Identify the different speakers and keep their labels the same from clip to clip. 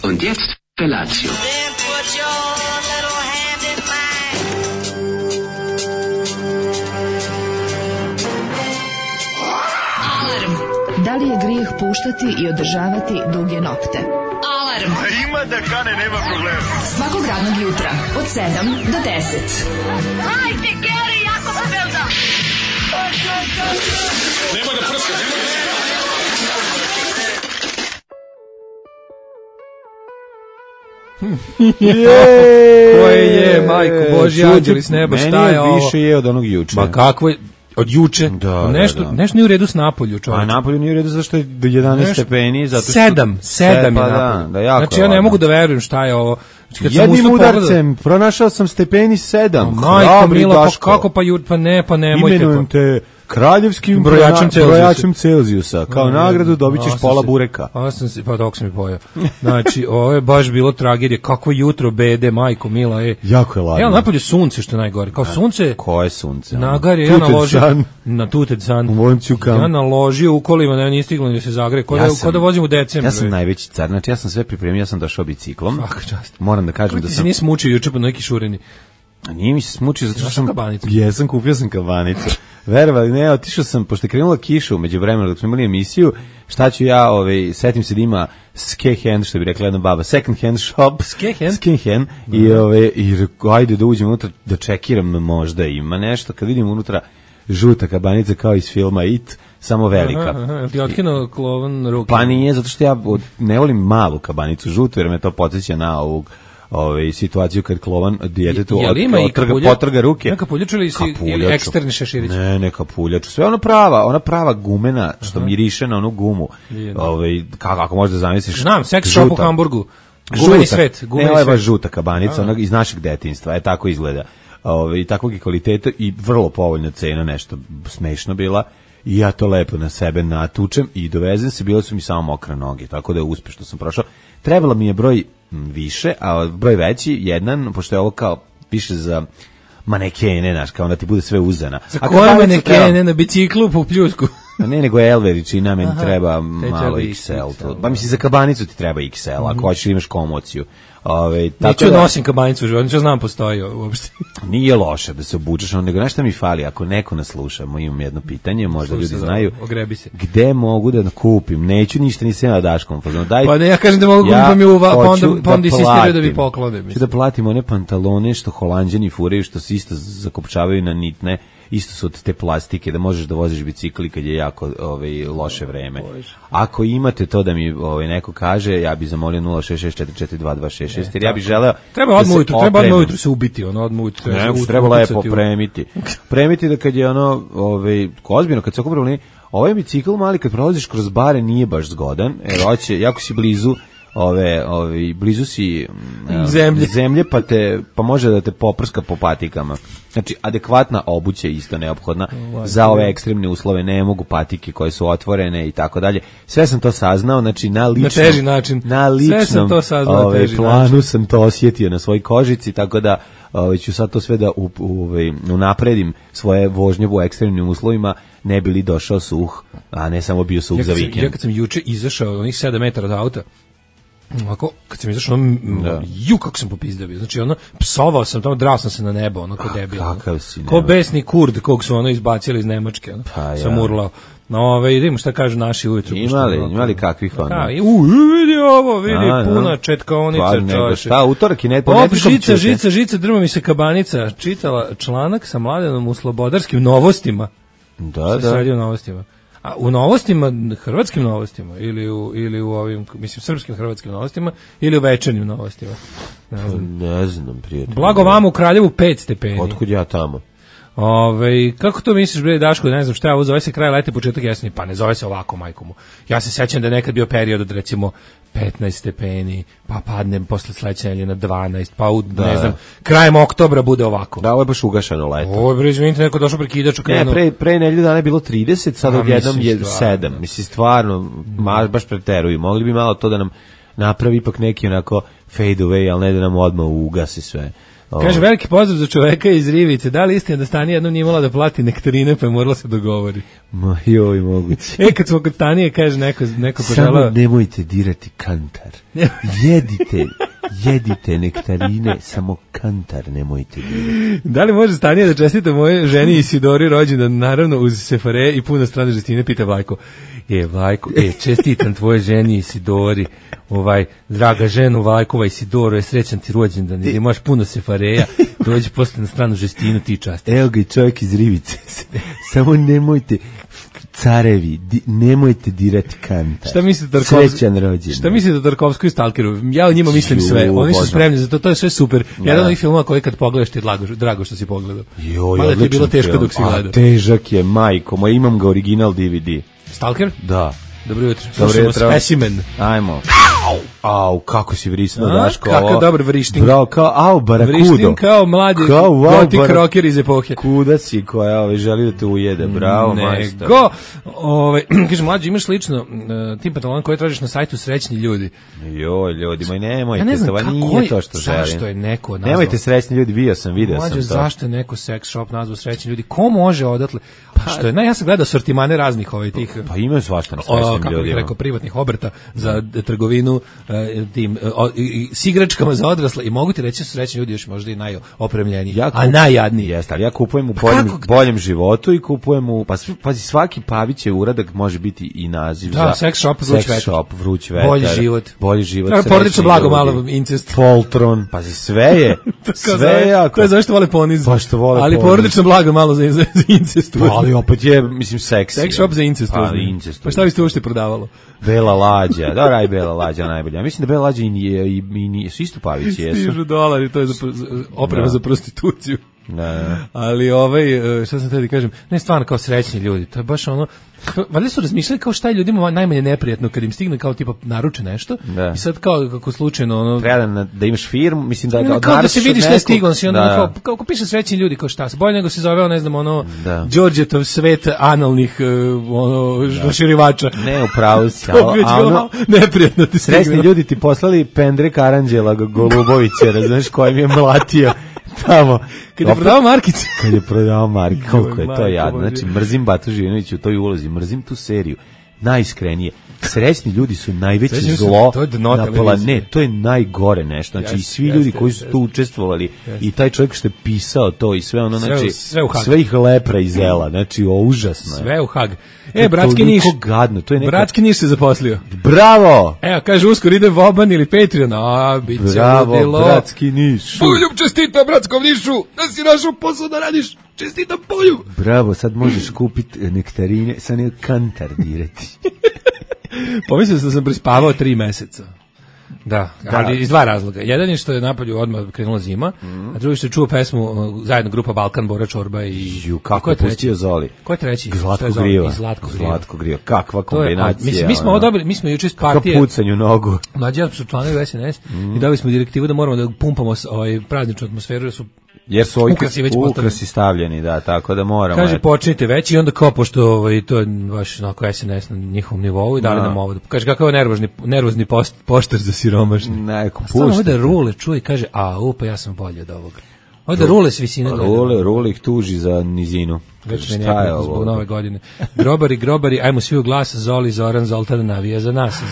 Speaker 1: Und jetzt Felatio.
Speaker 2: Then put your little hand in mine.
Speaker 3: Alarm. Da li je grijeh puštati i održavati duge nokte? Alarm.
Speaker 4: Ima da kane, nema problema.
Speaker 3: Svakog radnog jutra od 7 do 10.
Speaker 2: Hajde, Geri, jako se velda.
Speaker 4: Nemoj da prska, nemoj da...
Speaker 5: Koje je, majko Božja, anđeli s neba, šta je ovo?
Speaker 6: Meni je više je od onog juče.
Speaker 5: Ma kakvo je, od juče?
Speaker 6: Da,
Speaker 5: nešto,
Speaker 6: da.
Speaker 5: nešto nije u redu s Napolju, čovječe.
Speaker 6: A Napolju nije u redu zašto je do 11 stepeni. Zato što...
Speaker 5: Sedam je
Speaker 6: pa
Speaker 5: Napolju.
Speaker 6: da, jako
Speaker 5: znači ja ne mogu da verujem šta je ovo. Kad sam
Speaker 6: jednim
Speaker 5: ustao
Speaker 6: udarcem pronašao sam stepeni 7.
Speaker 5: Majko mila, pa kako pa nemojte.
Speaker 6: Imenujem te kraljevskim brojačem Celzijusa. Kao nagradu dobit ćeš pola bureka.
Speaker 5: Pa dok sam mi pojao. Znači, ovo je baš bilo tragedija. Kakvo jutro bede, majko mila.
Speaker 6: Jako je ladno.
Speaker 5: Evo napolje sunce što je najgore. Kao sunce...
Speaker 6: Koje sunce?
Speaker 5: Nagar je, ja naložio... Na Tuted San. Ja naložio u kolima, ne, nije stiglo ni da se zagre. Ko da vozim u decembru.
Speaker 6: Ja sam najveći car. Znači, ja sam sve pripremio, ja sam došao biciklom.
Speaker 5: Svaka čast.
Speaker 6: Moram da kažem da sam...
Speaker 5: Ti se nisi mučio juče po neki šureni.
Speaker 6: A nije mi se smučio zato što sam...
Speaker 5: kabanicu.
Speaker 6: Jesam, kupio sam kabanicu. Verovali, ne, otišao sam, pošto je krenula kiša umeđu vremena dok smo imali emisiju, šta ću ja, setim se da ima Skehand, što bi rekla jedna baba, second hand shop. Skehand. I ajde da uđem unutra, da čekiram, možda ima nešto. Kad vidim unutra žuta kabanica kao iz filma It, samo velika.
Speaker 5: Aha, ti otkinuo klovan ruke?
Speaker 6: Pa nije, zato što ja ne volim malu kabanicu žutu, jer me to podsjeća na ovog situaciju kad klovan djetetu potrga ruke.
Speaker 5: Neka puljaču ili eksterni šeširić?
Speaker 6: Ne kapuljaču. Sve ona prava gumena što miriše na onu gumu. Kako možeš da zamisliš?
Speaker 5: Znam, sex shop u Hamburgu. Gumeni svet.
Speaker 6: Ne, ovo je baš žuta kabanica, ona iz našeg detinjstva. Tako izgleda. Takvog je kvaliteta i vrlo povoljna cena, nešto smešno bila. I ja to lepo na sebe natučem i dovezem se, bile su mi samo mokre noge, tako da je uspešno sam prošao. Trebalo mi je broj više, a broj veći, jedan, pošto je ovo kao više za manekene, znaš, kao da ti bude sve uzana.
Speaker 5: Za koje manekene na biciklu po Pljusku?
Speaker 6: Ne, nego L veličina, meni treba malo XL. Pa misli, za kabanicu ti treba XL, ako hoćeš imaš komociju.
Speaker 5: Neću nosim kabanicu u životu, znam postoji uopšte.
Speaker 6: Nije loše da se obučeš, nego nešto mi fali, ako neko nas sluša, imam jedno pitanje, možda ljudi znaju, gde mogu da kupim, neću ništa, nisam ja Daškom.
Speaker 5: Pa ne, ja kažem da mogu kupim, pa onda insistiraju da mi poklone.
Speaker 6: Ću da platim one pantalone što Holanđani furaju, što se isto zakopčavaju na nitne, isto su od te plastike, da možeš da voziš bicikli kad je jako loše vreme. Ako imate to da mi neko kaže, ja bih zamolio 066442266, jer ja bih želeo
Speaker 5: treba odmah ujutru se ubiti, odmah ujutru.
Speaker 6: Treba lepo premiti da kad je ozbiljno, kad se oko problemi, ovaj bicikl mali kad prolaziš kroz bare nije baš zgodan, jer hoće, jako si blizu blizu si zemlje pa može da te poprska po patikama. Znači, adekvatna obuća je isto neophodna za ove ekstremne uslove, ne mogu patike koje su otvorene i tako dalje. Sve sam to saznao, znači na ličnom planu sam to osjetio na svojoj kožici, tako da ću sad to sve da unapredim svoje vožnje u ekstremnim uslovima, ne bi li došao suh, a ne samo bio suh za vikend.
Speaker 5: Ja kad sam juče izašao onih 7 metara od auta, ovako, kad sam izašao, kako sam popizdao bio, znači psovao sam tamo, drao sam se na nebo, ko debil, ko besni Kurd kog su izbacili iz Nemačke, sam urlao. Vidimo šta kažu naši ujutru.
Speaker 6: Imali kakvih
Speaker 5: vidi ovo, puna četkaonica, čoveče.
Speaker 6: Šta, utorak i
Speaker 5: žica, drma mi se kabanica, čitala članak sa Mladenom u Slobodarskim novostima.
Speaker 6: Da.
Speaker 5: Sredio novostima. A u novostima, hrvatskim novostima, ili u ovim, mislim, srpskim hrvatskim novostima, ili u večernjim novostima?
Speaker 6: Ne znam, prijatelj.
Speaker 5: Blago vama u Kraljevu 5 stepeni.
Speaker 6: Otkud ja tamo?
Speaker 5: Kako to misliš, bre, Daško, ne znam šta je ovo, zove se kraj leta, početak jeseni, pa ne zove se ovako, majkomu. Ja se sećam da je nekad bio period od, recimo, 15 stepeni, pa padnem posle sledeće nedelje na 12, pa ne znam, krajem oktobra bude ovako.
Speaker 6: Da, ovo je baš ugašano leto.
Speaker 5: Ovo je, bre, izvinite, neko došao prekidač.
Speaker 6: Pre nedelju dana je bilo 30, sad odjednom je 7. Mislim, stvarno, baš preteruju. Mogli bi malo to da nam napravi ipak neki onako fade away, ali ne da nam odmah ugasi sve.
Speaker 5: Kaže, veliki pozdrav za čoveka iz Rivice. Da li istina da Stani jednom nije imala da plati nektarine, pa je morala se dogovori?
Speaker 6: Ma joj, moguće.
Speaker 5: Kad smo kod Stanije, kaže neko poželao...
Speaker 6: Samo nemojte dirati kantar. Jedite nektarine, samo kantar nemojte dirati.
Speaker 5: Da li može Stanija da čestita moje ženi Isidori rođendan, naravno uz sefare i puno strane žestine, pita Vlajko. Vlajko, čestitam tvoje ženi Isidori, draga ženu Vlajkova Isidoro, srećan ti rođendan, gdje imaš puno sefareja, dođi posle na stranu žestinu, ti časti.
Speaker 6: Evo ga i čovjek iz Rivice, samo nemojte... Carevi, nemojte dirati kantar. Srećan rođendan.
Speaker 5: Šta mislite o Tarkovskoj i Stalkeru? Ja o njima mislim sve. Oni su spremni za to, to je sve super. Jedan od ovih filmova koji kad pogledaš ti je drago što si pogledao. Mada ti je bilo teško dok si gledao.
Speaker 6: Težak je, majko moj, imam ga original DVD.
Speaker 5: Stalker?
Speaker 6: Da.
Speaker 5: Dobro jutro. Slušamo Specimen.
Speaker 6: Ajmo. Au, kako si vrisno, Daško.
Speaker 5: Kako dobar vrišting.
Speaker 6: Bravo, kao, barakudo.
Speaker 5: Vrišting kao mladi gotik rocker iz epohe.
Speaker 6: Kuda si koja želi da te ujede, bravo, majstor.
Speaker 5: Kaže, mlađi, imaš slično tim pantalon koje tražiš na sajtu Srećni ljudi.
Speaker 6: Joj, ljudi, moj nemojte, to nije to što želim.
Speaker 5: Zašto je neko nazvao?
Speaker 6: Nemojte Srećni ljudi, video sam to.
Speaker 5: Mlađe, zašto je neko sex shop nazvao Srećni ljudi? Ko može odatle? Što je, ja sam gledao sortimane raznih tih...
Speaker 6: Pa imaju svašta na Srećnim ljudima.
Speaker 5: Kako bih rekao, privatnih obrta za trgovinu s igračkama za odrasle i mogu ti reći da su Srećni ljudi još možda i najopremljeniji, a najjadniji.
Speaker 6: Jeste, ali ja kupujem u boljem životu i kupujem u... Pazi, svaki Pavićev uradak može biti i naziv za...
Speaker 5: sex shop,
Speaker 6: vruć vetar.
Speaker 5: Bolji život. Porodično blago, malo incest.
Speaker 6: Poltron, pazi, sve je. Sve je jako.
Speaker 5: To je zašto vole poniz.
Speaker 6: Pa što vole
Speaker 5: ali porodično blago malo za incest.
Speaker 6: Ali opet je, mislim, seksi.
Speaker 5: Sex shop za incest. Pa šta biste uopšte prodavalo?
Speaker 6: Bela lađa, da raj Bela lađa najbolja. Mislim da Bela lađa i su isto Pavići, jesu.
Speaker 5: Stižu dolari, to je oprema za prostituciju.
Speaker 6: Da.
Speaker 5: Ali šta sam tada kažem, ne stvarno kao Srećni ljudi, to je baš ono, valjda su razmišljali kao šta je ljudima najmanje neprijatno kad im stigne kao tipa naruče nešto i sad kao kako slučajno ono...
Speaker 6: Treba da imaš firmu, mislim da...
Speaker 5: Kao da se vidiš šta je stiglo, i onda kao piše Srećni ljudi, kao šta se, bolje nego se zove, ne znam, Đorđetov svet analnih raširivača.
Speaker 6: Ne, upravo si,
Speaker 5: ono... Neprijatno ti stigne.
Speaker 6: Srećni ljudi ti poslali Pendrek Aranđela Golubovića, razumeš, kojim je mlatio tamo.
Speaker 5: Kad je prodao markice.
Speaker 6: Koliko je to jadno. Znači, mrzim Batu Živinovića u toj ulozi, mrzim tu seriju. Najiskrenije. Srećni ljudi su najveće zlo na planetu. To je najgore nešto. Znači, i svi ljudi koji su tu učestvovali i taj čovjek što je pisao to i sve ono, znači, sve ih lepra i zela. Znači, užasno je.
Speaker 5: Sve u Hag. Bratski Niš. Bratski Niš se zaposlio.
Speaker 6: Bravo!
Speaker 5: Evo, kaže, uskoro ide Voban ili Patreon. Bit će ludilo.
Speaker 6: Bravo, Bratski Niš.
Speaker 5: Poljub čestita Bratskom Nišu, da si našao posao da radiš. Čestita Poljub.
Speaker 6: Bravo, sad možeš kupiti nektarine, sad ne kantar dirati.
Speaker 5: Pomislio sam prespavao 3 meseca. Da, ali iz dva razloga. Jedan je što je napolju odmah krenula zima, a drugi što je čuo pesmu zajedno grupa Balkan, Bora Čorba i...
Speaker 6: Kako je pustio Zoli?
Speaker 5: Ko je treći?
Speaker 6: Zlatko Griva. Kakva kombinacija.
Speaker 5: Mi smo juče iz partije...
Speaker 6: Kako pucanju nogu.
Speaker 5: Mlađi su članovi SNS i dali smo direktivu da moramo da pumpamo prazničnu atmosferu,
Speaker 6: jer su ukrasi stavljeni, da, tako da moramo.
Speaker 5: Kaže, počnite već i onda kao, pošto to je baš onako SNS na njihovom nivou i dali nam ovo. Kaže, kakav je nervozni poštar za siromašni.
Speaker 6: Neko pušta.
Speaker 5: Stvarno ovdje Rule čuje i kaže, pa ja sam bolje od ovoga. Ovdje Rule s visine gleda.
Speaker 6: Rule ih tuži za nizinu.
Speaker 5: Već ne nekako zbog nove godine. Grobari, ajmo svi u glas, Zoli, Zoran, Zoltan navija za nas.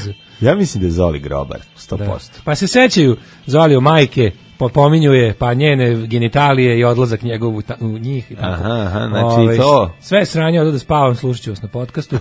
Speaker 6: Ja mislim da je Zoli grobar, 100%. Da.
Speaker 5: Pa se sećaju Zoli o majke, pominjuje pa njene genitalije i odlazak njegov u njih i tako.
Speaker 6: Aha, znači to.
Speaker 5: Sve sranje od da spavam, slušat ću vas na podcastu.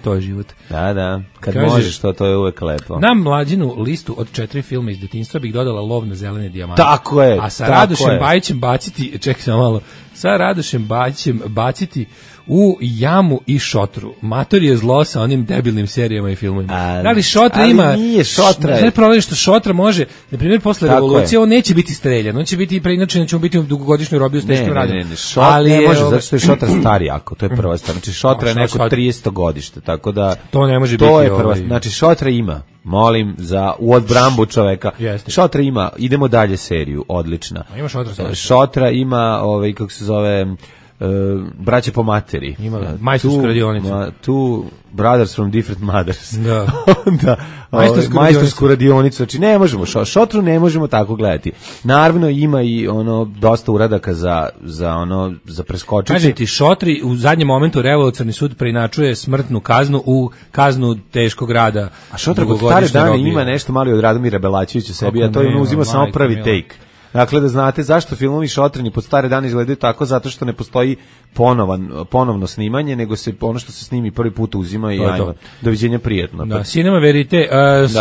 Speaker 5: To je život.
Speaker 6: Da, kad kaže, možeš to je uvek lepo.
Speaker 5: Na Mlađinu listu od 4 filma iz detinjstva bih dodala Lov na zelene dijamante.
Speaker 6: Tako je.
Speaker 5: A sa Radošem Bajićem baciti, čekaj samo malo, sa Radošem Bajićem baciti u jamu i Šotru. Mator je zlo sa onim debilnim serijama i filmovima. Da li Šotra ima...
Speaker 6: Ali nije Šotra.
Speaker 5: Ne problem što Šotra može, na primjer, posle revolucije, on neće biti streljan. On će biti, preinače, ćemo biti u dugogodišnjoj robiju s teškim radom.
Speaker 6: Ne, Šotra ne može, zato što je Šotra stari jako. To je prva stvar. Znači, Šotra je neko 300 godište, tako da...
Speaker 5: To ne može biti...
Speaker 6: To je prva. Znači, Šotra ima. Molim za u odbrambu čoveka. Šotra ima, idemo dalje seriju, odlična.
Speaker 5: Ima Šotra.
Speaker 6: Šotra ima, kako se zove... braće po materi.
Speaker 5: Ima majstorsku radionicu.
Speaker 6: Tu brothers from different mothers.
Speaker 5: Da.
Speaker 6: Onda majstorsku radionicu. Znači ne možemo, Šotru ne možemo tako gledati. Naravno ima i ono dosta uradaka za preskočiti.
Speaker 5: Kaže ti, Šotri u zadnjem momentu Revolucionarni sud preinačuje smrtnu kaznu u kaznu teškog rada.
Speaker 6: A Šotra kod stare dane ima nešto malo od Radomira Belačevića sebi, a to je uzima samo prvi take. Dakle, da znate zašto filmovi Šotreni pod stare dane izgledaju tako, zato što ne postoji ponovno snimanje, nego se ono što se snimi prvi put uzima i ajmo, doviđenja, prijetno.
Speaker 5: Da, Cinema Verite,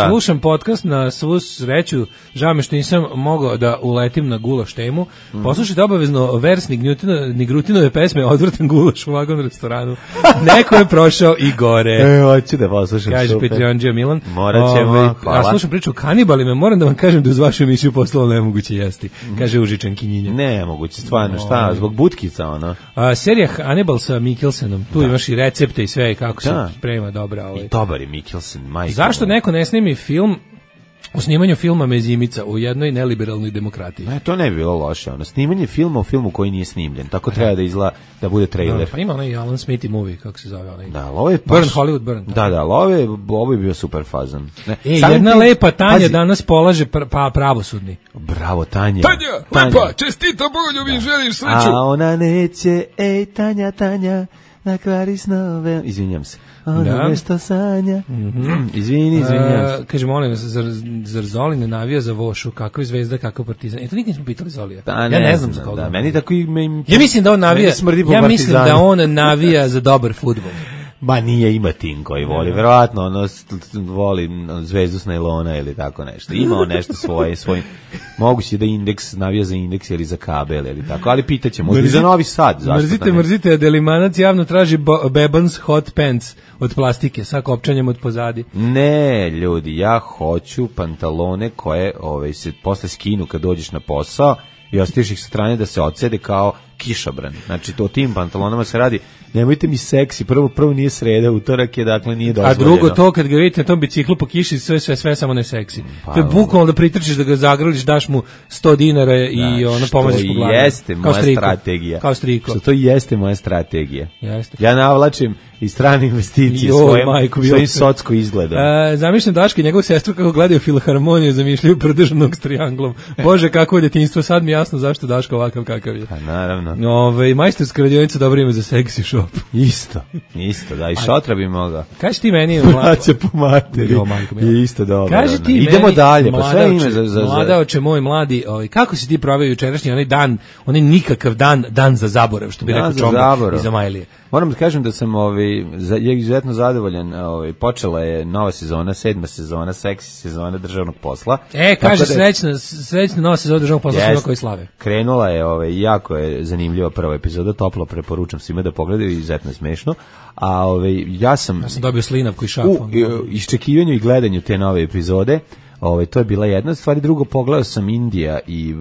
Speaker 5: slušam podcast na svu sreću, žao mi što nisam mogao da uletim na gulaš temu, poslušajte obavezno versnik Nigrutinove pesme Odvratan gulaš u vagonu restoranu. Neko je prošao i gore.
Speaker 6: Hoću da poslušam.
Speaker 5: Kaže Petrionđija Milan.
Speaker 6: Morat ćemo, hvala.
Speaker 5: Ja slušam priču o kanibalima, moram da vam kažem da uz vašu emisiju postalo nemoguće jesti. Kaže Užičan Kinjinja.
Speaker 6: Nemoguće, stvarno, šta, zbog butkica, ono.
Speaker 5: Serija Hannibal sa Mikkelsenom, tu imaš i recepte i sve, kako se sprema dobra.
Speaker 6: I dobar je Mikkelsen, majko.
Speaker 5: Zašto neko ne snimi film o snimanju filma Mezimica u jednoj neliberalnoj demokratiji?
Speaker 6: To ne bi bilo loše, ono, snimanje filma u filmu koji nije snimljen, tako treba da izgleda, da bude trailer.
Speaker 5: Pa ima onaj Alan Smithy movie, kako se zove onaj.
Speaker 6: Da, ovo je
Speaker 5: Burn, Hollywood Burn.
Speaker 6: Da, ovo je bio super fazan.
Speaker 5: Jedna lepa Tanja danas polaže pravosudni.
Speaker 6: Bravo, Tanja.
Speaker 4: Tanja, lepa, čestita Bogoljubin, želim sreću.
Speaker 6: A ona neće, Tanja, na kvari snove. Izvinjam se. Ona nešto sanja. Izvinjam se.
Speaker 5: Kaže, molim vas, zar Zoli ne navija za Vošu? Kako je Zvezda, kako je Partizan? To nikad nismo pitali Zolija. Ja ne znam za koga.
Speaker 6: Meni tako i...
Speaker 5: Ja mislim da on navija, za dobar fudbal.
Speaker 6: Ma nije, ima tim koji voli, verovatno ono voli Zvezdu s najlona ili tako nešto. Ima on nešto svoj. Moguće da Indeks navija za Indeks ili za kabel ili tako, ali pitaćemo. Možda i za Novi Sad.
Speaker 5: Mrzite, Delimanac javno traži Bebans hot pants od plastike sa kopčanjem od pozadi.
Speaker 6: Ne, ljudi, ja hoću pantalone koje se posle skinu kad dođeš na posao i ostaviš ih sa strane da se odsede kao kišobran. Znači, to tim pantalonama se radi. Nemojte mi seksi, prvo nije sreda, utorak je, dakle nije dozvoljeno.
Speaker 5: A drugo to, kad ga vidite na tom biciklu po kiši, sve samo ne seksi. To je bukvalno da pritrčiš, da ga zagrliš, daš mu 100 dinara i ono pomoziš po glavi.
Speaker 6: To jeste moja strategija.
Speaker 5: Kao striko.
Speaker 6: To jeste moja strategija.
Speaker 5: Jeste.
Speaker 6: Ja navlačim i strane investicije svojim socko izgledom.
Speaker 5: Zamišljam Daška i njegovu sestru kako gledaju Filharmoniju, zamišljaju prodržanog s trijanglom. Bože, kako je djetinjstvo, sad mi jasno zašto Daška ovakav kakav je.
Speaker 6: Pa naravno.
Speaker 5: Majstorska radionica dobro ime za seksi shop.
Speaker 6: Isto, da, i Šotra bi mogao.
Speaker 5: Kaži ti meni...
Speaker 6: Braća po materi, je isto dobro.
Speaker 5: Kaži ti meni...
Speaker 6: Idemo dalje, pa sve ime za...
Speaker 5: Mladaoče moj mladi, kako si ti proveo jučerašnji onaj dan, onaj nikakav dan za zaborav, što bi rekao Čombo iz Amajlije.
Speaker 6: Moram da kažem da sam izuzetno zadovoljan. Počela je nova sezona, 7. sezona, seksi sezona državnog posla.
Speaker 5: Kaže srećna nova sezona državnog posla svima koji slave.
Speaker 6: Krenula je, jako je zanimljiva prva epizoda, toplo preporučam svima da pogledaju, izuzetno je smešno. A ja sam
Speaker 5: dobio slinavku i šapu.
Speaker 6: U iščekivanju i gledanju te nove epizode. To je bila jedna stvar, i drugo, pogledao sam Indija i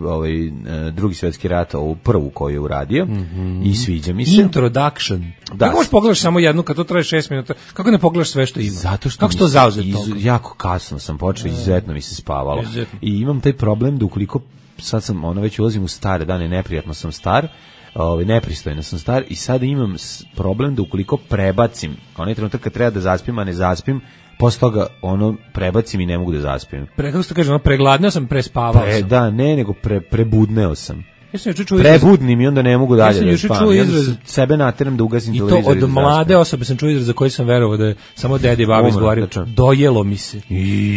Speaker 6: Drugi svjetski rat, ovu prvu koju je uradio, i sviđa mi se.
Speaker 5: Introduction. Kako možeš pogledaš samo jednu kad to traje 6 minuta? Kako ne pogledaš sve što ima?
Speaker 6: Zato što
Speaker 5: kako to zauzet
Speaker 6: jako kasno sam počeo, izuzetno mi se spavalo. I imam taj problem da ukoliko sad sam već ulazim u stare dane, neprijatno sam star, nepristojno sam star, i sada imam problem da ukoliko prebacim onaj trenutak kad treba da zaspim, a ne zaspim, posle toga prebacim i ne mogu da zaspim.
Speaker 5: Kako se to kaže, pregladneo sam, prespavao sam.
Speaker 6: Da, nego prebudneo sam. Prebudnim i onda ne mogu dalje da spavam. Ja sebe nateram da ugasim televizor.
Speaker 5: I to od mlade osobe sam čuo izraz za koji sam verovao da je samo dede i baba izgovorio. Dojelo mi se.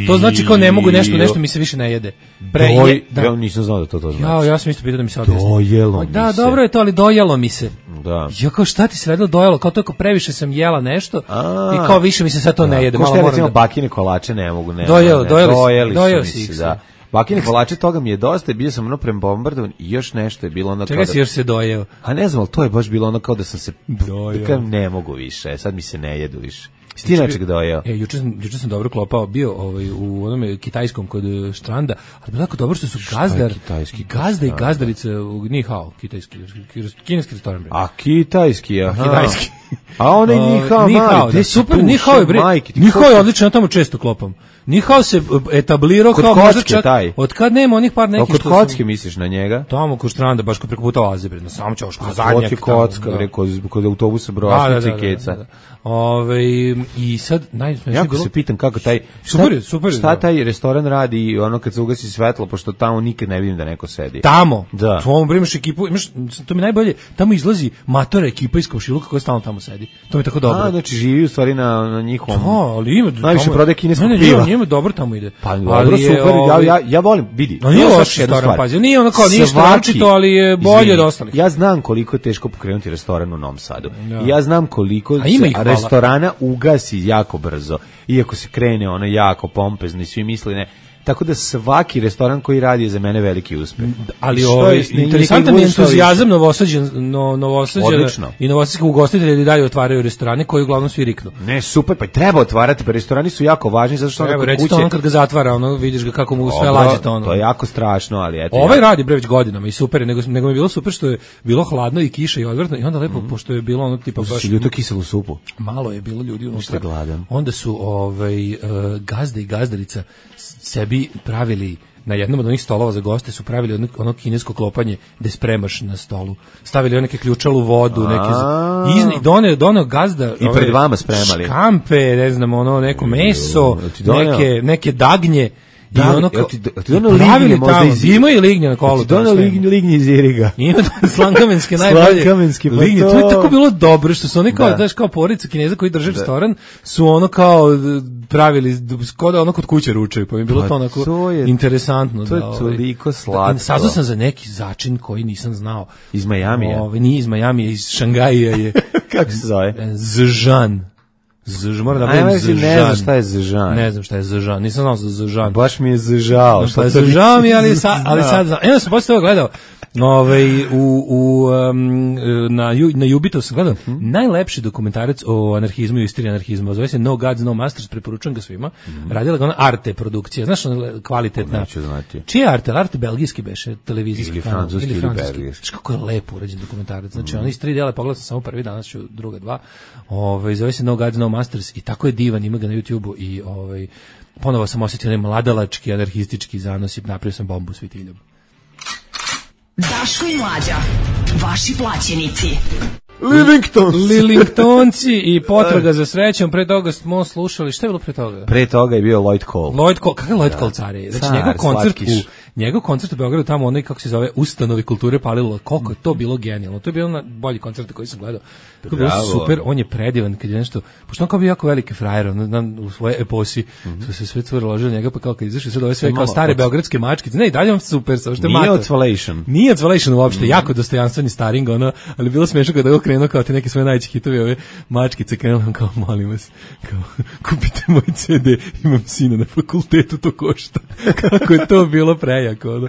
Speaker 5: To znači kao ne mogu nešto mi se više ne jede.
Speaker 6: Ja nisam znao da to znači.
Speaker 5: Ja sam isto pitao da mi se odjesi.
Speaker 6: Dojelo mi se.
Speaker 5: Da, dobro je to, ali dojelo mi se.
Speaker 6: Da.
Speaker 5: Ja kao, šta ti se radilo dojelo? Kao to, previše sam jela nešto i kao više mi se sad to ne jede.
Speaker 6: Ko što ja recimo bakine kolače ne mogu.
Speaker 5: Dojelo si.
Speaker 6: Da. Bakine kolače, toga mi je dosta, bio sam prembombardovan i još nešto je bilo ono...
Speaker 5: Čega si još se dojeo?
Speaker 6: A ne znam, ali to je baš bilo ono kao da sam se... Ne mogu više, sad mi se ne jedu više. Sti nečeg dojeo?
Speaker 5: Juče sam dobro klopao, bio u onome kitajskom kod Štranda, ali bilo tako dobro što su gazda i gazdarice u Ni Hao, kineski restoran.
Speaker 6: A kitajski, aha.
Speaker 5: Kitajski.
Speaker 6: A onaj Nihao mali,
Speaker 5: super, Nihao je bre, Nihao je odlično, ja tamo često klopam. Nihao se etablirao kao možda čak, od kad nema onih par nekih
Speaker 6: što... Kod kocke misliš na njega?
Speaker 5: Tamo kod stranda, baš kod preko puta Oaze, bre, na samo ćošku, na zadnjak.
Speaker 6: Kod kocka, bre, kod autobusa Brosnice i Keca.
Speaker 5: I sad, najsmešnije
Speaker 6: bilo... Ja se pitam kako taj...
Speaker 5: Super.
Speaker 6: Šta taj restoran radi ono kad se ugasi svetlo, pošto tamo nikad ne vidim da neko sedi.
Speaker 5: Tamo? Da. Tamo imaš ekipu, to mi najbolje, tamo izlazi matora ekipa iz komšiluka koja stalno tamo sedi. To mi je tako dobro.
Speaker 6: Znači živi u stvari na njihovom...
Speaker 5: ali ima...
Speaker 6: Najviše prodaje kineskog piva.
Speaker 5: Njima dobro tamo ide.
Speaker 6: Pa dobro, super, ja volim, vidi.
Speaker 5: Nije loš restoran, pazi, nije ono kao ništa naročito, ali je bolje od ostalih.
Speaker 6: Ja znam koliko je teško pokrenuti restoran u Novom Sadu. I ja znam koliko se restorana ugasi jako brzo. Iako se krene ono jako pompezno i svi misle ne. Tako da svaki restoran koji radi je za mene veliki uspeh.
Speaker 5: Ali interesantan je entuzijazam Novosađana i novosadskih ugostitelja da dalje otvaraju restorane koji uglavnom svi riknu.
Speaker 6: Ne, super, pa treba otvarati, pa restorani su jako važni zato što
Speaker 5: ono kod kuće... kad ga zatvara, ono, vidiš ga kako mu sve lađe to ono.
Speaker 6: To je jako strašno, ali eto...
Speaker 5: Ovaj radi bre već godinama i super, nego mi je bilo super što je bilo hladno i kiša i odvrtno i onda lepo, pošto je bilo ono tipa baš...
Speaker 6: Ljuto kiselu supu.
Speaker 5: Malo je bilo ljudi unutra. Onda su gazde i gazdarica sebi pravili na jednom od onih stolova za goste su pravili ono kinesko klopanje gde spremaš na stolu. Stavili neke ključalu vodu, neke doneo gazda
Speaker 6: i pred vama spremali.
Speaker 5: Škampe, ne znam, ono neko meso, neke dagnje.
Speaker 6: Da, i ono kao, ti pravili tamo,
Speaker 5: ima i lignje na kolu.
Speaker 6: Ti donao lignje iz Iriga.
Speaker 5: Ima slankamenske najbolje.
Speaker 6: Slankamenske, pa
Speaker 5: lignje, to je tako bilo dobro, što su oni kao, daš kao porodica Kineza koji drže restoran, su ono kao pravili, kod ono kod kuće ručaju, pa mi je bilo to onako interesantno.
Speaker 6: To je toliko slatko.
Speaker 5: Saznao sam za neki začin koji nisam znao.
Speaker 6: Iz Majamija?
Speaker 5: Nije iz Majamija, iz Šangaja je.
Speaker 6: Kako se zove?
Speaker 5: Zžan. Moram da budem Zžan.
Speaker 6: Ne znam šta je Zžan.
Speaker 5: Ne znam šta je Zžan. Nisam znao za Zžan.
Speaker 6: Baš mi je zžao.
Speaker 5: Šta je zžao mi, ali sad znam. Evo sam posle toga gledao. Na Jubitu sam gledao najlepši dokumentarac o anarhizmu i istoriji anarhizma. Zove se No Gods, No Masters, preporučujem ga svima. Radila ga ona Arte produkcija. Znaš, kvalitetna.
Speaker 6: Neću znati.
Speaker 5: Čiji je Arte? Arte belgijski beše, televizijski
Speaker 6: kanal. Ili francuski.
Speaker 5: Znaš kako je lepo urađen dokumentarac. Znači, on iz 3 dela, pogledao sam samo prvi, danas ću druga 2. Zove se No Gods, No Masters i tako je divan, ima ga na YouTubeu i ponovo sam osjetio onaj mladalački, anarhistički zanos i napravio sam bombu s vitiljom.
Speaker 3: Daško i Mlađa, vaši plaćenici.
Speaker 5: Livingtonci i potraga za srećom. Pre toga smo slušali, šta je bilo pre toga?
Speaker 6: Pre toga je bio Lloyd Cole.
Speaker 5: Kakav je Lloyd Cole, car je? Znači, njegov koncert u Beogradu, tamo onaj, kako se zove, Ustanovi kulture palilo, koliko je to bilo genijalno. To je bilo na bolji koncert koji sam gledao. To je bilo super, on je predivan kad je nešto, pošto on kao bio jako veliki frajer, u svoje eposi, su se sve cure ložili njega, pa kao kad izašli sve ove sve kao stare beogradske mačkice, ne, i dalje on super, samo što je mater. Nije Otvalation uopšte, jako dostojanstveni staring, ali bilo smiješno kada je okrenuo kao te neke svoje najveće hitovi, ove mačkice, krenuo kao, molim vas, kao, kupite moj CD, imam sina na fakultetu, to košta. Kako je to bilo prejako,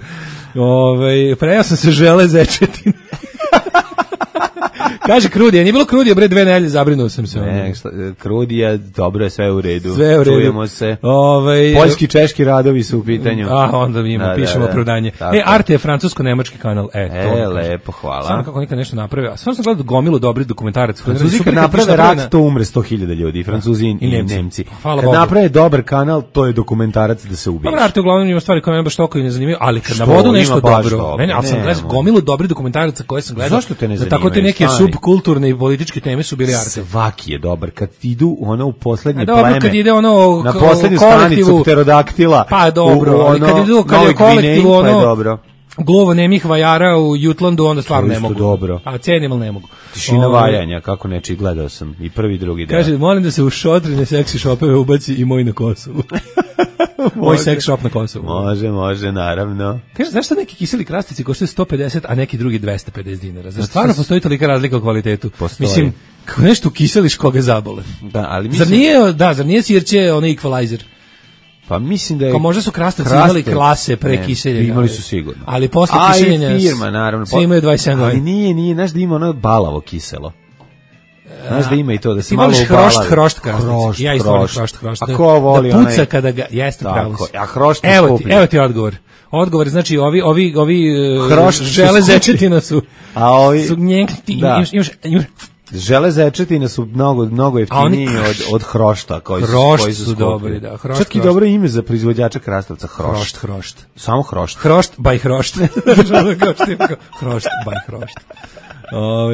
Speaker 5: prejao sam se žele zečetine. Kaže Krudija, nije bilo Krudija, bre, 2 nedelje, zabrinuo sam se.
Speaker 6: Ne, Krudija, dobro je, sve u redu.
Speaker 5: Sve u redu.
Speaker 6: Čujemo se. Poljski, češki radovi su u pitanju.
Speaker 5: Onda pišemo opravdanje. Arte je francusko-nemački kanal.
Speaker 6: Lepo, hvala.
Speaker 5: Samo kako nikad nešto napravio. A stvarno sam gledao gomilu dobri dokumentarac.
Speaker 6: Francuzi kad naprave rat, to umre 100.000 ljudi, Francuzi i Nemci. Kad naprave dobar kanal, to je dokumentarac da se ubiješ.
Speaker 5: Dobro, Arte uglavnom ima stvari koje me baš toliko i ne zanimaju, ali kad na vodu nešto dobro. Ne, ali sam gledao gomilu dobri dokumentaraca koje sam gledao.
Speaker 6: Zašto te ne zanimaju?
Speaker 5: Kulturne i političke teme su bili Arte.
Speaker 6: Svaki je dobar. Kad idu u poslednje
Speaker 5: pleme. Dobro, kad ide
Speaker 6: na poslednju stanicu pterodaktila.
Speaker 5: Pa dobro, ali kad idu kad je kolektiv glovo nemih vajara u Jutlandu, onda stvarno ne mogu.
Speaker 6: Dobro.
Speaker 5: A cenim, ali ne mogu.
Speaker 6: Tišina vajanja, kako neči, gledao sam i prvi i drugi deo.
Speaker 5: Kaže, molim da se u šotrine seksi šopeve ubaci i moj na Kosovu. Moj seks shop na Kosovu.
Speaker 6: Može, naravno.
Speaker 5: Kaže, znaš šta neki kiseli krastici koštaju 150, a neki drugi 250 dinara? Znaš, stvarno postoji tolika razlika u kvalitetu?
Speaker 6: Postoji.
Speaker 5: Mislim, kako nešto ukiseliš koga zabole.
Speaker 6: Da, ali mislim...
Speaker 5: Zar nije sirće onaj equalizer?
Speaker 6: Pa mislim da je...
Speaker 5: Kao možda su krastavci imali klase pre kiseljenja.
Speaker 6: Imali su sigurno.
Speaker 5: Ali posle kiseljenja...
Speaker 6: A i firma, naravno.
Speaker 5: Svi imaju 27 godina.
Speaker 6: Ali nije, znaš da ima ono balavo kiselo. Znaš da ima i to, da se malo ubala.
Speaker 5: Hrošt krastavci. Ja isto volim hrošt.
Speaker 6: A ko voli
Speaker 5: da puca kada ga... Jeste pravo.
Speaker 6: A hrošt je skuplji.
Speaker 5: Evo ti odgovor. Odgovor, znači ovi žele zečetina su...
Speaker 6: A ovi...
Speaker 5: Su njeg...
Speaker 6: Železečetine su mnogo jeftiniji od hrošta koji su
Speaker 5: dobri, da.
Speaker 6: Čak i dobro ime za proizvođača krastavca,
Speaker 5: Hrošt.
Speaker 6: Samo hrošt.
Speaker 5: Hrošt by hrošt. Hrošt by hrošt.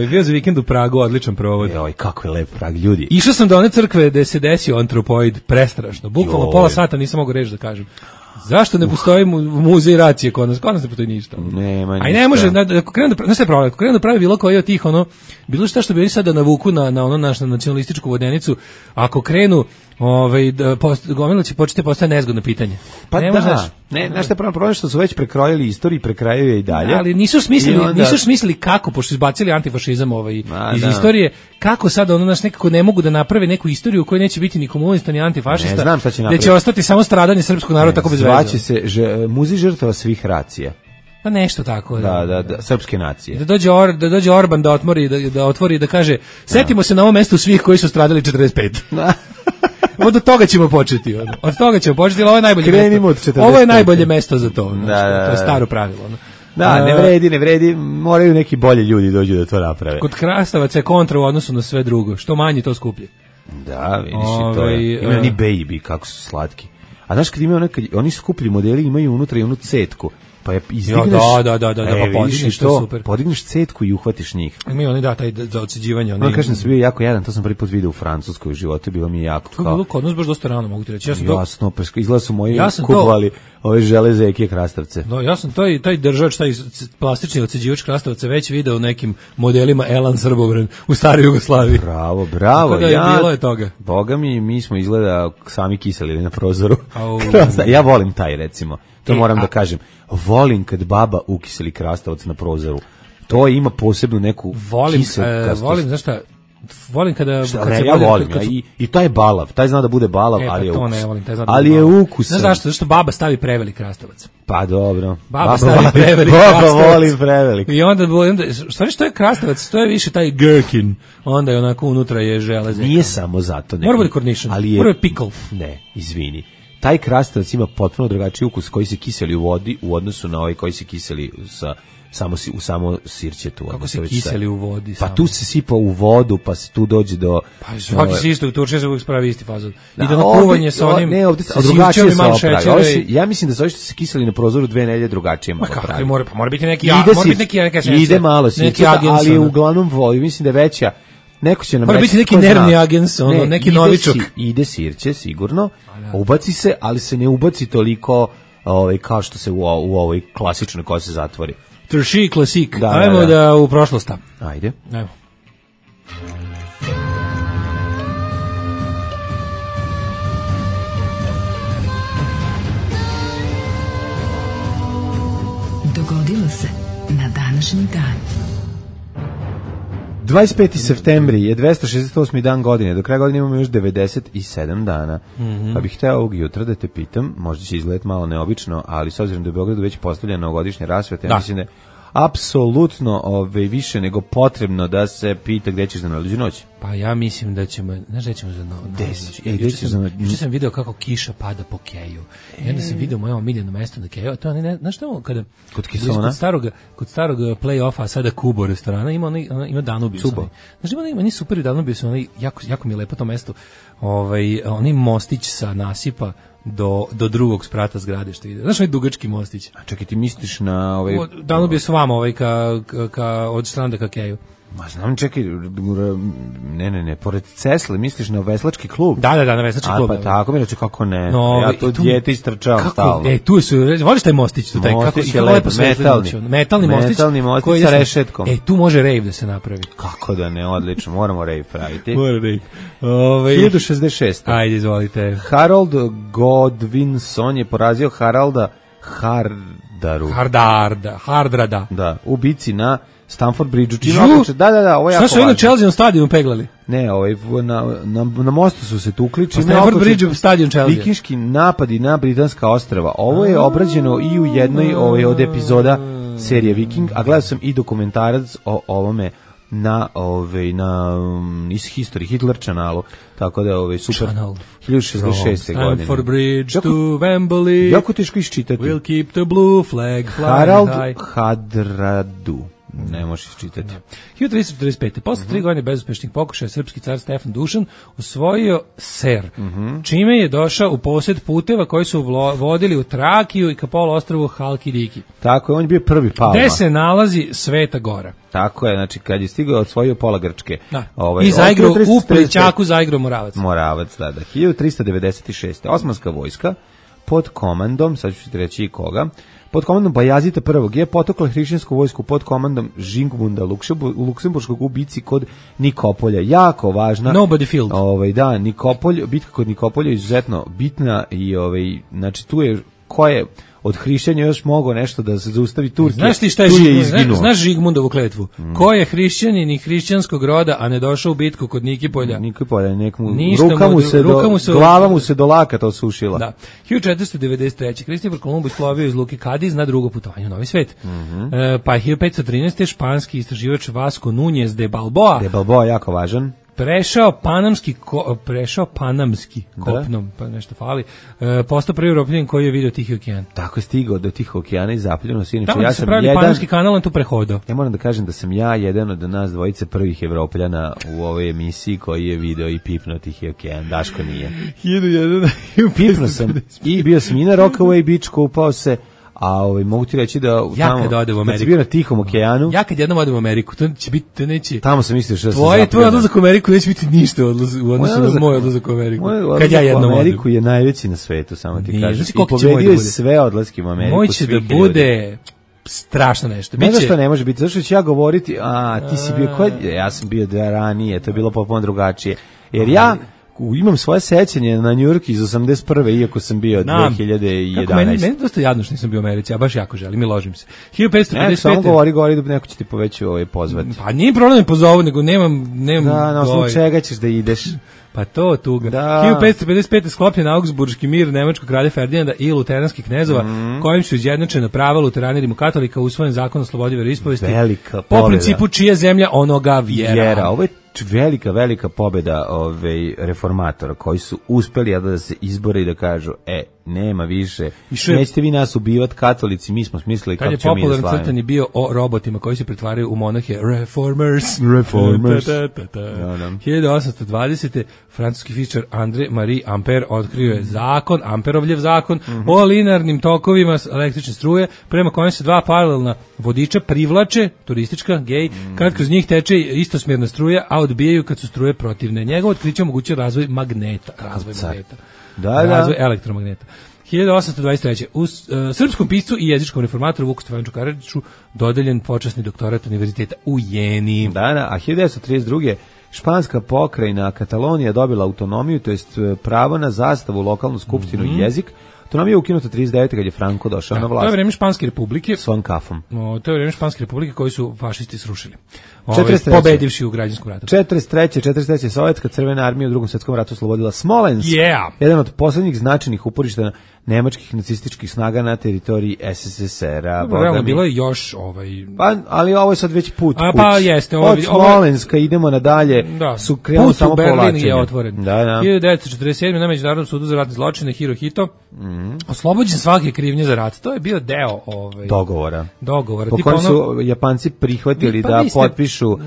Speaker 5: Bio za vikend u Pragu, odličan provod.
Speaker 6: Joj, kako je lep Prag, ljudi.
Speaker 5: Išao sam do one crkve gde se desio antropoid, prestrašno. Bukvalno pola sata nisam mogao reći da kažem. Zašto ne postoji muzej racije kod nas? Kod nas ne postoji ništa.
Speaker 6: Nema ništa.
Speaker 5: A i ne može, ako krenu da pravi bilo koji od tih, bilo što bi oni sada navuku na ono našu nacionalističku vodenicu, ako krenu, gomila će početi postaje nezgodno pitanje.
Speaker 6: Pa ne možeš. Ne, znaš šta je problem što su već prekrojili istoriju, prekrajaju je i dalje.
Speaker 5: Ali nisu smislili kako, pošto su izbacili antifašizam iz istorije, kako sada nekako ne mogu da naprave neku istoriju u kojoj neće biti ni komunista ni antifašista,
Speaker 6: ne znam šta će
Speaker 5: napraviti. Da će ostati samo stradanje srpskog naroda tako bez veze.
Speaker 6: Zvaće se muzej žrtava svih racija.
Speaker 5: Pa nešto tako.
Speaker 6: Da, srpske nacije.
Speaker 5: Da dođe Orban da otvori i da kaže, setimo se na ovom mestu svih koji su stradali 45. Od toga ćemo početi. Od toga ćemo početi, ali ovo je najbolje mesto. Ovo je najbolje mesto za to. To je staro pravilo.
Speaker 6: Da, ne vredi, moraju neki bolji ljudi dođu da to naprave.
Speaker 5: Kod krastavaca je kontra u odnosu na sve drugo. Što manje, to skuplje.
Speaker 6: Da, vidiš i to je. Ima oni baby, kako su slatki. A znaš kad imaju oni skuplji modeli, imaju unutra i onu cetku. Pa je izdigneš,
Speaker 5: pa podigneš to, super.
Speaker 6: Podigneš cetku i uhvatiš njih.
Speaker 5: Imaju taj za odseđivanje.
Speaker 6: Ono kažem da sam bio jako jadan, to sam prvi put video u Francuskoj u životu, bilo mi je jako
Speaker 5: kao. To je bilo kod nas baš dosta rano, mogu ti reći.
Speaker 6: Jasno, pa izgleda su moji kupovali ove železeke krastavce.
Speaker 5: No, ja sam taj držač, taj plastični odseđivač krastavaca već video u nekim modelima Elan Srbobran u staroj Jugoslaviji.
Speaker 6: Bravo.
Speaker 5: Bilo je toga.
Speaker 6: Boga mi smo izgleda sami kiselili na prozoru. Ja volim taj, recimo. To moram da kažem. Volim kad baba ukiseli krastavac na prozoru. To ima posebnu neku kiselkastost.
Speaker 5: Volim, znaš šta, volim kada
Speaker 6: ja volim, i taj balav, taj zna da bude balav, ali je ukus.
Speaker 5: Ne volim, taj zna da
Speaker 6: ali je ukusan.
Speaker 5: Znaš zašto baba stavi prevelik krastavac.
Speaker 6: Pa dobro.
Speaker 5: Baba stavi prevelik krastavac.
Speaker 6: Baba volim prevelik.
Speaker 5: I onda što je krastavac, to je više taj gherkin. Onda je onako unutra je železak.
Speaker 6: Nije samo zato.
Speaker 5: Mora biti kornišan, mora biti pickle.
Speaker 6: Ne, izvini. Taj krastavac ima potpuno drugačiji ukus koji se kiseli u vodi u odnosu na ovaj koji se kiseli u samo sirćetu.
Speaker 5: Kako se kiseli u vodi?
Speaker 6: Pa tu se sipa u vodu, pa se tu dođe do...
Speaker 5: Pa svaki se isto, u Turčiji se uvijek spravi isti fazon. Ide na kuvanje sa onim...
Speaker 6: Ne, ovdje drugačije se opravi. Ja mislim da se ovi što se kiseli na prozoru 2 nedelje drugačije malo pravi.
Speaker 5: Pa mora biti neki...
Speaker 6: Ide malo sirćeta, ali uglavnom vodi. Mislim da je veća. Neko će nam
Speaker 5: mora biti neki nervni agens, neki novičok.
Speaker 6: Ide sirće, sigurno, ubaci se, ali se ne ubaci toliko kao što se u ovoj klasičnoj koja se zatvori.
Speaker 5: Trši klasik. Ajmo da u prošlost.
Speaker 6: Ajde.
Speaker 5: Ajmo.
Speaker 3: Dogodilo se na današnji dan.
Speaker 6: 25. septembri je 268. dan godine, do kraja godine imamo još 97 dana. Pa bih hteo ovog jutra da te pitam, možda će izgledati malo neobično, ali s obzirom da je u Beogradu već postavljena novogodišnja rasveta, ja mislim da je apsolutno više nego potrebno da se pita gde ćeš za najluđu noć.
Speaker 5: Pa ja mislim da ćemo, znaš gde ćemo za noć? Juče sam video kako kiša pada po Keju. I onda sam video moje omiljeno mesto na Keju. To je, znaš što, kada kod starog play-offa, sada Kubo restorana, ima Danubius. Znaš, ima super Danubius, jako mi je lepo to mesto. Oni mostić sa nasipa do drugog sprata zgrade što ide. Znaš, dugački mostić.
Speaker 6: A čekaj, ti misliš na
Speaker 5: Danubius s vama, od stranda ka Keju.
Speaker 6: Ma znam, čekaj, ne, pored Cesle, misliš na veslački klub?
Speaker 5: Da, na veslački klub.
Speaker 6: Pa tako mi reći, kako ne, ja to dijete istrčao stalno.
Speaker 5: Tu su, voliš taj mostić?
Speaker 6: Mostić je lepo,
Speaker 5: metalni mostić
Speaker 6: sa rešetkom.
Speaker 5: Tu može rave da se napravi.
Speaker 6: Kako da ne, odlično, moramo rave praviti.
Speaker 5: Mora rave.
Speaker 6: 1066.
Speaker 5: Ajde, izvolite.
Speaker 6: Harold Godwinson je porazio Haralda
Speaker 5: Hardrada.
Speaker 6: Da, u bici na Stamford Bridge. Da, ovo je jako važno.
Speaker 5: Šta su na Chelsea stadionu peglali?
Speaker 6: Ne, na mostu su se tukli.
Speaker 5: Stamford Bridge stadion Chelsea.
Speaker 6: Vikinški napadi na Britanska ostrva. Ovo je obrađeno i u jednoj od epizoda serije Viking, a gledao sam i dokumentarac o ovome na iz History Hitler chanalu, tako da je super. 1066. godine.
Speaker 5: Stamford Bridge to Wembley.
Speaker 6: Jako teško iščitati.
Speaker 5: We'll keep the blue flag flying
Speaker 6: Harald
Speaker 5: high.
Speaker 6: Hadradu. ne možeš čitati.
Speaker 5: 1345. Posle 3 godine bezuspešnih pokušaja srpski car Stefan Dušan osvojio Ser, čime je došao u posjed puteva koji su vodili u Trakiju i ka poluostrvu Halkidiki.
Speaker 6: Tako je, on je bio prvi Palma.
Speaker 5: Gde se nalazi Sveta Gora.
Speaker 6: Tako je, znači kad je stigao osvojio pola Grčke.
Speaker 5: Da. I zaigrao u Plećaku, zaigrao Moravac.
Speaker 6: Moravac, da. 1396. Osmanska vojska pod komandom, sad ću ti reći i koga, pod komandom Bajazita I. je potukla hrišćansku vojsku pod komandom Žingmunda Luksemburškog u bici kod Nikopolja. Jako važna.
Speaker 5: Nobody field.
Speaker 6: Da, Nikopolj, bitka kod Nikopolja je izuzetno bitna i znači tu je ko je od hrišćanja još mogao nešto da se zaustavi Turke.
Speaker 5: Znaš ti šta je znaš Žigmundovu kletvu? Ko je hrišćanin i hrišćanskog roda, a ne došao u bitku kod Nikopolja?
Speaker 6: Nikopolja, glava mu se do lakata osušila.
Speaker 5: Da. 1493. Kristofor Kolumbus plovio iz luke Kadiz na drugo putovanje u Novi svet. Pa 1513. španski istraživač Vasco Núñez de Balboa.
Speaker 6: De Balboa jako važan.
Speaker 5: Prešao panamski kopnom, pa nešto fali. Postao prvi Evropljanin koji je vidio Tihi okean.
Speaker 6: Tako je stigao do Tihog okeana i zapljeno se.
Speaker 5: Tamo ja se pravi panamski kanal, on tu prehodao.
Speaker 6: Ja moram da kažem da sam ja jedan od nas dvojice prvih Evropljana u ovoj emisiji koji je video i pipnuo Tihi okean. Daško nije.
Speaker 5: 1001.
Speaker 6: Pipnuo sam i bio sam i na Rockaway Beach, kupao se. A mogu ti reći da
Speaker 5: tamo kad odem u Ameriku,
Speaker 6: kad si bio na Tihom okeanu,
Speaker 5: ja kad jednom odem u Ameriku, to će biti, to neće.
Speaker 6: Tamo sam mislio što
Speaker 5: tvoj odlazak u Ameriku neće biti ništa u odnosu na moj odlazak u Ameriku. Kad ja jednom
Speaker 6: u Ameriku je najveći na svetu, samo ti kažem.
Speaker 5: I
Speaker 6: pobedio je sve odlaske u Ameriku.
Speaker 5: Moj će da bude strašno nešto.
Speaker 6: Ne znam što ne može biti, zašto ću ja govoriti, ti si bio, ja sam bio da ranije, to je bilo potpuno drugačije. Jer ja imam svoje sećanje na New York iz 81. iako sam bio 2011.
Speaker 5: Meni dosta jadno što nisam bio u Americi, ja baš jako želim i ložim se. 1555.
Speaker 6: Samo govori da neko će ti poveći pozvati.
Speaker 5: Pa nije problem pozovu, nego nemam
Speaker 6: da, na osnovu čega ćeš da ideš.
Speaker 5: Pa to tuga. Da. 1555. sklopljen Augsburški mir nemačkog kralja Ferdinanda i luteranskih knezova, kojim su izjednačena prava luterana i katolika, usvojen zakon o slobodi veroispovesti.
Speaker 6: Velika
Speaker 5: pobjeda. Po principu čija zemlja onoga vjera.
Speaker 6: Ovo je velika pobjeda reformatora koji su uspeli da se izbore i da kažu nema više, nećete vi nas ubivati katolici, mi smo smislili kako ćemo mi da slavimo. Kad je
Speaker 5: popularan crtani bio o robotima koji se pretvaraju u monahe, Reformers. 1820. francuski fizičar André Marie Ampère otkrio je zakon, Amperovljev zakon, o linearnim tokovima električne struje, prema kojem se dva paralelna vodiča privlače, turistička, gej, kad kroz njih teče istosmjerna struja, a odbijaju kad su struje protivne. Njegovo otkriće omogućuje razvoj magneta. Razvoj elektromagneta. 1823. U srpskom piscu i jezičkom reformatoru Vuku Stefanoviću Karadžiću dodeljen počasni doktorat univerziteta u Jeni.
Speaker 6: A 1932. španska pokrajina Katalonija dobila autonomiju, to jest pravo na zastavu, lokalnu skupštinu i jezik. Autonomija je ukinuta 39. kad je Franco došao na vlast.
Speaker 5: To je vreme Španske republike.
Speaker 6: Svojom kafom.
Speaker 5: To je vreme Španske republike koji su fašisti srušili. Pobedivši u građanskom ratu.
Speaker 6: 43. Sovjetska crvena armija u Drugom svjetskom ratu oslobodila Smolensk. Jedan od posljednjih značajnih uporišta nemačkih nacističkih snaga na teritoriji SSSR-a.
Speaker 5: Realno bilo je još
Speaker 6: ali ovo je sad već put.
Speaker 5: Jeste.
Speaker 6: Od Smolenska idemo nadalje. Su krenuli samo povlačenje.
Speaker 5: Berlin je otvoren. 1947. na Međunarodnom sudu za ratne zločine Hirohito oslobođen svake krivnje za rat. To je bio deo
Speaker 6: dogovora.
Speaker 5: Po
Speaker 6: kojem su Japanci prihvatili da potpišu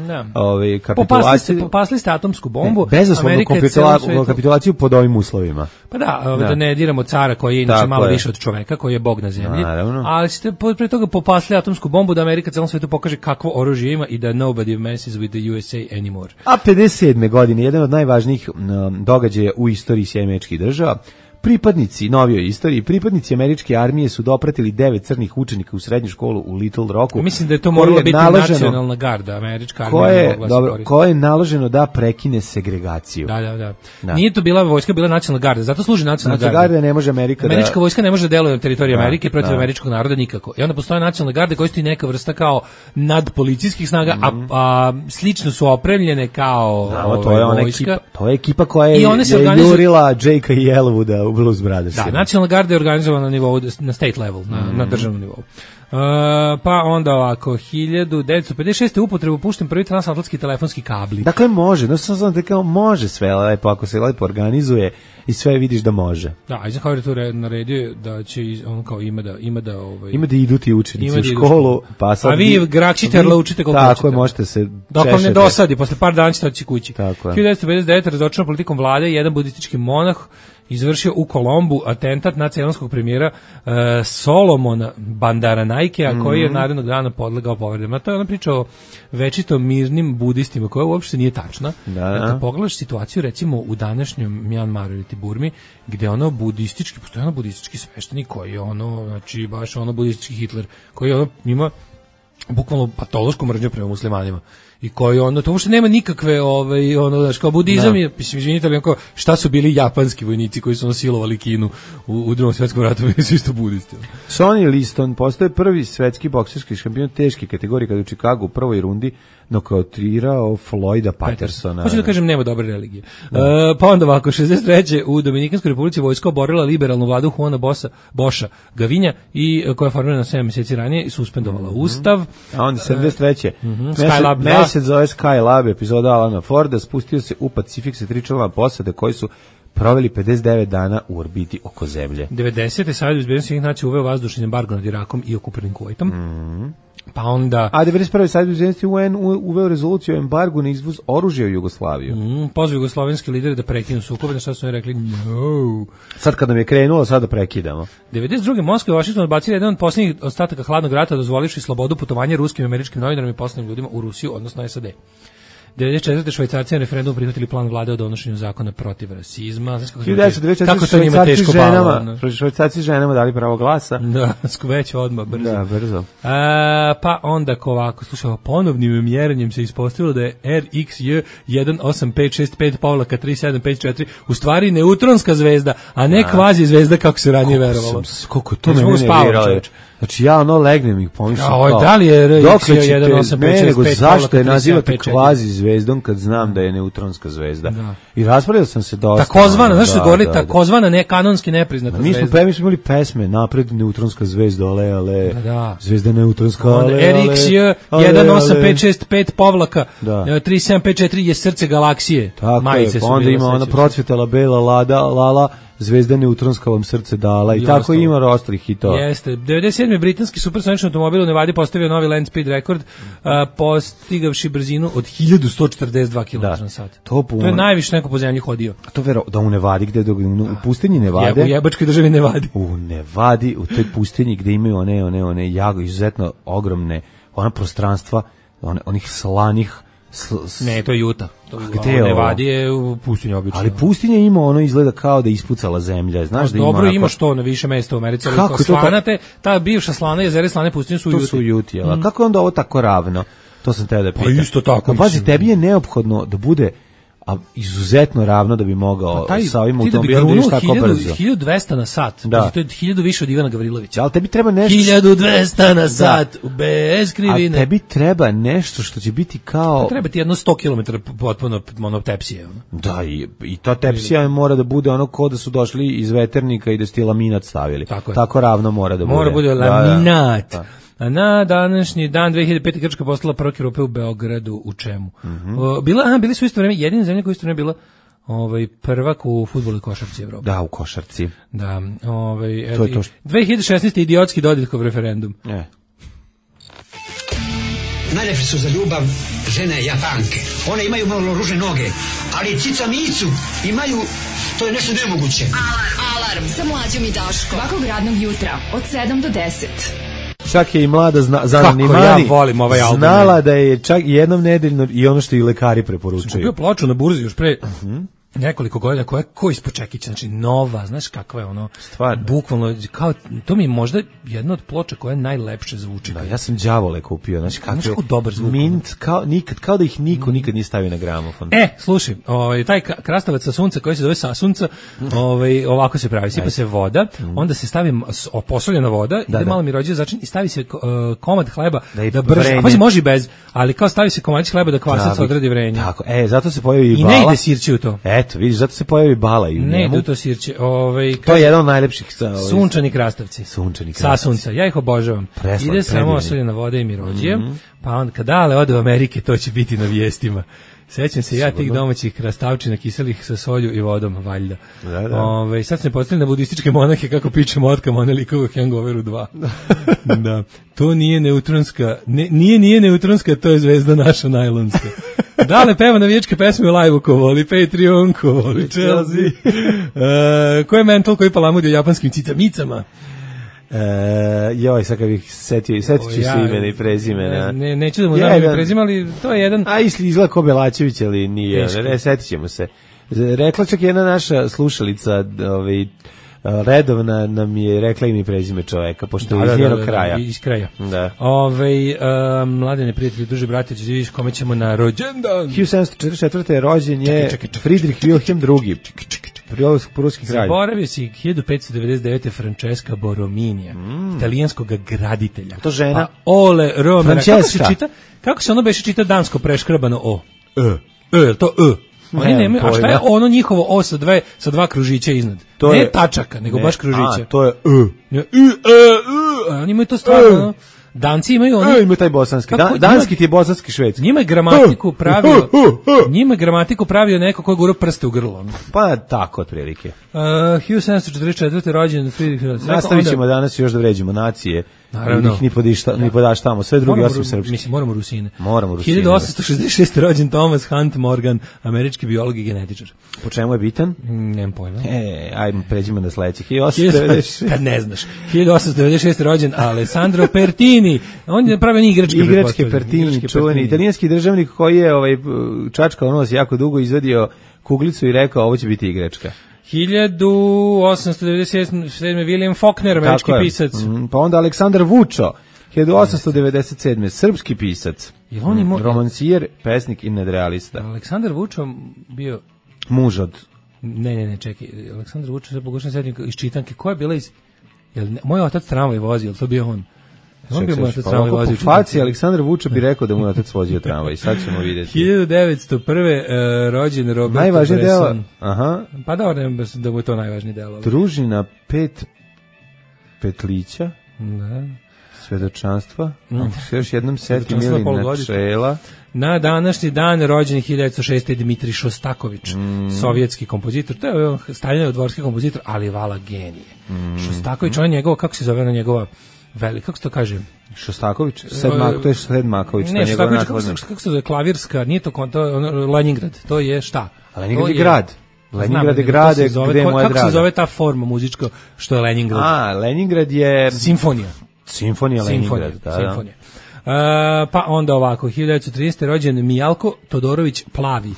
Speaker 6: kapitulaciju.
Speaker 5: Popasli ste atomsku bombu.
Speaker 6: Bezuslovnu kapitulaciju pod ovim uslovima.
Speaker 5: Pa da ne diramo cara koji je inače malo više od čoveka, koji je bog na zemlji. Ali ste pre toga popasli atomsku bombu da Amerika celom svetu pokaže kakvo oružje ima i da nobody messes with the USA anymore.
Speaker 6: A 57. godine, jedan od najvažnijih događaja u istoriji Sjedinjenih Država, pripadnici pripadnici američke armije su dopratili 9 crnih učenika u srednju školu u Little Rocku.
Speaker 5: Mislim da je to morala biti nacionalna garda, američka armija.
Speaker 6: Koje je naloženo da prekine segregaciju.
Speaker 5: Da. Nije to bila vojska, bila nacionalna garda. Zato služi nacionalna garda.
Speaker 6: Garda ne može
Speaker 5: Američka vojska ne može da deluje na teritoriji Amerike protiv američkog naroda nikako. I onda postoje nacionalne garde koje su i neka vrsta kao nadpolicijskih snaga, a slično su opremljene kao
Speaker 6: vojska. To je ekipa koja je jurila Jakea i Elwooda Blues Brothers.
Speaker 5: Da, Nacionalna garda je organizovana na nivou, na state level, na državnom nivou. Pa onda ovako, 1956. upotrebu pušten prvi transatlantski telefonski kabli.
Speaker 6: Dakle, može, no sam kao može sve lepo, ako se lepo organizuje i sve vidiš da može.
Speaker 5: Da, Eisenhower je to naredio da će, on kao ima da
Speaker 6: idu ti učenici u školu, pa sad...
Speaker 5: A vi Graksiterla učite koliko
Speaker 6: hoćete. Tako je, možete se
Speaker 5: dok vam ne dosadi, posle par dana ćete otići kući.
Speaker 6: 1959.
Speaker 5: razočaran politikom vlade, jedan budistički monah izvršio u Kolombu atentat na ceylonskog premijera Solomona Bandaranaikea, koji je narednog dana podlegao povredama. To je ona priča o večito mirnim budistima, koja uopšte nije tačna. Kad pogledaš situaciju, recimo, u današnjem Mjanmaru ili Burmi, gde ono budistički, postoje ono budistički sveštenik koji je ono, znači baš ono budistički Hitler, koji ono ima bukvalno patološku mržnju prema muslimanima. I koji ono, to uopšte nema nikakve, ono, znaš, kao budizam je, mislim, izvinite, ali onako, šta su bili japanski vojnici koji su silovali Kinu u Drugom svjetskom ratu, bili su isto budisti.
Speaker 6: Sonny Liston postaje prvi svetski bokserski šampion teške kategorije kada u Chicagu u prvoj rundi nokautirao Floyda Pattersona.
Speaker 5: Hoću da kažem, nema dobre religije. Pa onda ovako, 63. u Dominikanskoj republici vojska oborila liberalnu vladu Juana Boša Gavinja, i koja je formirana 7 mjeseci ranije i suspendovala ustav.
Speaker 6: A onda 73.
Speaker 5: Skylab 2.
Speaker 6: Mesec zove Skylab, epizoda Alana Forda, spustio se u Pacifik sa 3 članova posade koji su proveli 59 dana u orbiti oko zemlje.
Speaker 5: 90. Savjet bezbednosti Ujedinjenih nacija uveo vazdušni embargo nad Irakom i okupiranim Kuvajtom. Pa onda...
Speaker 6: A 91. Savjet bezbednosti UN uveo rezoluciju o embargu na izvoz oružja u Jugoslaviju.
Speaker 5: Pozvao jugoslovenski lideri da prekinu sukobe, na što su oni rekli no.
Speaker 6: Sad kad nam je krenulo, sad da prekidamo.
Speaker 5: 92. Moskva i Washington odbacili jedan od posljednjih ostataka hladnog rata, dozvolivši slobodu putovanja ruskim i američkim novinarima i poslovnim ljudima u Rusiju, odnosno SAD. 94. Švajcarci na referendumu prihvatili plan vlade o donošenju zakona protiv rasizma.
Speaker 6: Kako to njima teško palo? Švajcarci ženama dali pravo glasa.
Speaker 5: Da, već odmah, brzo.
Speaker 6: Da, brzo.
Speaker 5: Pa onda ovako, slušaj, ponovnim mjerenjem se ispostavilo da je RXJ 18565-3754 u stvari neutronska zvezda, a ne kvazi zvezda kako se ranije verovalo.
Speaker 6: Koliko to mene nerviralo. Znači ja legnem ih pomišljam
Speaker 5: kao. Da li je RXJ 18565?
Speaker 6: Zašto je nazivate kvazi zvezdom kad znam da je neutronska zvezda? Da. I raspravljao sam se dosta.
Speaker 5: Takozvana, znaš što se govori, takozvana nekanonski nepriznata zvezda.
Speaker 6: Mi smo imali pesme, napred neutronska zvezda, ale, zvezda neutronska, ale,
Speaker 5: RXJ 18565-3754 je srce galaksije.
Speaker 6: Tako je, onda ima ona procvjetala bela lala, zvezda neutronska vam srce dala i tako ima ostalih hitova.
Speaker 5: Jeste. 97. britanski supersonični automobil u Nevadi postavio novi land speed rekord, postigavši brzinu od 1142 km/h. To je najviše neko po zemlji hodio.
Speaker 6: A to da u Nevadi, gde u pustinji Nevade?
Speaker 5: U jebačkoj državi Nevadi.
Speaker 6: U Nevadi, u toj pustinji gde imaju one jako izuzetno ogromne ona prostranstva, onih slanih.
Speaker 5: Ne, to je Juta. Gde Nevadi je u pustinji obično.
Speaker 6: Ali pustinja ima izgleda kao da je ispucala zemlja. Znaš da
Speaker 5: dobro, imaš to na više mesta u Americi. Kako slanate, ta bivša slana jezera slane pustinje su u Juti.
Speaker 6: To su u Juti, a kako je onda ovo tako ravno? To sam te da pitam.
Speaker 5: Pa isto tako.
Speaker 6: Pazi, tebi je neophodno da bude izuzetno ravno da bi mogao sa ovim automobilom da ideš tako brzo.
Speaker 5: 1200 na sat. Da. To je 1000 više od Ivana Gavrilovića.
Speaker 6: Ali tebi treba nešto...
Speaker 5: 1200 na sat, bez krivine.
Speaker 6: A tebi treba nešto što će biti kao...
Speaker 5: Treba ti jedno 100 km potpuno tepsije.
Speaker 6: Da, i ta tepsija mora da bude ko da su došli iz veternika i da su ti laminat stavili. Tako ravno mora da bude.
Speaker 5: Mora bude laminat. Da. Na današnji dan 2005. Grčka postala prvak Evrope u Beogradu. U čemu? Bili su isto vreme jedine zemlje koja isto vreme bila prvak u fudbalu i košarci Evrope.
Speaker 6: Da, u košarci.
Speaker 5: Da, to je to 2016. idiotski Dodikov referendum.
Speaker 1: Najlepše su za ljubav žene Japanke. One imaju malo ružne noge, ali cica micu imaju, to je nešto nemoguće.
Speaker 3: Alarm sa Mlađom i Daškom. Svakog radnog jutra od 7 do 10.
Speaker 6: Čak je i mlada zanimani znala da je čak jednom nedeljno i ono što i lekari preporučuju.
Speaker 5: Kupio ploču na burzi još pre nekoliko godina koja je ko ispod čekića, znači nova, znaš kakva je
Speaker 6: stvarno,
Speaker 5: bukvalno, kao, to mi je možda jedna od ploča koja najlepše zvuči.
Speaker 6: Da, ja sam đavole kupio, znači
Speaker 5: kako dobar zvuk.
Speaker 6: Mint, kao da ih niko nikad nije stavio na gramofon.
Speaker 5: Slušaj, taj krastavac sa sunca koji se zove sasunca, ovako se pravi, sipa se voda, onda se stavi posoljena voda, ide malo mi rođe začin i stavi se komad hleba da brže, a pa može i bez, ali kao stavi se komadić hleba da kvasac odradi vrenje.
Speaker 6: Tako, zato se pojavi i
Speaker 5: bala. I ne ide sirće u to.
Speaker 6: Eto, vidiš, zato se pojavi bala i u
Speaker 5: Ne,
Speaker 6: njemu.
Speaker 5: duto sirće.
Speaker 6: To je jedan od najlepših.
Speaker 5: Sunčani krastavci. Sa sunca. Ja ih obožavam. Ide samo osoljena voda i mirođije, pa onda kad Dale ode u Amerike, to će biti na vijestima. Sećam se ja tih domaćih krastavčina kiselih sa solju i vodom, valjda. Da. Sad se ne postavili na budističke monahe kako piče motkama, one likova Hangoveru 2. Da. To nije neutronska, nije neutronska, to je zvezda naša najlonska. Dale peva navijačke pesme u live-u, ko voli Patreon, ko voli Chelsea. Ko je mental koji palamudi o japanskim cicamicama?
Speaker 6: Sad kad bih setit ću se imena i prezimena.
Speaker 5: Neću da mu znam ime prezime, ali to je jedan...
Speaker 6: A izgleda ko Belačević, ali nije. Setit ćemo se. Rekla čak jedna naša slušalica, redovna nam je rekla ime i prezime čoveka, pošto je iz njenog kraja.
Speaker 5: Iz kraja.
Speaker 6: Da.
Speaker 5: Mladene prijatelji, duže brate, ću vidiš kome ćemo na rođendan.
Speaker 6: 1744. rođen je Friedrich Wilhelm II. Pruski kralj.
Speaker 5: Zaboravio si 1599. Francesca Borominija, italijanskog graditelja.
Speaker 6: To žena?
Speaker 5: Pa Ole Romera.
Speaker 6: Francesca.
Speaker 5: Kako se ono beše čita dansko preškrabano O? To Oni nemaju, a šta je ono njihovo O sa dva kružića iznad? To ne tačaka, nego baš kružića.
Speaker 6: To je
Speaker 5: Oni imaju to stvarno. Danci imaju oni.
Speaker 6: Imaju taj bosanski. Danski ti je bosanski švedski.
Speaker 5: Njima je gramatiku pravio neko ko je gurao prste u grlo.
Speaker 6: Pa tako otprilike.
Speaker 5: 1744. rođen Friedrich.
Speaker 6: Nastavit ćemo danas još da vređimo nacije. Naravno. Ni podaštamo. Sve drugi osim srpski.
Speaker 5: Mislim, moramo Rusine.
Speaker 6: 1866.
Speaker 5: rođen Thomas Hunt Morgan, američki biolog i genetičar.
Speaker 6: Po čemu je bitan?
Speaker 5: Nemam pojma.
Speaker 6: Ajmo, pređimo na sledeći. 1896.
Speaker 5: Kad ne znaš. 1896. rođen Alessandro Pertini. On je pravio
Speaker 6: igračke Pertini, čuveni italijanski državnik koji je čačkao nos jako dugo, izvadio kuglicu i rekao ovo će biti igračka.
Speaker 5: 1897. William Faulkner, američki pisac.
Speaker 6: Pa onda Aleksandar Vučo, 1897. srpski pisac, romancijer, pesnik i nadrealista.
Speaker 5: Aleksandar Vučo bio...
Speaker 6: Muž od...
Speaker 5: Ne, čekaj. Aleksandar Vučo, sad pokušam sedmi iz čitanke. Ko je bila iz... Moj otac tramvaj vozio, ili to bio on? On bi mu otac tramvaj vozio.
Speaker 6: Po faci Aleksandar Vučo bi rekao da mu otac vozio tramvaj. Sad ćemo vidjeti.
Speaker 5: 1901. rođen Robert
Speaker 6: najvažniji
Speaker 5: Bresson.
Speaker 6: Deo. Aha.
Speaker 5: Pa da mu je to najvažniji delo.
Speaker 6: Družina Petlića.
Speaker 5: Da.
Speaker 6: Svedočanstva. Još jednom seti Milin načela.
Speaker 5: Na današnji dan rođen 1906. Dmitrij Šostaković, sovjetski kompozitor. To je Staljinov dvorski kompozitor, ali vala genije. Šostaković, on je njegova, kako se zove ona njegova kako se to kaže?
Speaker 6: Šostaković? To je Sedmaković.
Speaker 5: Ne, Šostaković, kako se zove, klavirska, nije to Leningrad, to je šta?
Speaker 6: Leningrad je grad. Leningrad je grad gde je moja draga.
Speaker 5: Kako se zove ta forma muzička što je Leningrad?
Speaker 6: Leningrad je...
Speaker 5: Simfonija
Speaker 6: Leningrad,
Speaker 5: Simfonija. Pa onda ovako, 1913. rođen Mijalko Todorović Plavi,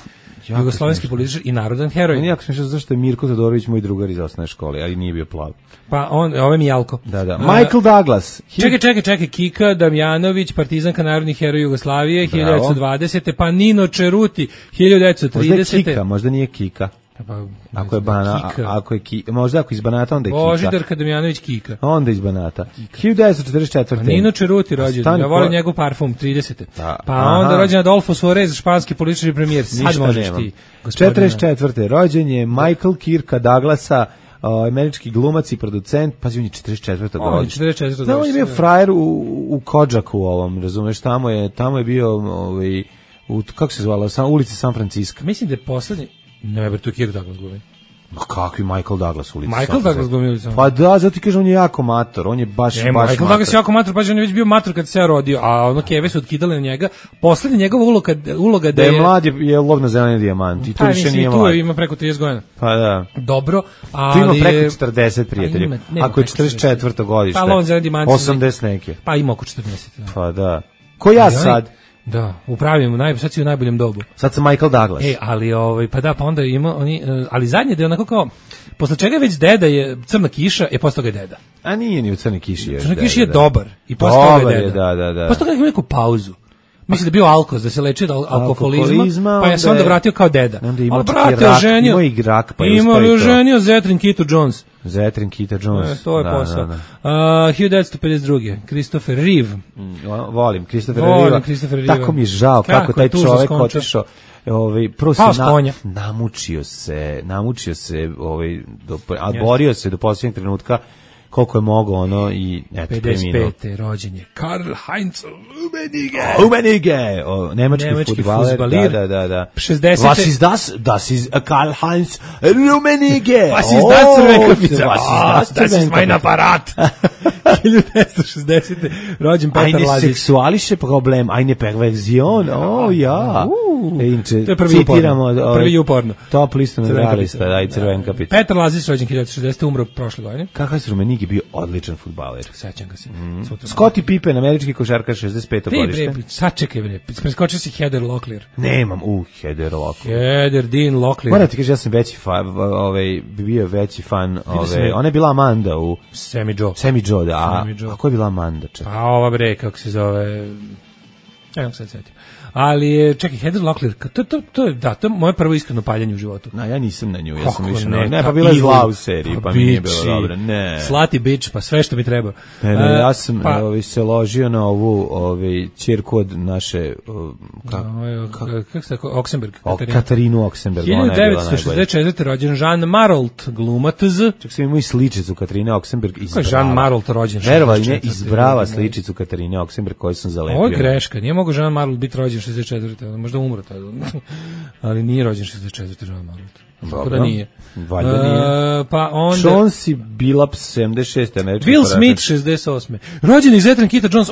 Speaker 5: jugoslovenski političar i narodan heroj.
Speaker 6: Meni jako smišno zašto je Mirko Todorović moj drugar iz osnovne škole, ali nije bio plav.
Speaker 5: Pa ovo je Mijalko.
Speaker 6: Da. Michael Douglas.
Speaker 5: Čekaj, Kika Damjanović, partizanka narodnih heroja Jugoslavije, 1920. Pa Nino Čeruti, 1930.
Speaker 6: Možda je Kika, možda nije Kika. Ako je možda ako iz Banata, onda je Kika.
Speaker 5: Božidarka Damjanović Kika.
Speaker 6: Onda iz Banata. 1944.
Speaker 5: Nino Čeruti rođen. Ja volim njegov parfum, 30. Pa onda rođen Adolfo Suarez, španski politički premijer. Sad možeš ti.
Speaker 6: 44. rođen je Michael Kirka Douglasa, američki glumac i producent. Pazi, on je 44. rođen. On je bio frajer u Kodžaku ovom, razumeš, tamo je bio kako se zvala, ulici San Francisco.
Speaker 5: Mislim da je poslednji. Ne, tu je Kirk Douglas glumi.
Speaker 6: Ma kakvi Michael Douglas ulici?
Speaker 5: Michael Douglas glumi.
Speaker 6: Pa da, zato ti kažem, on je jako mator, on je baš
Speaker 5: Michael Douglas je jako mator, pa on je već bio mator kad se ja rodio, a ono keve su otkidali na njega. Poslednja njegova uloga da je
Speaker 6: mlad je lov na zeleni dijamant i tu više nije mlad.
Speaker 5: Tu ima preko 30 godina.
Speaker 6: Pa da.
Speaker 5: Dobro, ali...
Speaker 6: Tu ima preko 40 prijatelji. Ako je 44. godište,
Speaker 5: pa lov na zeleni dijamant
Speaker 6: 80 neke.
Speaker 5: Pa ima oko 40.
Speaker 6: Pa da. Ko ja sad?
Speaker 5: Da, upravimo, sad si u najboljem dobu.
Speaker 6: Sad sam Michael Douglas.
Speaker 5: Ali pa onda ima oni, ali zadnje da je onako kao, posle čega već deda je Crna kiša, posle toga je deda.
Speaker 6: A nije ni u Crnoj kiši još.
Speaker 5: Crna kiša je dobar i posle toga je deda.
Speaker 6: Da.
Speaker 5: Posle toga ima neku pauzu. Mislim da je bio alkoz, da se leči od alkoholizma, pa je se onda vratio kao deda.
Speaker 6: Onda ima ženio Zetrin
Speaker 5: Keto Jones.
Speaker 6: Zetrin, Kita Jones.
Speaker 5: To je posao. 1952. Christopher Reeve.
Speaker 6: Volim Christopher Reeve. Tako mi je žao kako taj čovek otišao. Prvo se namučio se, borio se do posljednjeg trenutka koliko je mogao i eto,
Speaker 5: 55. rođen je Karl-Heinz
Speaker 6: Rummenigge, nemački fudbaler, da.
Speaker 5: 60.
Speaker 6: Das ist Karl-Heinz Rummenigge.
Speaker 5: Was ist das Crvenkapica? Das ist mein Apparat. 1960. rođen Petar Lazić.
Speaker 6: Eine sexualische Problem, eine Perversion, ja.
Speaker 5: To je prvi uporno.
Speaker 6: Top lista medalista, da, i Crvenkapica.
Speaker 5: Petar Lazić, rođen 1960. umro prošle godine.
Speaker 6: Karl-Heinz Rummenigge bio odličan fudbaler.
Speaker 5: Sećam ga se.
Speaker 6: Scottie Pippen, američki košarkaš, 65. godište.
Speaker 5: Sačekaj bre, preskočio si Heather Locklear.
Speaker 6: Nemam, Heather Locklear.
Speaker 5: Heather Dean Locklear.
Speaker 6: Moram ti kaži, ja sam bio veći fan, ona je bila Amanda u Sammy Joe, da, a ko je bila Amanda?
Speaker 5: Pa ova bre, kako se zove, ja se setim. Ali je, čekaj, Heather Locklear, to je moje prvo iskreno paljenje u životu.
Speaker 6: Ja nisam na nju, ja sam više pa bila je zla u seriji, pa mi nije bilo dobro.
Speaker 5: Slati bitch, pa sve što mi treba.
Speaker 6: Ja sam se ložio na ovu ćerku od naše,
Speaker 5: kako se tako, Oxenberg.
Speaker 6: Katarinu Oxenberg.
Speaker 5: 1964. rođen Jean Marolt, glumac.
Speaker 6: Čak sam imao i sličicu Katarine Oxenberg iz Brava.
Speaker 5: Jean Marolt rođen?
Speaker 6: Verovali ne, iz Brava sličicu Katarine Oxenberg koju sam zalepio.
Speaker 5: Ovo je greška, nije mogo Jean Marolt biti rođen 64. Možda umro tada. Ali nije rođen 64. Jean Marolt. Tako da nije.
Speaker 6: Valjda nije.
Speaker 5: Pa onda
Speaker 6: Chauncey Billups 76. američki
Speaker 5: Will Smith 68. Rođen iz Zetrin, Kita Jones,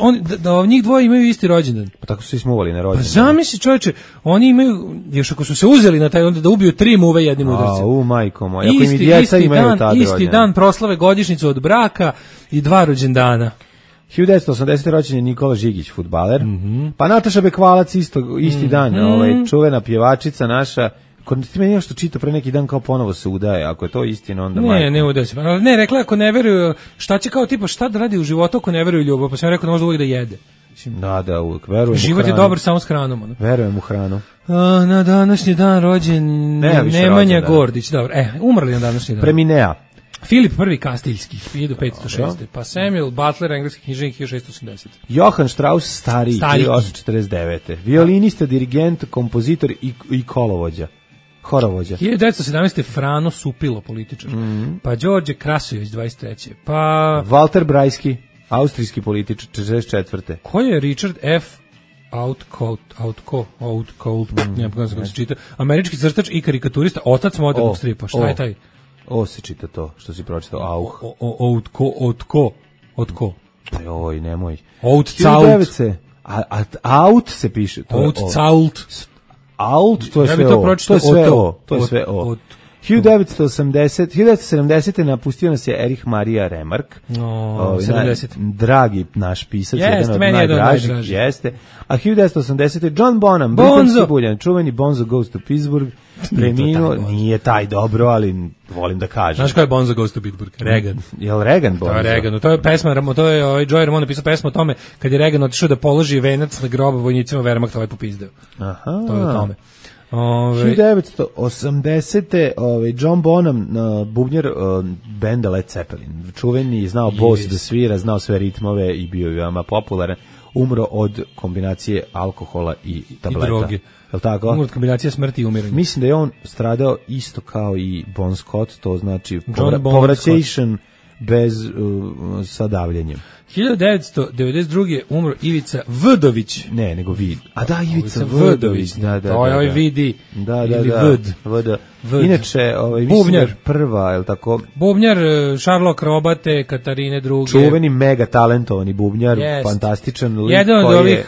Speaker 5: njih dvoje imaju isti rođendan.
Speaker 6: Pa tako su se smuvali na rođendan.
Speaker 5: Pa zamisli čovječe, oni imaju, još ako su se uzeli na taj onda da ubiju 3 muve jednim udarcem.
Speaker 6: Majko moj, ako im djeca imaju tada rođendan.
Speaker 5: Isti dan proslave godišnjicu od braka i 2 rođendana.
Speaker 6: 1980. rođen je Nikola Žigić, fudbaler. Pa Nataša Bekvalac isti dan, čuvena pjevačica naša. Ti meni nešto čita pre neki dan kao ponovo se udaje, ako je to istina onda majko.
Speaker 5: Ne udaje se. Ne, rekla ako ne veruju, šta će kao tipa, šta da radi u životu ako ne veruju ljubav, pa sam rekao da možda uvijek da jede.
Speaker 6: Da, uvijek, verujem u hranu.
Speaker 5: Život je dobar samo s hranom.
Speaker 6: Verujem u hranu.
Speaker 5: Na današnji dan rođen Nemanja Gordić, dobro, umrli na današnji dan.
Speaker 6: Preminea.
Speaker 5: Filip I Kastiljski, 1506. Pa Samuel Butler, engleski književnik, 1680.
Speaker 6: Johann Strauss, stariji, 1849. Violinista, dirigent, kompozitor i horovođa.
Speaker 5: 1917. Frano Supilo, političar. Pa Đorđe Krasojević, 23. Pa
Speaker 6: Walter Brajski, austrijski političar, 44.
Speaker 5: Ko je Richard F. Outcault, ne znam kako se čita, američki crtač i karikaturista, otac modernog stripa. Šta je taj?
Speaker 6: Se čita to, što si pročitao,
Speaker 5: Outko.
Speaker 6: Oj, nemoj.
Speaker 5: Outcault.
Speaker 6: Out se piše.
Speaker 5: Outcault.
Speaker 6: To je sve o. 1970. napustio nas je Erich Maria Remarque.
Speaker 5: 70.
Speaker 6: Dragi naš pisac, jedan od najdražih. Jeste. A 1980. John Bonham, britanski buljan, čuveni Bonzo Goes to Pittsburgh, preminuo, nije taj dobro, ali volim da kažem.
Speaker 5: Znaš ko je Bonzo Goes to Pittsburgh? Reagan.
Speaker 6: Je li Reagan Bonzo?
Speaker 5: To je Reagan. To je pesma, Joey Ramone napisao pesmu o tome kad je Reagan otišao da položi venac na grob vojnicima Wehrmachta, ovaj popizdeo.
Speaker 6: Aha.
Speaker 5: To je o tome.
Speaker 6: 1980. John Bonham, bubnjar benda Led Zeppelin, čuveni, znao bos da svira, znao sve ritmove i bio je veoma popularan, umro od kombinacije alkohola i tableta.
Speaker 5: I droge.
Speaker 6: Je li tako?
Speaker 5: Umro od kombinacije smrti i umiranja.
Speaker 6: Mislim da je on stradao isto kao i Bon Scott, to znači povraćation bez sa davljenjem.
Speaker 5: 1992. umro Ivica Vdović.
Speaker 6: Ne, nego Vid. A da, Ivica Vdović. Da.
Speaker 5: To je ovaj Vidi.
Speaker 6: Da.
Speaker 5: Vd.
Speaker 6: Inače, mislim prva, je li tako?
Speaker 5: Bubnjar, Sherlock Robate, Katarine II.
Speaker 6: Čuveni mega talentovani bubnjar, fantastičan lik.
Speaker 5: Jedan od ovih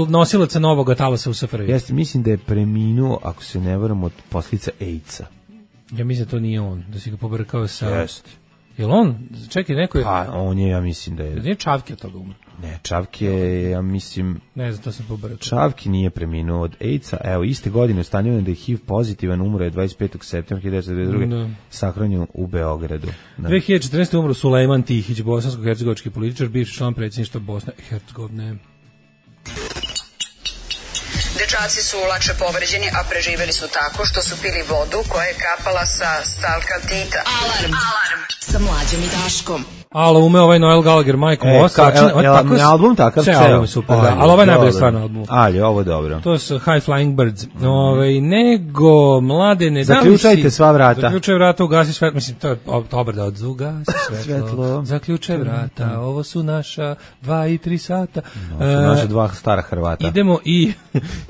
Speaker 5: nosilaca novog talasa u SFRJ.
Speaker 6: Jeste, mislim da je preminuo, ako se ne varam, od posljedica AIDS-a.
Speaker 5: Ja mislim da to nije on, da si ga pobrkao sa...
Speaker 6: Jeste.
Speaker 5: Jel on? Čekaj, neko je...
Speaker 6: Pa, on je, ja mislim da je...
Speaker 5: Nije Čavki od toga umro?
Speaker 6: Ne, Čavki je, ja mislim...
Speaker 5: Ne znam, to sam pobrkao.
Speaker 6: Čavki nije preminuo od AIDS-a. Evo, iste godine ustanovljeno da je HIV pozitivan, umro je 25. septembra 1992. Sahranjen u Beogradu.
Speaker 5: 2014. umro Sulejman Tihić, bosansko-hercegovački političar, bivši član predsjedništva Bosne i Hercegovine.
Speaker 7: Dečaci su lakše povređeni, a preživeli su tako što su pili vodu koja je kapala sa stalka Tita. Alarm!
Speaker 3: sa Mlađom i Daškom.
Speaker 5: Alo, ume ovaj Noel Gallagher, Majko Moss.
Speaker 6: Album takav ceo.
Speaker 5: Album je super, da. Ali ovo je najbolje stvar na albumu.
Speaker 6: Ali, ovo je dobro.
Speaker 5: To su High Flying Birds. Nego, mladene,
Speaker 6: zaključajte sva vrata.
Speaker 5: Zaključaj vrata, ugasi svetlo. Mislim, to je dobar da ugasi svetlo. Zaključaj vrata, ovo su naša 2 i 3 sata.
Speaker 6: No, su naša 2 stara Hrvata.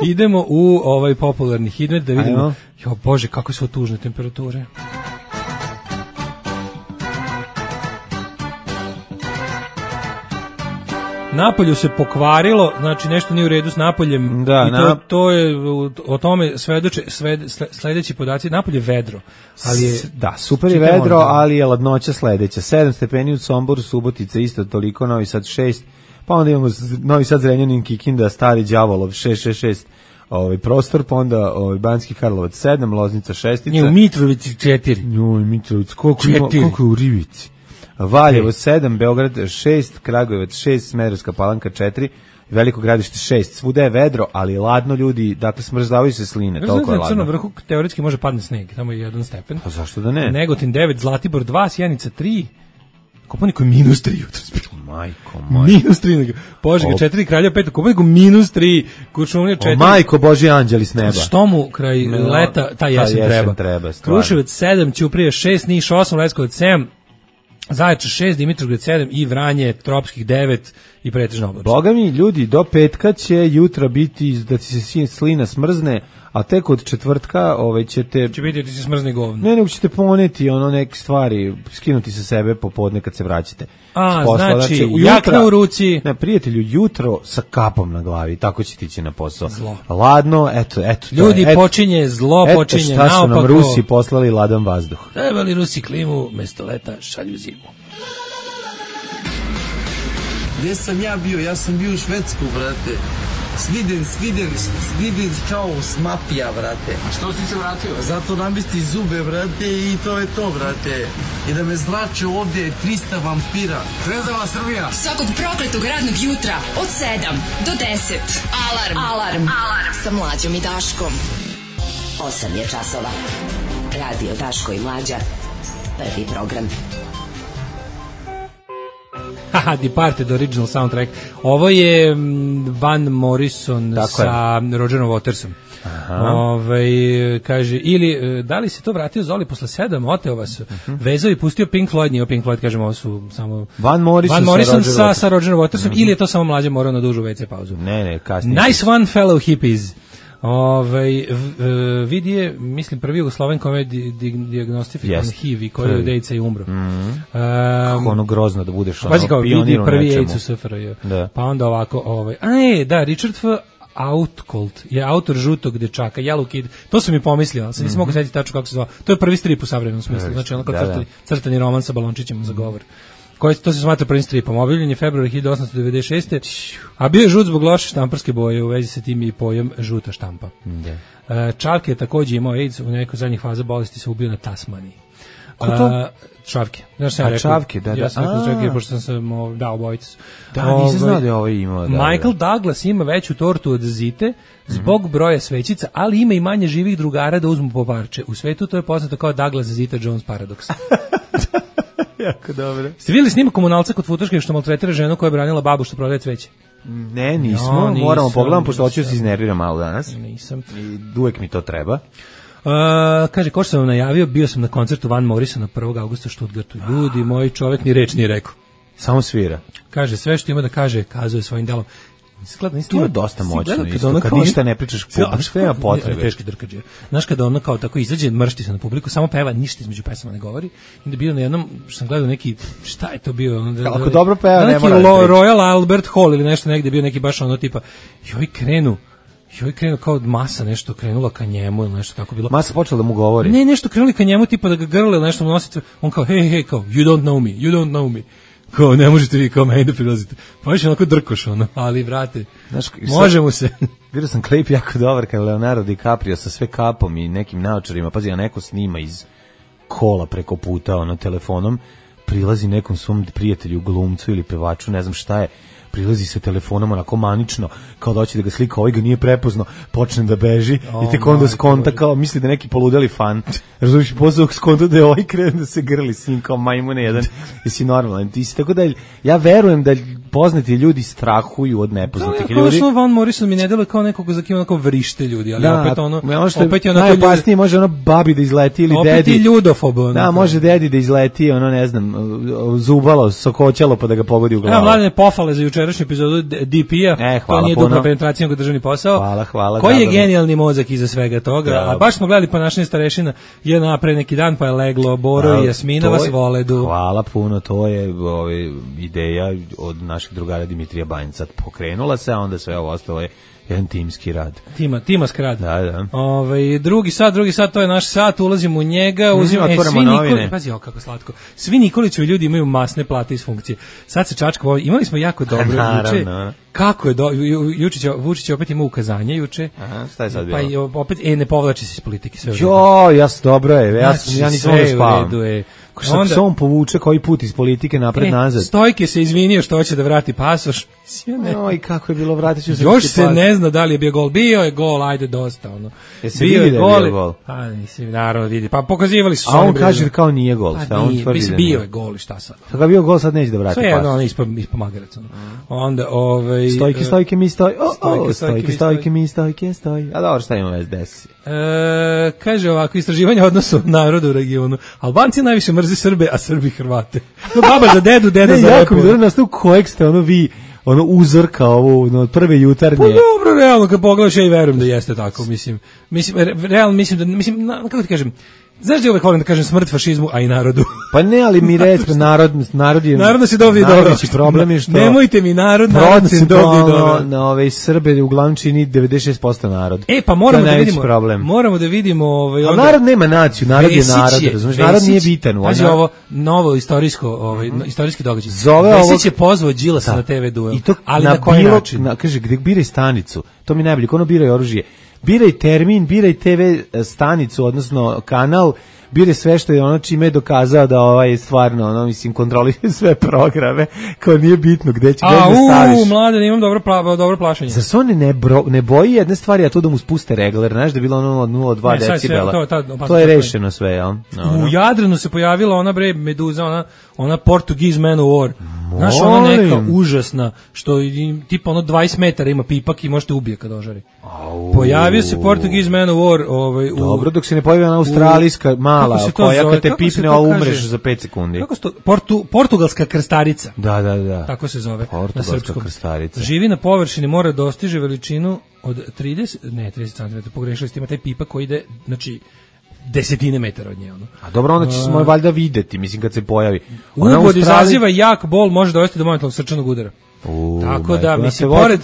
Speaker 5: Idemo u ovaj popularni hitmet da vidimo. Jo, Bože, kako su tužne temperature. Napolju se pokvarilo, znači nešto nije u redu s napoljem.
Speaker 6: Da,
Speaker 5: i to je o tome svedoče sledeći podaci. Napolje vedro, ali je
Speaker 6: super je vedro, ali je ladnoća sledeća. 7 stepeni u Somboru, Subotica isto toliko, Novi Sad 6. Pa onda imamo Novi Sad, Zrenjanin, Kikinda, Stari Đavolov 666. Prostor, pa onda Banjski Karlovac 7, Loznica 6.
Speaker 5: Nije u Mitrovici 4.
Speaker 6: Mitrovici, koliko je u Rivici? Valjevo 7, Beograd 6, Kragujevac 6, Smederevska Palanka 4, Veliko Gradište 6. Svuda je vedro, ali ladno, ljudi, dakle smrzavaju se sline, toliko je ladno.
Speaker 5: Crnom Vrhu teoretski može padne sneg, tamo je 1 stepen.
Speaker 6: Pa zašto da ne?
Speaker 5: Negotin 9, Zlatibor 2, Sjenica 3, Kopaoniku je -3 jutros bilo.
Speaker 6: Majko moj.
Speaker 5: -3, Požega 4, Kraljevo 5, Kopaoniku -3, Kuršumlija 4.
Speaker 6: Majko Božji anđeli s neba.
Speaker 5: Što mu kraj leta, ta jesen treba. Kruševac 7, Ćuprija 6, Niš 8, Leskovac 7, Zaječar 6, Dimitrovgrad 7 i Vranje tropskih 9 i pretežno oblačno.
Speaker 6: Boga mi, ljudi, do petka će jutra biti da ti se slina smrzne, a tek od četvrtka ćete...
Speaker 5: Će biti da ti se smrzne govno.
Speaker 6: Ne, nego ćete poneti neke stvari, skinuti sa sebe popodne kad se vraćate.
Speaker 5: Znači, jakna u ruci.
Speaker 6: Ne, prijatelju, jutro sa kapom na glavi, tako će ti ići na posao. Zlo. Ladno, eto.
Speaker 5: Ljudi, počinje, zlo počinje, naopako.
Speaker 6: Eto šta su nam Rusi poslali, ladan vazduh.
Speaker 5: Trebali Rusi klimu, mesto leta šalju zimu.
Speaker 8: Gdje sam ja bio? Ja sam bio u Švedsku, brate. Sviden kao mafija, brate.
Speaker 9: A što si se vratio?
Speaker 8: Zato namesti zube, brate, i to je to, brate. I da me zrače ovdje 300 vampira.
Speaker 9: Zvezdava Srbija.
Speaker 3: Svakog prokletog radnog jutra od 7 do 10. Alarm. Sa Mlađom i Daškom.
Speaker 10: 8 je časova. Radio Daško i Mlađa. Prvi program.
Speaker 5: Haha, Departed original soundtrack. Ovo je Van Morrison sa Rogerom Watersom. Kaže, ili da li se to vratio Zoli posle 7, oteo vas, vezao i pustio Pink Floyd, nije Pink Floyd, kažemo, ovo su samo
Speaker 6: Van Morrison
Speaker 5: sa Rogerom Watersom, ili je to samo Mlađe morao na dužu WC pauzu.
Speaker 6: Ne, kasnije.
Speaker 5: Nice one, fellow hippies. Vidi je, mislim, prvi Jugosloven kome je diagnostifikovan HIV i koji je od AIDS-a i umro.
Speaker 6: Kako ono grozno da budeš
Speaker 5: vidi prvi AIDS u SFRJ. Pa onda ovako, Richard F. Outcolt je autor Žutog dečaka, Yellow Kid, to sam mi pomislio, ali sam nisam mogu setiti tačno kako se zvao. To je prvi strip u savremenom smislu, znači ono kao crtani roman sa balončićima za govor. To se smatra prvim stripom. Objavljen je februara 1896. A bio je žut zbog loše štamparske boje, u vezi sa tim i pojam žuta štampa. Čavke je također imao AIDS, u nekoj zadnjih faza bolesti se ubio na Tasmaniji.
Speaker 6: Ko to?
Speaker 5: Čavke. Znaš sam rekao?
Speaker 6: Čavke, da.
Speaker 5: Ja sam rekao Čavke, pošto sam dao obojicu.
Speaker 6: Da, nisam znao da je ovo imao.
Speaker 5: Michael Douglas ima veću tortu od Zite zbog broja svećica, ali ima i manje živih drugara da uzmu po parče. U svetu to je poznato kao Douglas Zita Jones paradoks.
Speaker 6: Jako dobro.
Speaker 5: Ste vidjeli snimak komunalca kod Futoške što maltretira ženu koja je branila babu što prodaje cveće?
Speaker 6: Ne, nismo. Moramo pogledam, pošto hoću se iznerviram malo danas.
Speaker 5: Nisam.
Speaker 6: I uvek mi to treba.
Speaker 5: Kaže, ko što sam vam najavio, bio sam na koncertu Van Morrisona 1. augusta u Stuttgartu. Ljudi, moj čovjek ni reč nije rekao.
Speaker 6: Samo svira.
Speaker 5: Kaže, sve što ima da kaže, kazuje svojim delom.
Speaker 6: To je dosta moćno isto, kad ništa ne pričaš publiku, nema potrebe.
Speaker 5: Teški drkađe. Znaš, kada ono kao tako izađe, mršti se na publiku, samo peva, ništa između pesama ne govori. I da bio na jednom, što sam gledao neki, šta je to bio?
Speaker 6: Ako dobro peva, ne mora.
Speaker 5: Neki Royal Albert Hall ili nešto negde bio neki baš ono tipa, joj krenu kao masa nešto krenula ka njemu ili nešto tako bilo.
Speaker 6: Masa počela da mu govori.
Speaker 5: Ne, nešto krenuli ka njemu tipa da ga grle ili nešto mu nosi. On kao, hej, kao, you don't know me. Kao, ne možete vi kao meni da prilazite. Pa više onako drkoš ono, ali vrate, možemo se.
Speaker 6: Vidio sam klip jako dobar kada Leonardo DiCaprio sa sve kapom i nekim naočarima, pazi, a neko snima iz kola preko puta, ono, telefonom, prilazi nekom svom prijatelju, glumcu ili pevaču, ne znam šta je, prilazi sa telefonom onako manično, kao da hoće da ga slika, ovaj ga nije prepoznao, počne da beži i tek onda skonta kao, misli da neki poludeli fan. Razumiješ, posle skonta da je ovaj krene da se grli s njim kao majmune jedan. Jesi normalan. Tako da ja verujem da poznati ljudi strahuju od nepoznatih ljudi.
Speaker 5: Kao Van Morrison mi ne deluje kao nekog za kim onako vrište ljudi, ali opet ono...
Speaker 6: Opet je najopasnije, može ono babi da izleti ili
Speaker 5: opet
Speaker 6: dedi.
Speaker 5: Opet i ljudofob.
Speaker 6: Da, može dedi da izleti, ono ne znam, zubalo, sokoćalo pa da ga pogodi u glavu.
Speaker 5: Mladene, pohvale za jučerašnju epizodu DP-a. To nije dupla penetracija, nego državni posao.
Speaker 6: Hvala.
Speaker 5: Koji je genijalni mozak iza svega toga? A baš smo gledali ponašanje starešina je pre neki dan, pa je leglo Boro i Jasmina vas voledu.
Speaker 6: Hvala puno, to je ideja od naših drugara Dimitrija Banjca pokrenula se, a onda sve ovo ostalo je jedan timski rad.
Speaker 5: Timask rad.
Speaker 6: Da.
Speaker 5: Drugi sat, to je naš sat, ulazimo u njega,
Speaker 6: otvoramo novine.
Speaker 5: Pazi, kako slatko. Svi Nikolićevi ljudi imaju masne plate iz funkcije. Sad se čačka, imali smo jako dobro juče. Kako je Vučić opet ima ukazanje juče.
Speaker 6: Aha, šta je sad bilo?
Speaker 5: Pa opet ne povlači se iz politike sve.
Speaker 6: Dobro je. Ja nisam ovo spavam. Onda se on povuče koji put iz politike napred-nazad.
Speaker 5: Stojke se izvinio što hoće da vrati pasoš.
Speaker 6: I kako je bilo, vratit ću se.
Speaker 5: Još se ne zna da li je bio gol. Bio je gol, ajde dosta.
Speaker 6: Jesi vidi da je bio gol?
Speaker 5: Pa nisi, naravno vidi. Pa pokazivali su.
Speaker 6: A on kaže kao nije gol.
Speaker 5: Bio je gol i šta sad?
Speaker 6: Kada je bio gol, sad neće da vrati pasoš.
Speaker 5: Sve je ispod magaraca. Onda,
Speaker 6: Stojke mi stoj. Stojke mi stoj. A dobro, šta ima SDS?
Speaker 5: Kaže ovako, istraživanje odnosu naroda u regionu. Albanci najviše mrzi Srbe, a Srbi Hrvate. Baba za dedu, deda za
Speaker 6: jako mi dobro nastavu kojeg ste vi uzor kao ovo od prve jutarnje.
Speaker 5: Pa dobro, realno kad pogledaš, ja i verujem da jeste tako, mislim realno mislim, kako ti kažem, znaš da uvek volim da kažem smrt fašizmu, a i narodu.
Speaker 6: Pa ne, ali mi recimo narod je...
Speaker 5: Narodno se dobije dobro.
Speaker 6: Problem je što...
Speaker 5: Nemojte mi narodno se dobije dobro.
Speaker 6: Na ove Srbe uglavnom čini 96% narod.
Speaker 5: Pa moramo da vidimo...
Speaker 6: Ali narod nema naciju, narod je narod, razumiješ? Narod nije bitan.
Speaker 5: Pazi ovo novo istorijski događaj. Vesić je pozvao Đilasa na TV duel. Ali na koji način?
Speaker 6: Kaže, gde biraj stanicu, to mi najbolje, ono biraj oružje. Biraj termin, biraj TV stanicu, odnosno kanal, biraj sve što je ono čime je dokazao da stvarno, kontroliše sve programe, kao nije bitno gde će da staviš.
Speaker 5: Mladen, imam dobro plašenje.
Speaker 6: Zar se on ne boji jedne stvari, a to da mu spuste regler, znaš da je bilo ono 0,2 decibela. To je rešeno sve, jel?
Speaker 5: U Jadranu se pojavila ona meduza, ona Portuguese Man of War. Znaš, ona neka užasna, što tipa 20 metara ima pipak i možete ubije kad ožari. Pojavio se Portuguese Man of War.
Speaker 6: Dobro, dok se ne pojavi ona australijska mala, koja kad te pipne, a umreš za 5 sekundi.
Speaker 5: Kako se to? Portugalska krstarica.
Speaker 6: Da.
Speaker 5: Tako se zove
Speaker 6: na srpskom. Krstarica.
Speaker 5: Živi na površini, mora dostiže veličinu od 30 cm, pogrešili ste, ima taj pipak koji ide, znači, desetine metara od nje.
Speaker 6: A dobro, onda će se valjda videti, mislim, kad se pojavi.
Speaker 5: Ubod izaziva jak bol, može dovesti do momentalnog srčanog udara. Tako da, mislim, pored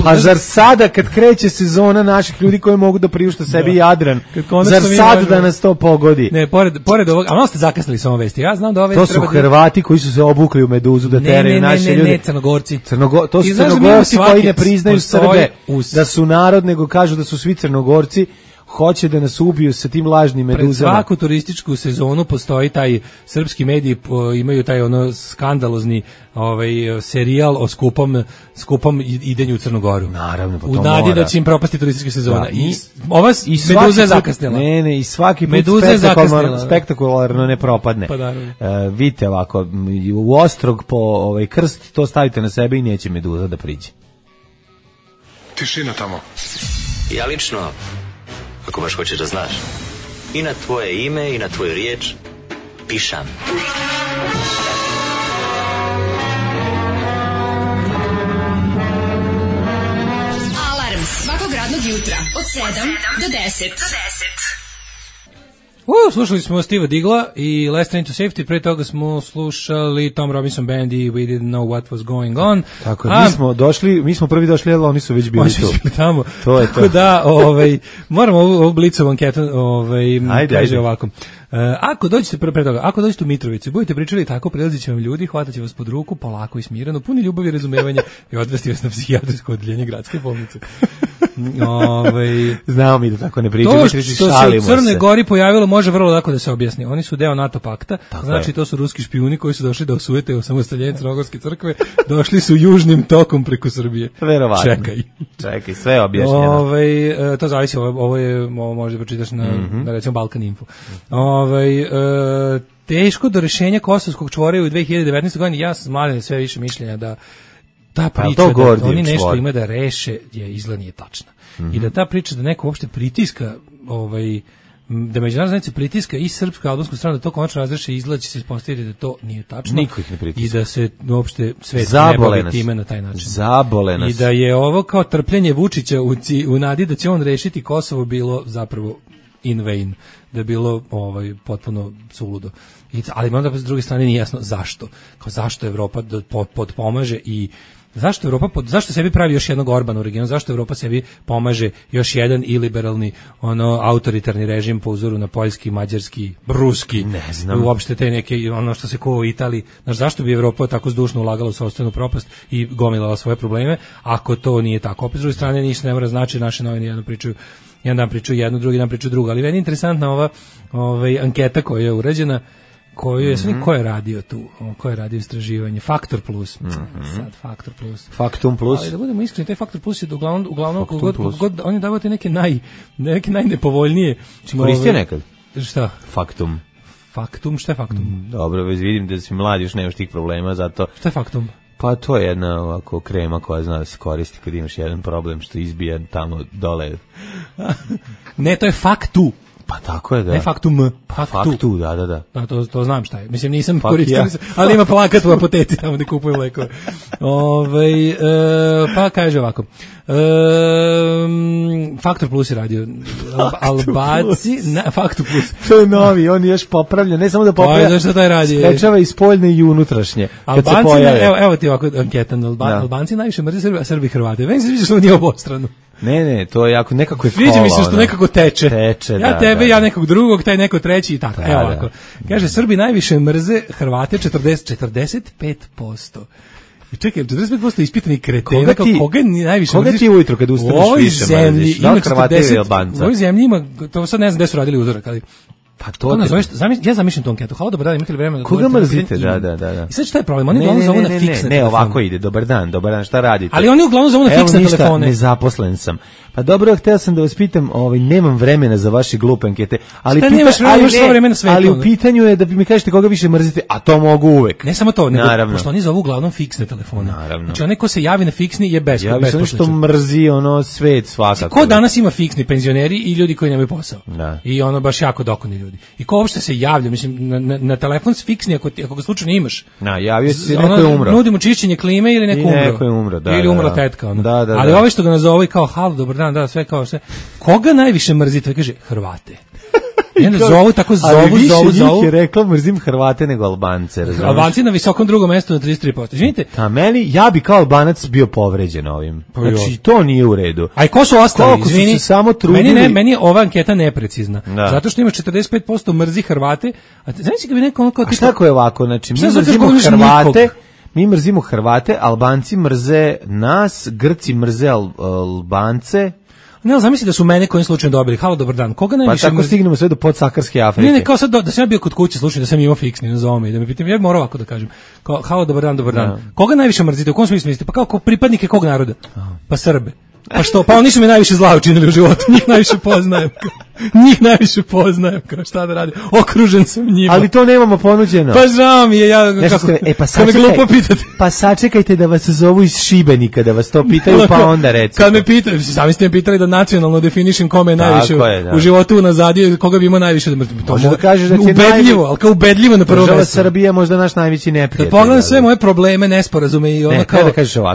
Speaker 6: pa zar sada kad kreće sezona naših ljudi koji mogu da priušte sebi Jadran, zar sad da nas to pogodi?
Speaker 5: Ne, pored ovog, a ono ste zakasnili sa ovom vesti, ja znam da ove
Speaker 6: to su Hrvati koji su se obukli u meduzu da teraju naše ljude.
Speaker 5: Ne, Crnogorci.
Speaker 6: To su Crnogorci koji ne priznaju Srbe da su narod, nego kažu da su svi Crnogorci. Hoće da nas ubiju sa tim lažnim meduzama.
Speaker 5: Pred svaku turističku sezonu postoji taj, srpski mediji imaju taj skandalozni serijal o skupom idenju u Crnogoru.
Speaker 6: Naravno,
Speaker 5: u nadi da će im propasti turistička sezona. Ova meduza je zakasnila.
Speaker 6: Ne, i svaki put spektakularno ne propadne.
Speaker 5: Pa
Speaker 6: vidite ovako, u ostrog po krst, to stavite na sebe i neće meduza da priđe.
Speaker 4: Tišina tamo.
Speaker 11: Ja lično, ako baš hoćeš da znaš, i na tvoje ime i na tvoju riječ pišam.
Speaker 3: Alarm svakog radnog jutra od 7 do 10.
Speaker 5: Slušali smo Steva Digla i Last Train to Safety, pre toga smo slušali Tom Robinson Band i We Didn't Know What Was Going On.
Speaker 6: Tako, mi smo prvi došli, ali oni su već bili tu.
Speaker 5: Tamo.
Speaker 6: To je
Speaker 5: tako da, moramo ovu blicovu anketu, kaže ovako. Ako dođete pre toga, ako dođete u Mitrovicu, budete pričali tako, prilazit će vam ljudi, hvataće vas pod ruku, polako i smireno, puni ljubavi i razumevanja i odvesti vas na psihijatrijsko odeljenje gradske bolnice.
Speaker 6: Znamo mi da tako ne pričamo.
Speaker 5: To što se u Crnoj Gori pojavilo može vrlo lako da se objasni. Oni su deo NATO pakta, znači to su ruski špijuni koji su došli da osujete osamostaljenje Crnogorske crkve, došli su južnim tokom preko Srbije.
Speaker 6: Verovatno. Čekaj, sve je objašnjeno.
Speaker 5: To zavisi, ovo možda pročitaš na recimo Balkan Info. Teško do rešenja Kosovskog čvora u 2019. godini, ja sam mladen sve više mišljenja da ta priča da oni nešto ima da reše je izgled nije tačna. I da ta priča da neko uopšte pritiska da međunarodna zajednica pritiska i srpsku i albansku stranu da to konačno razreše izgled će se ispostaviti da to nije tačno.
Speaker 6: Niko ih ne pritiska.
Speaker 5: I da se uopšte svet ne bavi time na taj način.
Speaker 6: Zabole nas.
Speaker 5: I da je ovo kao trpljenje Vučića u nadi da će on rešiti Kosovo bilo zapravo in vain, da je bilo potpuno suludo. Ali onda s druge strane nije jasno zašto. Kao zašto Evropa podpomaže i zašto sebi pravi još jednog Orbana u regionu, zašto Evropa sebi pomaže još jedan iliberalni autoritarni režim po uzoru na poljski, mađarski, ruski,
Speaker 6: ne znam.
Speaker 5: Uopšte te neke ono što se ko u Italiji, zašto bi Evropa tako zdušno ulagala u sopstvenu propast i gomilala svoje probleme, ako to nije tako. Opet s druge strane ništa ne mora znači, naše novine jedan dan pričaju jedno, drugi dan pričaju drugo, ali meni je interesantna ova anketa koja je urađena, koju je ko je radio tu, ko je radio istraživanje, Faktor Plus, sad Faktor Plus,
Speaker 6: Faktum Plus,
Speaker 5: ali da budemo iskreni, taj Faktor Plus je uglavnom god oni davate neke najnepovoljnije.
Speaker 6: Koristio nekad?
Speaker 5: Šta?
Speaker 6: Faktum,
Speaker 5: šta je Faktum?
Speaker 6: Dobro, već vidim da si mlad, još nemaš tih problema, zato...
Speaker 5: Šta je Faktum?
Speaker 6: Pa to je jedna ovako krema koja zna da se koristi kad imaš jedan problem što izbija tamo dole.
Speaker 5: Ne, to je Faktu.
Speaker 6: Pa tako je, da.
Speaker 5: Ne Faktum,
Speaker 6: Faktu, da.
Speaker 5: Da, to znam šta je. Mislim, nisam koristio, ali ima plakat u apoteci tamo gde kupuju lekove. Pa kaže ovako. Faktor Plus je radio. Albaci, Faktor Plus.
Speaker 6: To je novi, on je još popravlja, ne samo da popravlja.
Speaker 5: Pa zašto taj radi?
Speaker 6: Sprečava i spoljne i unutrašnje.
Speaker 5: Albanci, evo ti ovako anketa. Albanci najviše mrze Srbi, a Srbi Hrvate. Meni se vidiš što nije obostrano.
Speaker 6: Ne, to je jako nekako je kola.
Speaker 5: Sviđa mi se što nekako teče. Ja tebe, ja nekog drugog, taj neko treći i tako. Evo ovako. Kaže, Srbi najviše mrze Hrvate 45%. I čekaj, 45% ispitanih kretena, koga najviše mrziš?
Speaker 6: Koga ti ujutro kad ustaneš više mrziš? Da li Hrvate ili Albanca?
Speaker 5: U ovoj zemlji ima, to sad ne znam gde su radili uzorak, ali
Speaker 6: pa to
Speaker 5: nazoveš, ja zamišljam tu anketu. Halo, dobar dan, imate li vremena?
Speaker 6: Koga mrzite? Da.
Speaker 5: I sad šta je problem? Oni uglavnom zovu na fiksne telefone.
Speaker 6: Ne, ovako ide, dobar dan, šta radite?
Speaker 5: Ali oni uglavnom zovu na fiksne telefone.
Speaker 6: Evo ništa, nezaposlen sam. Pa dobro, hteo sam da vas pitam, nemam vremena za vaše glupe ankete, ali u pitanju je da mi kažete koga više mrzite, a to mogu uvek.
Speaker 5: Ne samo to, nego pošto oni zovu uglavnom fiksne telefone. Znači onaj ko se javi na fiksni je besposličan.
Speaker 6: Ja što mrzi svet svakako.
Speaker 5: Ko danas ima fiksni, penzioneri i ljudi koji nemaju posao. I baš jako dokoni ljudi. I ko uopšte se javlja, mislim, na telefon s fiksni, ako ga slučajno imaš.
Speaker 6: Javio se, neko je umro.
Speaker 5: Nudimo čišćenje klime ili neko
Speaker 6: umro.
Speaker 5: Ili umrla tetka. Ali ovi što ga nazove kao halo, dobar dan, sve kao sve. Koga najviše mrzite? Kaže, Hrvate. Jedan zovu,
Speaker 6: njih je rekla, mrzim Hrvate nego Albance.
Speaker 5: Albanci na visokom drugom mestu na 33%. Izvinite.
Speaker 6: Ja bi kao Albanac bio povređen ovim. Znači, to nije u redu.
Speaker 5: A i ko su ostali? Izvini,
Speaker 6: su samo trudili.
Speaker 5: Meni je ova anketa neprecizna. Zato što ima 45% mrzi Hrvate. A znači kad bi neko kao
Speaker 6: tipa... A šta ko je ovako? Znači, mi mrzimo Hrvate, Albanci mrze nas, Grci mrze Albance.
Speaker 5: Ne, zamisli da su mene kojim slučajem dobili. Halo, dobar dan. Koga najviše?
Speaker 6: Pa tako stignemo sve do podsaharske Afrike.
Speaker 5: Ne, kao sad da sam ja bio kod kuće, slušaj, da sam imao fiksni na zome i da me pitam, ja bih morao ovako da kažem. Kao, halo, dobar dan. Koga najviše mrzite? U kom smislu mislite? Pa kao pripadnike kog naroda? Pa Srbe. Pa što? Pa oni su mi najviše zla učinili u životu. Njih najviše poznajem. Kao šta da radim? Okružen sam njima.
Speaker 6: Ali to nemamo ponuđeno.
Speaker 5: Pa žao mi je.
Speaker 6: Pa sačekajte da vas zovu iz Šibenika, da vas to pitaju, pa onda recite.
Speaker 5: Kad me pitaju, sami ste me pitali da nacionalno definišem kome je najviše u životu unazadio, koga bi imao najviše da mrzim.
Speaker 6: Možda da kažeš da ti je
Speaker 5: ubedljivo, ali kao ubedljivo na prvo mesto.
Speaker 6: Država Srbija možda naš najveći neprijatelj.
Speaker 5: Da pogledam sve moje probleme, nesporazume i ono kao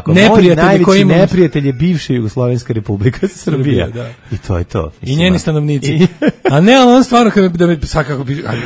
Speaker 6: najveći neprijatelj je bivša Jugoslovenska Republika Srbija. I to je to.
Speaker 5: I njeni stanovnici. A ne, ali on stvarno,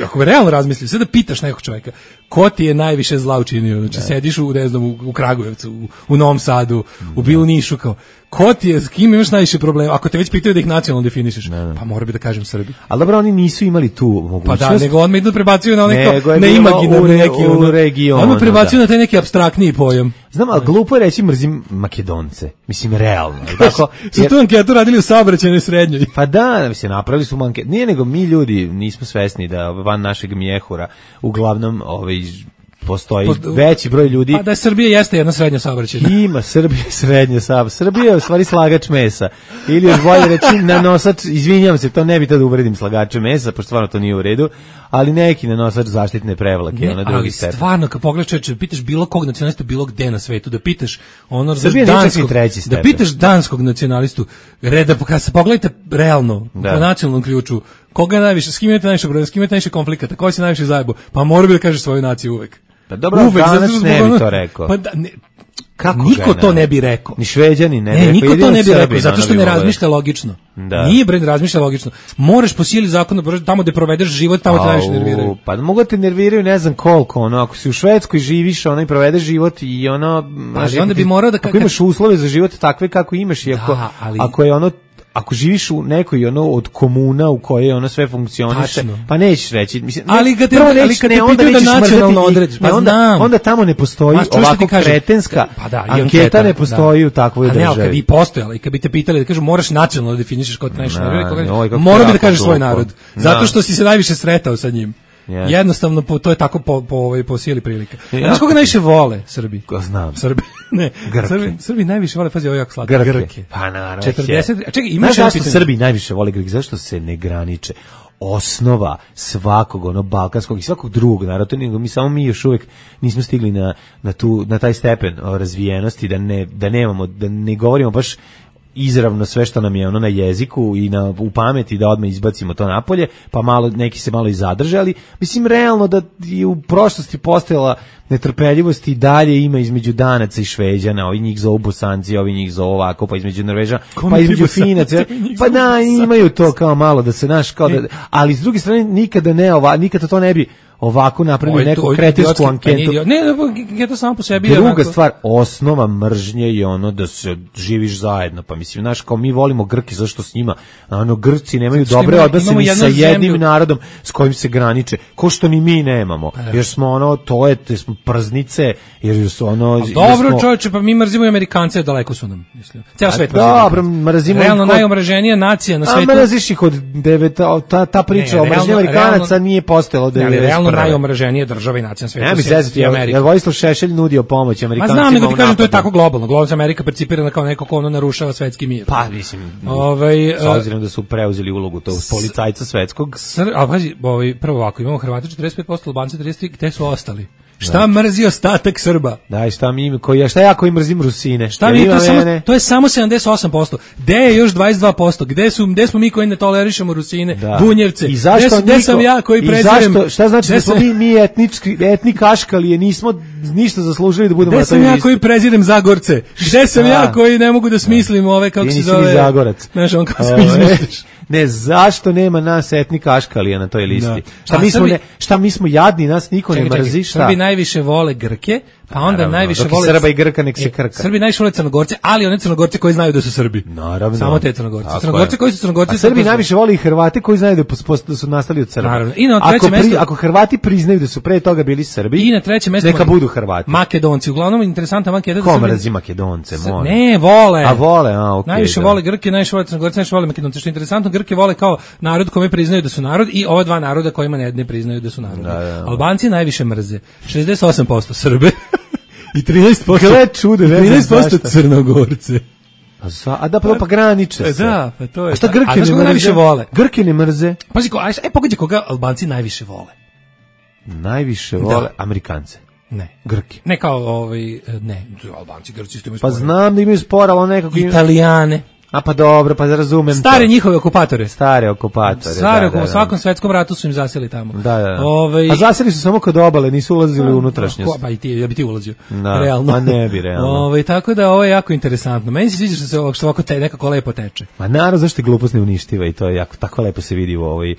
Speaker 5: ako bi realno razmislio, sve da pitaš nekog čovjeka, ko ti je najviše zla učinio? Znači, sediš u, ne znam, u Kragujevcu, u Novom Sadu, u Bilu Nišu, kao, ko ti je, s kim imaš najviše problema? Ako te već pitaju da ih nacionalno definišeš, pa mora bi da kažem Srbi.
Speaker 6: Ali dobro, oni nisu imali tu mogućnost.
Speaker 5: Pa da, nego on me idu prebacuju na onaj na imaginarni neki
Speaker 6: u regionu.
Speaker 5: On me prebacuju na taj neki apstraktniji pojam.
Speaker 6: Znam, ali glupo je reći mrzim Makedonce. Mislim, realno. Tako,
Speaker 5: su tu anketu radili u saobraćajnoj srednjoj.
Speaker 6: Pa da, mislim, napravili su anketu. Nije nego mi ljudi nismo svesni da van našeg mjehura uglavnom postoji veći broj ljudi.
Speaker 5: Pa da Srbija jeste jedna srednja saobraćajna.
Speaker 6: Ima Srbija srednja saobraćajna. Srbija je u stvari slagač mesa. Ili još bolje reći nanosač, izvinjavam se, to ne bi tada uvredim slagače mesa, pošto stvarno to nije u redu, ali neki nanosač zaštitne prevlake.
Speaker 5: Ne, ali stvarno, kad pogledaš, pitaš bilo kog nacionalistu, bilo gde na svetu, da pitaš da pitaš danskog nacionalistu, kad se pogledajte realno, po nacionalnom ključu, koga najviše, s kim imate najviše problema, s kim imate najviše konflikata, koji se najviše zajebo, pa mora bi da kažeš svoju naciju uvek.
Speaker 6: Pa dobro, uvek, danas ne bi to rekao.
Speaker 5: Pa da, niko to ne bi rekao.
Speaker 6: Ni Šveđani ne bi rekao.
Speaker 5: Niko to ne bi rekao, zato što ne razmišlja logično. Nije bre, razmišlja logično. Moraš po sili zakona, tamo gde provedeš život, tamo te najviše nerviraju.
Speaker 6: Pa mogu te nerviraju, ne znam koliko, ako si u Švedskoj živiš, i provedeš život i
Speaker 5: onda bi morao da
Speaker 6: ako imaš uslove za život takve kako imaš i ako je ako živiš u nekoj od komuna u kojoj sve funkcioniše, pa nećeš reći, mislim,
Speaker 5: ali kad te pitaju da nacionalno odrediš,
Speaker 6: onda tamo ne postoji ovako kretenska anketa, ne postoji u takvoj državi.
Speaker 5: A ne, kad bi postojala i kad bi te pitali da kažu moraš nacionalno da definišeš kod najviše, mora bi da kažeš svoj narod, zato što si se najviše sretao sa njim. Jednostavno to je tako po sili prilika. Znaš koga najviše vole Srbi?
Speaker 6: Ko znam.
Speaker 5: Srbi. Ne. Srbi najviše vole, pazi, ovo jako slatko.
Speaker 6: Grke. Pa naravno.
Speaker 5: 40. Čekaj,
Speaker 6: imaš zašto Srbi najviše vole Grke? Zašto se ne graniče? Osnova svakog balkanskog i svakog drugog naroda, mi još uvijek nismo stigli na taj stepen razvijenosti da ne govorimo baš izravno sve što nam je na jeziku i u pameti da odmah izbacimo to napolje, pa neki se malo i zadrže, ali mislim realno da je u prošlosti postojala netrpeljivost i dalje ima između Danaca i Šveđana, ovi njih zovu Bosanci, ovi njih zovu ovako, pa između Norvežana, pa između Finaca, pa da, imaju to kao malo da se ali s druge strane nikada to ne bi ovako napravili neku kretinsku anketu.
Speaker 5: Ne, to samo po sebi.
Speaker 6: Druga stvar, osnova mržnje je da se živiš zajedno. Pa mislim, znaš, kao mi volimo Grki, zašto s njima? Grci nemaju dobre odnose ni sa jednim narodom s kojim se graniče. Ko što ni mi nemamo. Jer smo smo prznice, jer su
Speaker 5: dobro, čovječe, pa mi mrzimo i Amerikance, daleko su nam, mislim. Ceo svet mrzimo.
Speaker 6: Dobro, mrzimo.
Speaker 5: Realno najomraženija nacija na svetu.
Speaker 6: A mrziš ih od ta priča o mržnji Amerikanaca nije postojala od
Speaker 5: najomraženije države i nacije na svetu.
Speaker 6: Ne mi zezati, jer Vojislav Šešelj nudio pomoć Amerikancima.
Speaker 5: Ma znam, nego ti kažem, to je tako globalno. Globalno Amerika percipirana kao neko ko narušava svetski mir.
Speaker 6: Pa, mislim, s obzirom da su preuzeli ulogu tog policajca svetskog.
Speaker 5: A pazi, prvo ovako, imamo Hrvati 45%, Albanci 33%, gde su ostali? Šta mrzi ostatak Srba?
Speaker 6: Da, šta ja koji mrzim Rusine?
Speaker 5: Šta to je samo 78%. Gde je još 22%? Gde smo mi koji ne tolerišemo Rusine, Bunjevce?
Speaker 6: I zašto
Speaker 5: gde sam ja koji prezirem?
Speaker 6: Šta znači da smo mi etni kaškalije, nismo ništa zaslužili da budemo na toj listi?
Speaker 5: Gde sam ja koji prezirem Zagorce? Gde sam ja koji ne mogu da smislim kako se zove?
Speaker 6: Ti nisi Zagorac.
Speaker 5: Znaš, on kako se izmišljaš.
Speaker 6: Ne, zašto nema nas etni kaškalija na toj listi? Šta mi smo jadni, nas niko ne mrzi, šta?
Speaker 5: Srbi najviše vole Grke, pa onda najviše vole
Speaker 6: Srba i Grka, nek se krka.
Speaker 5: Srbi najviše vole Crnogorce, ali one Crnogorce koji znaju da su Srbi.
Speaker 6: Naravno.
Speaker 5: Samo te Crnogorce. Crnogorce koji su Crnogorci.
Speaker 6: A Srbi najviše vole i Hrvate koji znaju da su nastali od Srba.
Speaker 5: Naravno. I na trećem mestu,
Speaker 6: ako Hrvati priznaju da su pre toga bili Srbi,
Speaker 5: i na trećem mestu
Speaker 6: neka budu Hrvati.
Speaker 5: Makedonci, uglavnom interesantna anketa.
Speaker 6: Ko mrzi Makedonce, molim.
Speaker 5: Ne, vole.
Speaker 6: A vole, okej.
Speaker 5: Najviše vole Grke, najviše vole Crnogorce, najviše vole Makedonce. Što je interesantno, Grke vole kao narod kome priznaju da su narod i ova dva naroda kojima ne priznaju da su narod. Albanci najviše mrze. 68% Srbe i 13% Crnogorce.
Speaker 6: Pa graniče se.
Speaker 5: Da, pa to je.
Speaker 6: A šta Grke ne
Speaker 5: najviše vole?
Speaker 6: Grke ne mrze.
Speaker 5: Pazi, pogađaj koga Albanci najviše vole.
Speaker 6: Najviše vole Amerikance.
Speaker 5: Ne.
Speaker 6: Grke.
Speaker 5: Ne kao ne, Albanci, Grci isto imaju spor.
Speaker 6: Pa znam da imaju spor, ali nekako
Speaker 5: Italijane.
Speaker 6: A pa dobro, pa razumem.
Speaker 5: Stare njihove okupatore.
Speaker 6: U
Speaker 5: svakom svetskom ratu su im zaseli tamo.
Speaker 6: Da. A zaseli su samo kod obale, nisu ulazili u unutrašnjost.
Speaker 5: Pa i ti, ja bi ti ulazio.
Speaker 6: Da,
Speaker 5: realno.
Speaker 6: Pa ne bi, realno.
Speaker 5: Tako da ovo je jako interesantno. Meni se sviđa što ovako nekako lepo teče.
Speaker 6: Ma naravno, zašto je glupost ne uništiva i to je jako, tako lepo se vidi u ovoj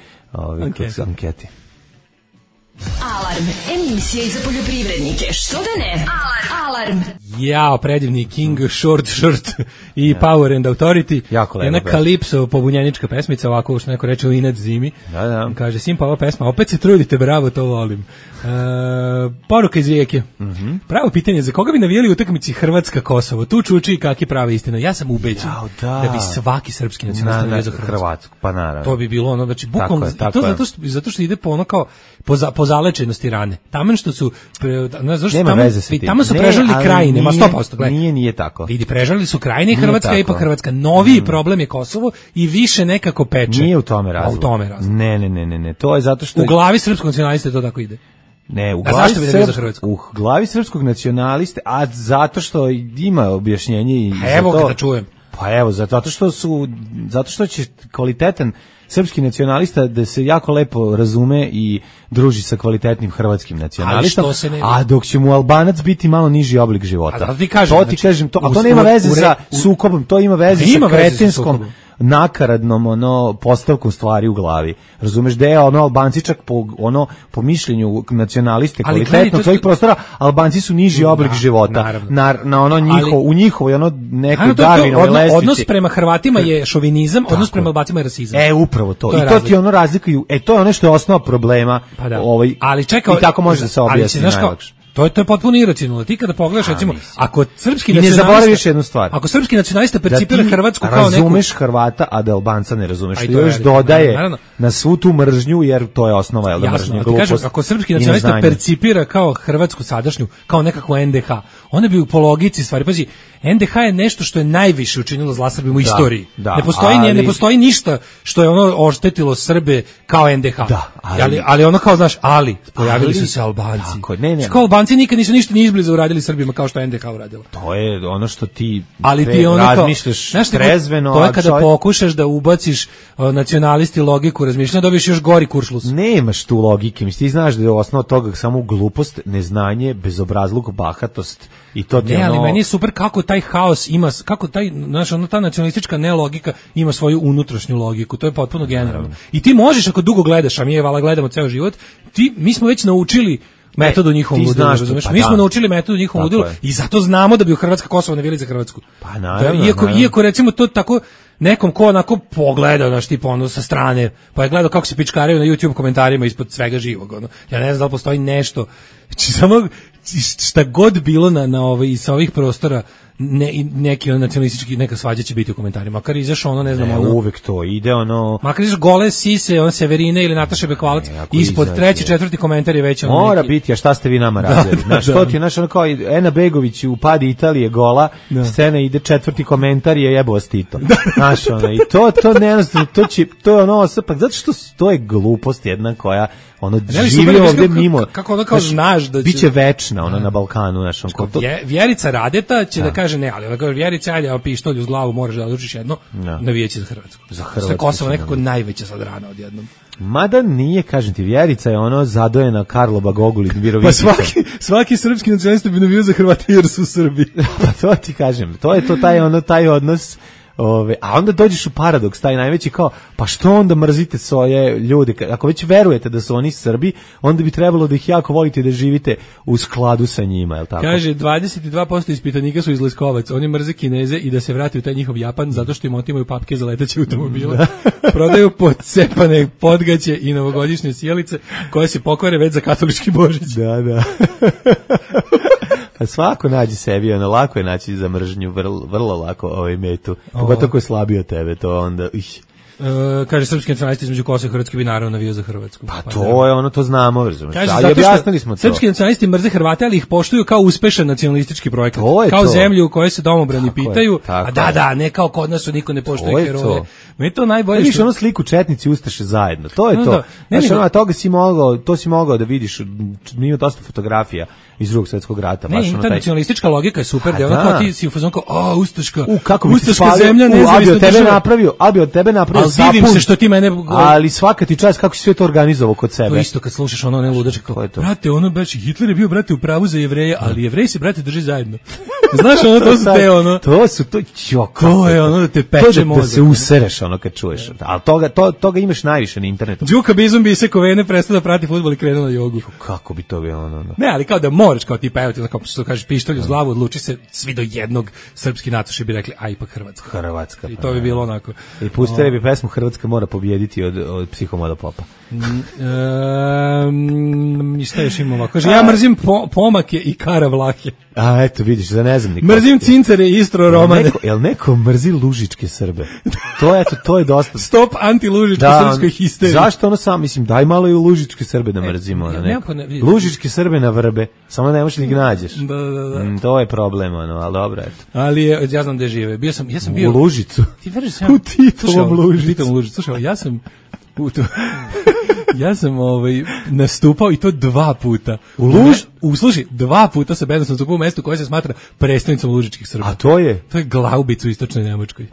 Speaker 6: anketi.
Speaker 3: Alarm, emisija za poljoprivrednike. Što da ne? Alarm.
Speaker 5: Jao, predivni King, Short Shirt i Power and Authority.
Speaker 6: Jako lepo.
Speaker 5: Jedna Kalipso, pobunjenička pesmica, ovako što neko reče u inat zimi.
Speaker 6: Da.
Speaker 5: Kaže, simpa ova pesma, opet se trudite, bravo, to volim. Poruka iz Rijeke. Pravo pitanje, za koga bi navijali u utakmici Hrvatska-Kosovo? Tu čuči kakvi prava istina. Ja sam ubeđen da bi svaki srpski nacionalista navijao za Hrvatsku.
Speaker 6: Pa naravno.
Speaker 5: To bi bilo ono, znači, bukvalno, zato što ide po ono kao, po zalečenosti rane. Taman što su,
Speaker 6: nema veze sa tim.
Speaker 5: Tamo su prežalili krajine, ma 100%, gledaj.
Speaker 6: Nije tako.
Speaker 5: Vidi, prežalili su krajine i Hrvatska i ipak Hrvatska. Noviji problem je Kosovo i više nekako peče.
Speaker 6: Nije u tome razlog.
Speaker 5: U tome razlog.
Speaker 6: Ne. To je zato što...
Speaker 5: U glavi srpskog nacionaliste to tako ide.
Speaker 6: Ne, u glavi srpskog nacionaliste, a zato što ima objašnjenje i
Speaker 5: evo ga da čujem.
Speaker 6: Pa evo, zato što će kvalitetan srpski nacionalista da se jako lepo razume i druži sa kvalitetnim hrvatskim nacionalistom, a dok će mu Albanac biti malo niži oblik života.
Speaker 5: A ti kažem,
Speaker 6: to nema veze sa sukobom, to ima veze sa kretinskom nakaradnom postavkom stvari u glavi. Razumeš da je Albanci čak po mišljenju nacionaliste kvalitetnog svojih prostora, Albanci su niži oblik života. U njihovoj nekoj Darwinovoj lestvici.
Speaker 5: Odnos prema Hrvatima je šovinizam, odnos prema Albacima je rasizam.
Speaker 6: Upravo to. I to ti razlikuju. To je ono što je osnova problema.
Speaker 5: Ali čekaj,
Speaker 6: i tako može da se objasni najlakše.
Speaker 5: To je potpuno iracionalno. Ti kada pogledaš, recimo, ako srpski
Speaker 6: nacionalista... I ne zaboraviš jednu stvar.
Speaker 5: Ako srpski nacionalista percipira Hrvatsku kao neku...
Speaker 6: razumeš Hrvata, a da Albanca ne razumeš. Što još dodaje na svu tu mržnju, jer to je osnova mržnje.
Speaker 5: Jasno, ako srpski nacionalista percipira kao Hrvatsku sadašnju, kao nekakvu NDH, ona bi po logici stvari... Pazi, NDH je nešto što je najviše učinilo zla Srbima u istoriji. Ne postoji ništa što je oštetilo Srbe kao NDH. Ali ono kao, znaš, pojavili su se Albanci. Kao Albanci nikad nisu ništa ni izbliza uradili Srbima kao što je NDH uradila.
Speaker 6: To je ono što ti
Speaker 5: razmišljaš trezveno. To je kada pokušaš da ubaciš nacionalisti logiku razmišljanja, dobiješ još gori kuršlus.
Speaker 6: Nemaš tu logike. Ti znaš da je osnova toga samo glupost, neznanje, bezobrazluk, bahatost. I to
Speaker 5: ali meni je super kako taj haos ima, kako ta nacionalistička nelogika ima svoju unutrašnju logiku, to je potpuno generalno. I ti možeš, ako dugo gledaš, a mi gledamo ceo život, mi smo već naučili metodu njihovom ludilu, razumeš? Mi smo naučili metodu njihovom ludilu i zato znamo da bi u Hrvatska Kosovo navijali za Hrvatsku.
Speaker 6: Pa naravno.
Speaker 5: Iako recimo to tako nekom ko onako pogleda, sa strane, pa je gledao kako se pičkaraju na YouTube komentarima ispod svega živog, Ja ne znam da li postoji nešto, samo šta god bilo sa ovih prostora, neki nacionalistički, neka svađa će biti u komentarima. Makar izašao ne znam,
Speaker 6: uvek to ide
Speaker 5: makar izašao gole sise, Severine ili Nataše Bekvalac, ispod treći, četvrti komentar je već
Speaker 6: mora biti, a šta ste vi nama radili? To ti je, kao Ena Begović u Padi Italije gola, scena ide, četvrti komentar je jebo vas Tito. I to nejednostavno, to je pa zato što to je glupost jedna koja živi ovdje mimo.
Speaker 5: Kako kao znaš da
Speaker 6: biće večna na Balkanu,
Speaker 5: Vjerica Radeta će da kaže ne, ali ona kaže Vjerica, ajde, pištolj uz glavu, moraš da odlučiš jedno, navijeći za Hrvatsku. Sve Kosovo nekako najveća sad rana odjednom.
Speaker 6: Mada nije, kažem ti, Vjerica je zadojena Karloba Gogulin Virovicicom.
Speaker 5: Pa svaki srpski nacionalista bi navijao za Hrvate jer su Srbi.
Speaker 6: Pa to ti kažem, to je taj odnos. A onda dođeš u paradoks, taj najveći kao, pa što onda mrzite svoje ljude? Ako već verujete da su oni Srbi, onda bi trebalo da ih jako volite i da živite u skladu sa njima, je li tako?
Speaker 5: Kaže, 22% ispitanika su iz Leskovac, oni mrze Kineze i da se vrati u taj njihov Japan zato što im otimaju papke za leteće automobile. Prodaju pocepane podgaće i novogodišnje sjelice koje se pokvare već za katolički Božić.
Speaker 6: Da. A svako nađe sebi, lako je naći za mržnju, vrlo lako metu. Pogotovo ko je slabiji od tebe, to onda...
Speaker 5: Kaže, srpski nacionalisti između Kosova i Hrvatske bi naravno navio za Hrvatsku.
Speaker 6: Pa to je to znamo, razumiješ.
Speaker 5: Ali objasnili smo to. Srpski nacionalisti mrze Hrvate, ali ih poštuju kao uspešan nacionalistički projekat. Kao zemlju u kojoj se domobrani pitaju, a ne kao kod nas niko ne poštuje heroje. Meni to najbolje.
Speaker 6: Vidiš sliku četnici i ustaše zajedno, to je to. Znaš, to si mogao da vidiš, ima dosta fotografija iz Drugog svjetskog rata.
Speaker 5: Ta nacionalistička logika je super, da ti si u fazonu kao, ustaška
Speaker 6: zemlja, nezavisna država. Ali bi od tebe napravio
Speaker 5: vidim se što ti mene...
Speaker 6: Ali svaka ti čast kako si sve to organizovao kod sebe.
Speaker 5: To isto kad slušaš ono ne ludačke kao, brate, ono baš Hitler je bio, brate, u pravu za Jevreje, ali Jevreji se, brate, drži zajedno. Znaš, ono, to su te, ono...
Speaker 6: To su, to
Speaker 5: je ono da te peče mozak.
Speaker 6: Da se usereš, ono, kad čuješ. Ali toga imaš najviše na internetu.
Speaker 5: Đuka Bizon bi se kovene prestao da prati fudbal i krenuo na jogu.
Speaker 6: Kako bi to bilo, ono?
Speaker 5: Ne, ali kao da moraš, kao ti pevati, kao što kažeš, pištolj uz glavu, odluči se svi do jednog, srpski natoši bi rekli, a ipak Hrvatska. I to bi bilo onako.
Speaker 6: I pustili bi pesmu Hrvatska mora pobijediti od Psihomoda Popa.
Speaker 5: Šta još imamo? Kaže, ja mrzim pomake i karavlahe.
Speaker 6: A eto, vidiš, za ne znam
Speaker 5: niko. Mrzim cincere i istro romane.
Speaker 6: Jel neko mrzi lužičke Srbe? To je dosta.
Speaker 5: Stop anti-lužičke srpskoj histeriji.
Speaker 6: Zašto ono sam, mislim, daj malo i lužičke Srbe da mrzimo. Lužičke Srbe na vrbe, samo ne možeš ni nađeš.
Speaker 5: Da.
Speaker 6: To je problem, ali dobro, eto.
Speaker 5: Ali ja znam gde žive. Ja sam bio...
Speaker 6: U Lužicu.
Speaker 5: Ti veriš,
Speaker 6: u Titovom Lužicu.
Speaker 5: Slušaj, ja sam nastupao i to 2 puta. Slušaj, 2 puta sa bendom sam nastupao u mestu koje se smatra prestolnicom lužičkih Srba.
Speaker 6: A to je?
Speaker 5: To je Glaubic u istočnoj Nemačkoj.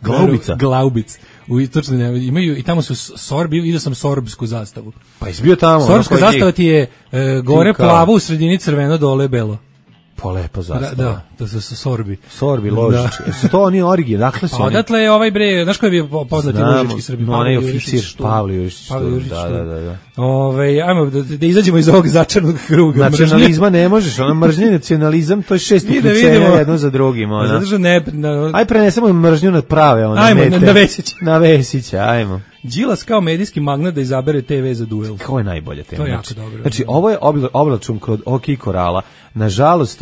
Speaker 6: Glaubica?
Speaker 5: Glaubic. U istočnoj Nemačkoj. Imaju, i tamo su Sorbi, vidio sam sorbsku zastavu.
Speaker 6: Pa izbio tamo.
Speaker 5: Sorbska zastava ti je gore plavo, u sredini crveno, dole belo.
Speaker 6: Pa lepo zastava.
Speaker 5: Da, to su Sorbi.
Speaker 6: Sorbi, Ložički. Su to oni origine? Dakle su oni?
Speaker 5: Odatle je ovaj bre, znaš ko je bio poznati lužički Srbi?
Speaker 6: Onaj oficir, Pavle Jurišić. Da.
Speaker 5: Ajmo da izađemo iz ovog začarnog kruga.
Speaker 6: Nacionalizma ne možeš, ono mržnje nacionalizam, to je 6 uključenja jedno za drugim. Aj prenesemo mržnju na prave.
Speaker 5: Ajmo, na Vesića.
Speaker 6: Na Vesića, ajmo.
Speaker 5: Đilas kao medijski magnat da izabere TV za duel.
Speaker 6: Ko je najbolja tema?
Speaker 5: To je jako dobro.
Speaker 6: Znači, ovo je oblačun kod OK Korala. Nažalost,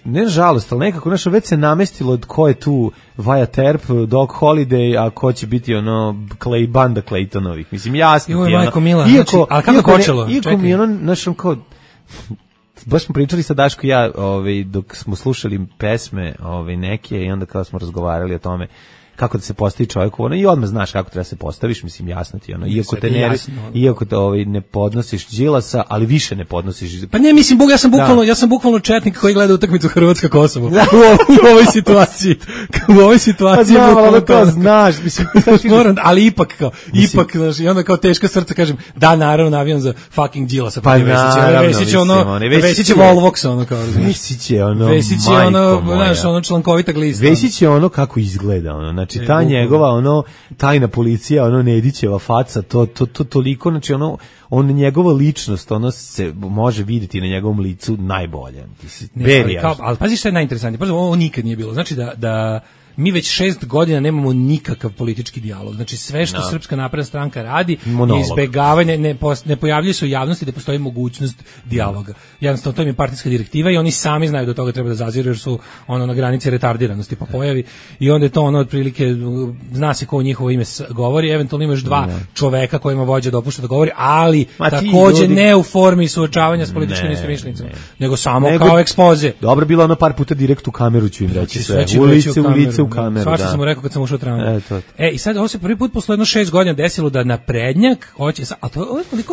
Speaker 6: ne nažalost, ali nekako već se namestilo od ko je tu Vaja Terp, Doc Holiday, a ko će biti banda Claytonovih. Mislim, jasno.
Speaker 5: Joj, majko mila. Ali kako počelo?
Speaker 6: Iako mi kao... Baš smo pričali sa Daško i ja dok smo slušali pesme neke i onda kada smo razgovarali o tome kako da se postavi čovjek i odmah znaš kako treba se postaviš, mislim, jasno ti iako te ne podnosiš Đilasa, ali više ne podnosiš.
Speaker 5: Pa ne, mislim, ja sam bukvalno četnik koji gleda utakmicu Hrvatska-Kosovo. U ovoj situaciji.
Speaker 6: Pa znam, ali to znaš, mislim,
Speaker 5: ali ipak, znaš, i onda kao teška srca kažem, da, naravno, navijam za fucking Đilasa.
Speaker 6: Pa naravno,
Speaker 5: Vesić je Volvox, ono kao.
Speaker 6: Vesić je
Speaker 5: člankovita glista.
Speaker 6: Vesić je ono kako izgleda, znači ta njegova tajna policija, Nedićeva faca, to toliko, znači njegova ličnost, se može vidjeti na njegovom licu najbolje.
Speaker 5: Ali pazi što je najinteresantnije, prvo ovo nikad nije bilo, znači da mi već 6 godina nemamo nikakav politički dijalog. Znači sve što Srpska napredna stranka radi je izbegavanje, ne pojavljuje se u javnosti da postoji mogućnost dijaloga. Jednostavno, to im je partijska direktiva i oni sami znaju da toga treba da zaziru jer su na granici retardiranosti pa pojavi i onda je to otprilike, zna se ko u njihovo ime govori, eventualno imaš 2 čoveka kojima vođa dopušta da govori, ali takođe ne u formi suočavanja s političkim istomišljenicima, nego samo kao ekspoze.
Speaker 6: Dobro, bilo par puta direkt u kameru ću im reći sve, u lice u kameru.
Speaker 5: Svašta sam mu rekao kad sam ušao u tramvaj. I sad ovo se prvi put posle 6 godina desilo da naprednjak hoće, a to je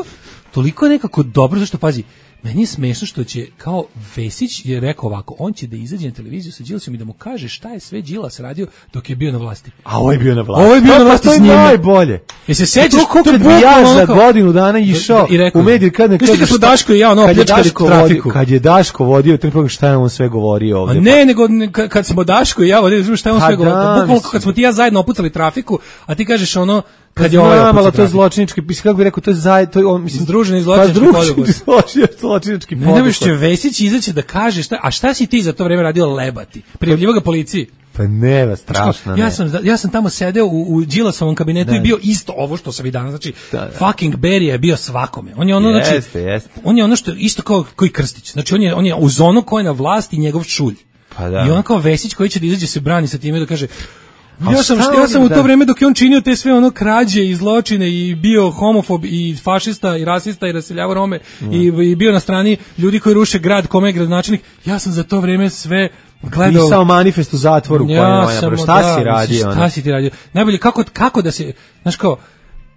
Speaker 5: toliko nekako dobro, zašto pazi, meni je smešno što će, kao Vesić je rekao ovako, on će da izađe na televiziju sa Đilasom i da mu kaže šta je sve Đilas radio dok je bio na vlasti.
Speaker 6: A ovo je bio na vlasti.
Speaker 5: Ovo je bio na vlasti s njim.
Speaker 6: To je najbolje.
Speaker 5: Se sećaš
Speaker 6: koliko bi ja za godinu dana išao u medije kad ne
Speaker 5: kažeš šta Daško i ja pljačkali trafiku.
Speaker 6: Kad je Daško vodio taj program, šta je on sve govorio ovde?
Speaker 5: A ne, nego kad smo Daško i ja vodili, šta je on sve govorio? Bukvalno kad smo ti ja zajedno opucali trafiku, a ti kažeš kad je
Speaker 6: ovo to je zločinički, kako bih rekao, to je mislim
Speaker 5: združeni
Speaker 6: zločinački
Speaker 5: poduhvat. Ne će Vesić izaći da kaže šta si ti za to vreme radio lebati? Prijavljivo ga policiji.
Speaker 6: Pa ne, strašno.
Speaker 5: Ja sam tamo sedeo u Đilasovom kabinetu i bio isto ovo što sam i danas, znači fucking Berija je bio svakome. On je on je ono što isto kao koji Krstić. Znači on je uz ono ko je na vlasti njegov šulj. I on kao Vesić koji će da izađe se brani sa time da kaže Ja sam u to vreme dok je on činio te sve krađe i zločine i bio homofob i fašista i rasista i raseljavao Rome i bio na strani ljudi koji ruše grad kome je gradonačelnik, ja sam za to vreme sve gledao.
Speaker 6: Pisao manifest u zatvoru. Šta si radio?
Speaker 5: Šta si ti radio? Najbolje kako da se, znaš kao,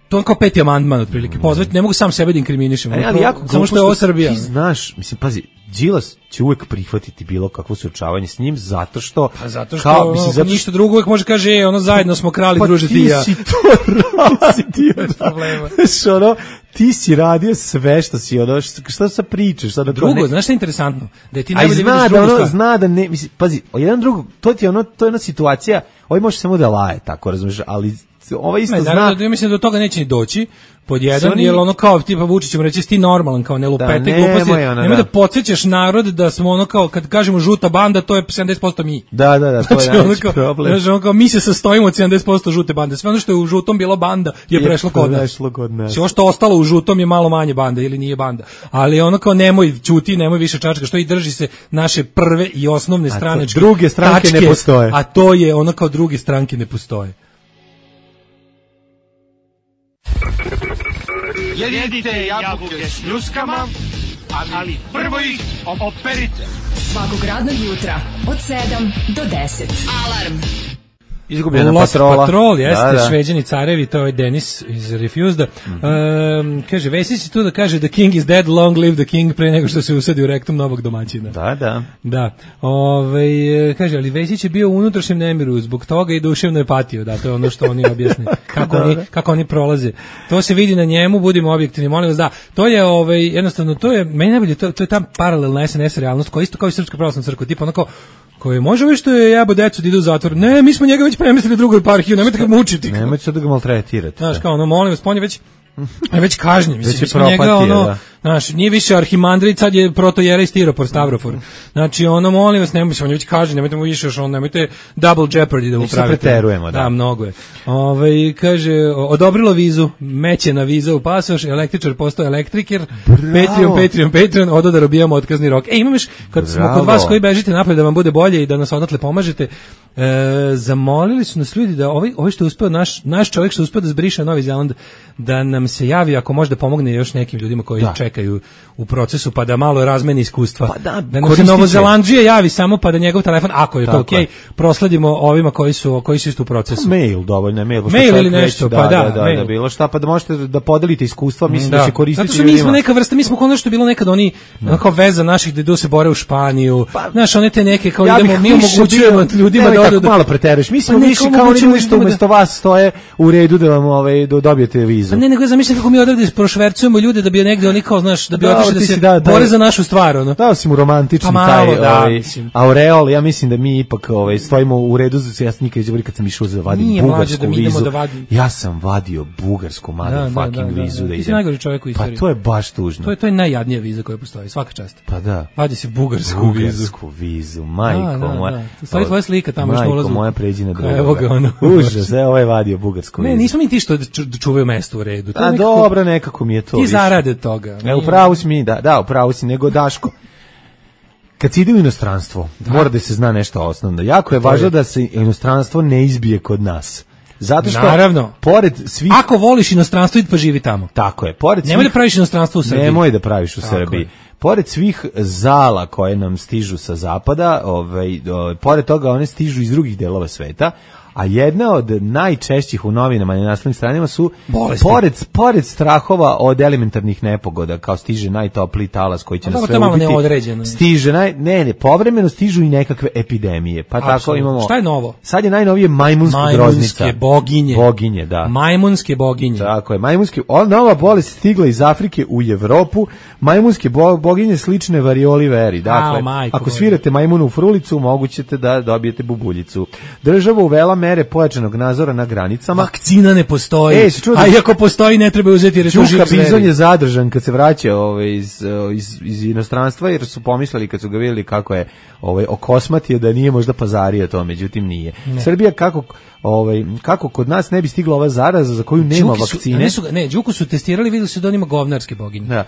Speaker 5: to je kao 5. amandman otprilike. Pozvati, ne mogu sam sebe da inkriminišem.
Speaker 6: Ali jako
Speaker 5: samo što je ovo Srbija.
Speaker 6: Ti znaš, mislim, pazi, Đilas će uvek prihvatiti bilo kakvo suočavanje s njim zato što
Speaker 5: kao mislim zato ništa drugo uvek može kaže ono zajedno smo krali druže ti ja.
Speaker 6: Ti si to radio problema. Što ti si radio sve što si ono što sa pričaš sada
Speaker 5: drugo znaš šta je interesantno da ti
Speaker 6: najbolje zna da ne mislim pazi jedan drugo to je jedna situacija ovaj može samo da laje tako razumeš ali ovaj isto zna
Speaker 5: ja mislim da do toga neće ni doći pod jedan, jer ono kao tipa Vučić mu reći ti normalan kao ne lupete gluposti, nemoj da podsjećaš narod da smo ono kao kad kažemo žuta banda to je 70% mi.
Speaker 6: Da, to je najveći problem.
Speaker 5: Znači ono kao mi se sastojimo od 70% žute bande, sve ono što je u žutom bilo banda je prešlo kod nas. Sve što ostalo u žutom je malo manje banda ili nije banda, ali ono kao nemoj ćuti, nemoj više čačka, što i drži se naše prve i osnovne stranačke
Speaker 6: druge stranke ne postoje.
Speaker 5: A to je ono kao druge stranke ne postoje.
Speaker 12: Jedite jabuke s ljuskama, ali prvo ih operite.
Speaker 3: Svakog radnog jutra od 7 do 10. Alarm.
Speaker 6: Izgubljena
Speaker 5: Patrol, jeste, Šveđani carevi, to je Denis iz Refused. Kaže, Vesić tu da kaže The King is dead, long live the King, pre nego što se usadi u rektum novog domaćina. Da. Kaže, ali Vesić je bio u unutrašnjem nemiru, zbog toga i duševno je patio, da, to je ono što oni objasne, kako oni prolaze. To se vidi na njemu, budimo objektivni, molim vas, da, to je, jednostavno, to je, meni najbolje, to je ta paralelna SNS realnost, koja isto kao i Srpska pravoslavna crkva, tipa onako, koje može vi što je jebo decu da idu u zatvor. Ne, mi smo njega već premestili drugoj eparhiju, nemojte ga mučiti.
Speaker 6: Nemojte sad da ga maltretirate.
Speaker 5: Znaš, kao ono, molim vas, on je već kažnjen. Mislim, njega, ono, znaš, nije više arhimandrit, sad je protojerej stiropor, stavrofor. Znači, ono, molim vas, nemojte, on je već kažnjen, nemojte mu više još, nemojte double jeopardy da mu pravite.
Speaker 6: Mi se preterujemo, da.
Speaker 5: Da, mnogo je. Kaže, odobrilo vizu, mećena viza u pasoš, električar postao elektriker, Patreon, odo da robijamo otkazni rok. Imam još, kad smo kod vas koji bežite napred da vam bude bolje i da nas odatle pomažete, zamolili su nas ljudi da ovaj što je uspeo, naš čovjek što je uspeo da zbriše Novi Zeland, da nam se javi ako može da pomogne još nekim ljudima koji čekaju u procesu, pa da malo razmeni iskustva.
Speaker 6: Pa da
Speaker 5: nam se Novozelandžije javi samo pa da njegov telefon, ako je to okej, prosledimo ovima koji su isto u procesu.
Speaker 6: Mail, dovoljno mail
Speaker 5: ili nešto,
Speaker 6: pa da bilo šta, pa da možete da podelite iskustva, mislim da će koristiti.
Speaker 5: Zato što mi smo neka vrsta, mi smo ono što je bilo nekad oni kao veza naših da idu se bore u Španiju. Znaš, one te neke kao idemo, mi omogućujemo ljudima da odu.
Speaker 6: Malo preteruješ. Mi smo više kao oni što umesto vas stoje u redu da vam dobijete vizu.
Speaker 5: Pa ne, nego zamišljam kako mi odavde prošvercujemo ljude da bi negde oni kao, znaš, da bi otišli da se bore za našu stvar, ono.
Speaker 6: Dao si mu romantični taj aureol, ja mislim da mi ipak stojimo u redu, ja sam nikad izgovori kad sam išao za vadim bugarsku vizu. Ja sam vadio bugarsku motherfucking vizu da idem.
Speaker 5: Ti si najgori čovjek u istoriji.
Speaker 6: Pa to je baš tužno.
Speaker 5: To je najjadnija viza koja postoji, svaka čast.
Speaker 6: Pa da.
Speaker 5: Vadi se bugarsku vizu,
Speaker 6: majko moja.
Speaker 5: Stoji tvoja slika tamo još na ulazu.
Speaker 6: Moja pređi na drugoga.
Speaker 5: Evo ga ono.
Speaker 6: Užas, ovaj je vadio bugarsku vizu.
Speaker 5: Ne, nismo mi ti što čuvaju mesto u redu.
Speaker 6: A dobro, nekako mi je to.
Speaker 5: Ti zarade toga.
Speaker 6: Upravo si mi, upravo si, nego Daško. Kad se ide u inostranstvo, mora da se zna nešto osnovno. Jako je važno da se inostranstvo ne izbije kod nas. Zato što,
Speaker 5: naravno,
Speaker 6: pored svih...
Speaker 5: Ako voliš inostranstvo, idi pa živi tamo.
Speaker 6: Tako je. Pored
Speaker 5: nemoj da praviš inostranstvo u Srbiji.
Speaker 6: Nemoj da praviš u Srbiji. Pored svih zala koje nam stižu sa zapada, pored toga one stižu iz drugih delova sveta, a jedna od najčešćih u novinama i na naslovnim stranama su pored strahova od elementarnih nepogoda, kao stiže najtopliji talas koji će nas sve ubiti. Stiže povremeno stižu i nekakve epidemije. Pa tako imamo.
Speaker 5: Šta je novo?
Speaker 6: Sad je najnovije majmunska groznica. Boginje, da.
Speaker 5: Majmunske boginje.
Speaker 6: Tako je, nova bolest stigla iz Afrike u Evropu. Majmunske boginje slične varioli veri. Dakle, ako svirate majmunu u frulicu, mogućete da dobijete bubuljicu. Država uvela mere pojačanog nadzora na granicama.
Speaker 5: Vakcina ne postoji. A i ako postoji, ne treba uzeti jer je to živ zver.
Speaker 6: Bizon je zadržan kad se vraća iz inostranstva, jer su pomislili kad su ga vidjeli kako je okosmatio da nije možda pazario to, međutim nije. Ne. Srbija kako kod nas ne bi stigla ova zaraza za koju nema vakcine.
Speaker 5: Đuku su testirali, vidjeli su da on ima govnarske boginje.
Speaker 6: Da.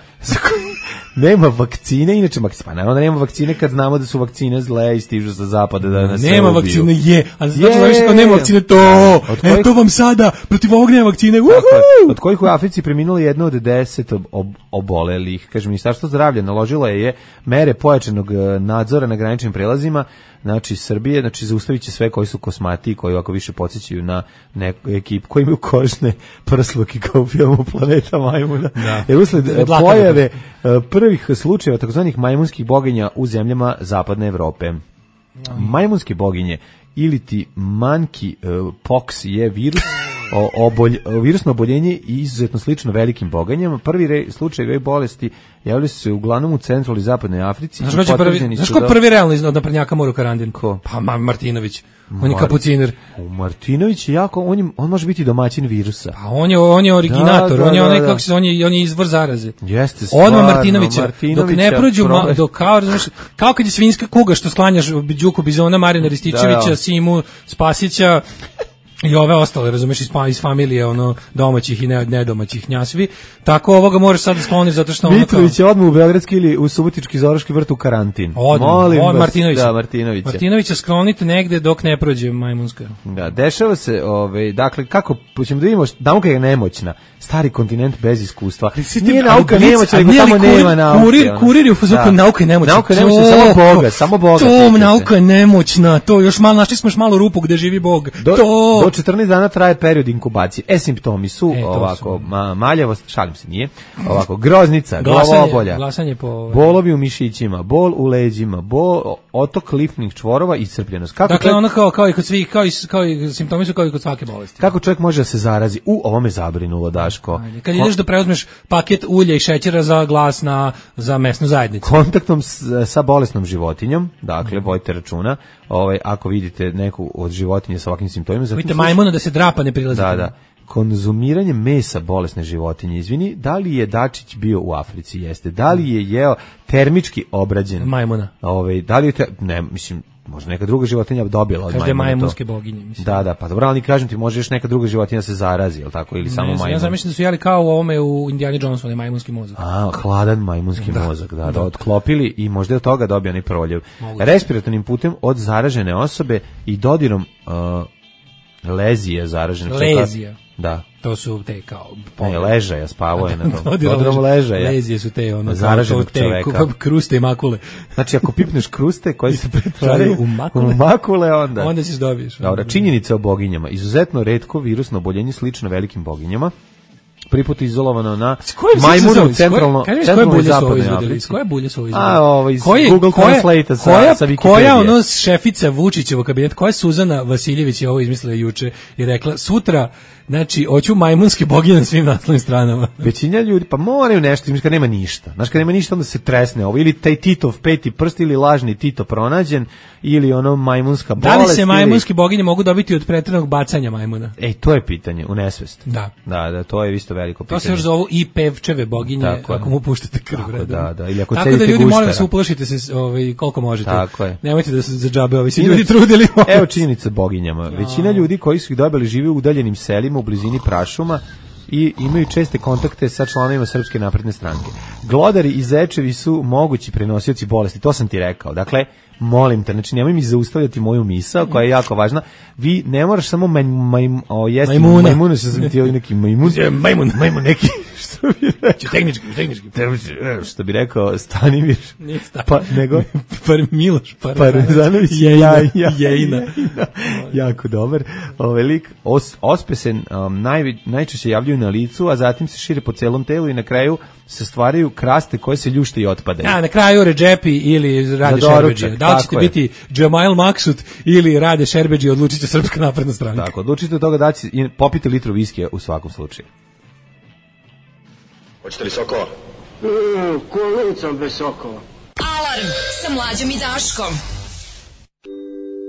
Speaker 6: Nema vakcine, inače pa naravno da nema vakcine kad znamo da su vakcine zle i stižu sa zapada da nas
Speaker 5: nema
Speaker 6: ubiju.
Speaker 5: Vakcine a znači kao nema vakcine to. Eto vam sada protiv ovog nema vakcine.
Speaker 6: Od kojih u Africi preminulo 1 od 10 obolelih. Kaže, Ministarstvo zdravlja naložilo je mere pojačanog nadzora na graničnim prelazima. Znači Srbije, zaustavit će sve koji su kosmati, koji ovako više podsjećaju na neku ekipu koji imaju kožne prsluke kao u filmu Planeta majmuna. Jer usled pojave prvih slučajeva takozvanih majmunskih boginja u zemljama zapadne Evrope. Majmunske boginje ili ti monkey pox je virus, virusno oboljenje i izuzetno slično velikim boginjama. Prvi slučaj ove bolesti javili su se uglavnom u centralnoj i zapadnoj Africi.
Speaker 5: Znaš ko prvi realno iz naprednjaka mora u karantinu? Ko? Pa Martinović. On je kapuciner.
Speaker 6: Martinović je jako, on može biti domaćin virusa.
Speaker 5: Pa on je originator, on je onaj kako se on je izvor zaraze.
Speaker 6: Jeste stvarno.
Speaker 5: Odmah Martinovića. Dok ne prođu kao kad je svinjska kuga što sklanjaš Đuku Bizona, Marina Rističevića, Simu Spasića i ove ostale, razumeš, iz familije domaćih i nedomaćih gnjasvi. Tako ovoga možeš sad da skloniš zato što
Speaker 6: Mitrović je odmah u Beogradski ili u Subotički Zoroški vrt u karantin.
Speaker 5: Martinovića sklonite negde dok ne prođe majmunska.
Speaker 6: Da, dešava se, dakle, kako ćemo da vidimo, nauka je nemoćna. Stari kontinent bez iskustva. Nije nauka nemoćna, nego tamo nema nauke.
Speaker 5: Kurir je u fazuku, nauka je nemoćna.
Speaker 6: Nauka je nemoćna, samo Boga.
Speaker 5: Nauka je nemoćna, to još malo, našli smo još malo rupu gde živi Bog.
Speaker 6: Do 14 dana traje period inkubacije. Simptomi su ovako, maljavost, šalim se, nije, ovako, groznica, glavobolja, bolovi u mišićima, bol u leđima, otok limfnih čvorova i iscrpljenost.
Speaker 5: Dakle, ono kao i kod svih, kao i simptomi su kao i kod svake bolesti.
Speaker 6: Kako čovjek može da se zarazi? Ovo me zabrinulo, Daško.
Speaker 5: Kad ideš da preuzmeš paket ulja i šećera za glas za mesnu zajednicu.
Speaker 6: Kontaktom sa bolesnom životinjom, dakle, vojte računa, ako vidite neku od životinje sa ovakvim simptomima.
Speaker 5: Vidite majmuna da se drapa ne prilazi.
Speaker 6: Da. Konzumiranje mesa bolesne životinje, izvini, da li je Dačić bio u Africi? Jeste. Da li je jeo termički obrađen
Speaker 5: majmuna?
Speaker 6: Da li je mislim, možda neka druga životinja dobila od majmuna.
Speaker 5: Každe majmunske boginje, mislim.
Speaker 6: Da, pa dobro, ali kažem ti, može još neka druga životinja se zarazi, jel tako, ili samo majmun.
Speaker 5: Ja zamišljam da su jeli kao u ovome u Indiana Jonesu, onaj majmunski mozak.
Speaker 6: Hladan majmunski mozak, da, otklopili i možda od toga dobio onaj proljev. Respiratornim putem od zaražene osobe i dodirom lezije zaražene.
Speaker 5: Lezija.
Speaker 6: Da.
Speaker 5: To su te kao...
Speaker 6: Ne, ležaja, spavao je na to. Dodirom ležaja.
Speaker 5: Lezije su te,
Speaker 6: zaraženog čoveka.
Speaker 5: Kruste i makule.
Speaker 6: Znači, ako pipneš kruste koji se pretvaraju u makule, onda
Speaker 5: ćeš dobiješ.
Speaker 6: Dobro, činjenica o boginjama. Izuzetno retko virusno oboljenje slično velikim boginjama. Prvi put izolovano na majmunu centralno i zapadnoj Africi.
Speaker 5: Koje bulje su ovo
Speaker 6: izvedeli? Iz Google Translate sa Wikipedije.
Speaker 5: Koja šefica Vučićevog kabineta, koja Suzana Vasiljević je ovo izmislila juče i rekla, sutra, znači, hoću majmunske boginje na svim naslovnim stranama.
Speaker 6: Većina ljudi, pa moraju nešto, kad nema ništa. Znaš, kad nema ništa, onda se tresne ovo. Ili taj Titov peti prst, ili lažni Tito pronađen, ili majmunska bolest.
Speaker 5: Da li se majmunske boginje mogu dobiti od preteranog bacanja majmuna?
Speaker 6: To je pitanje, u nesvest.
Speaker 5: Da,
Speaker 6: to je isto veliko pitanje.
Speaker 5: To se još zovu i pevčeve boginje, ako mu puštate krv.
Speaker 6: Da, ili ako
Speaker 5: tako da ljudi, molim se, uplašite se koliko možete.
Speaker 6: Tako je.
Speaker 5: Nemojte da se za džabe ovi ljudi trudili.
Speaker 6: Evo činjenica boginjama. Većina ljudi koji su ih dobili žive u udaljenim selima u blizini prašuma i imaju česte kontakte sa članovima Srpske napredne stranke. Glodari i zečevi su mogući prenosioci bolesti, to sam ti rekao. Dakle, molim te, znači nemoj mi zaustavljati moju misao koja je jako važna. Vi ne moraš samo jesti majmuna, što sam ti neki majmun neki, što bi rekao,
Speaker 5: tehnički.
Speaker 6: Što bi rekao Stanimir, pa nego
Speaker 5: Miloš
Speaker 6: Parmezanović
Speaker 5: Jejina.
Speaker 6: Jako dobar. Lik ospesen najčešće javljaju na licu, a zatim se šire po celom telu i na kraju se stvaraju kraste koje se ljušte i otpadaju.
Speaker 5: Na kraju Redžepi ili Rade Šerbedžija. Da li ćete biti Džemail Maksut ili Rade Šerbedžija, odlučit će Srpska napredna stranka.
Speaker 6: Tako, odlučite od toga da će popiti litru viskija u svakom slučaju.
Speaker 13: Hoćete li sokova?
Speaker 2: Kolicom bez sokova.
Speaker 3: Alarm sa Mlađom i Daškom.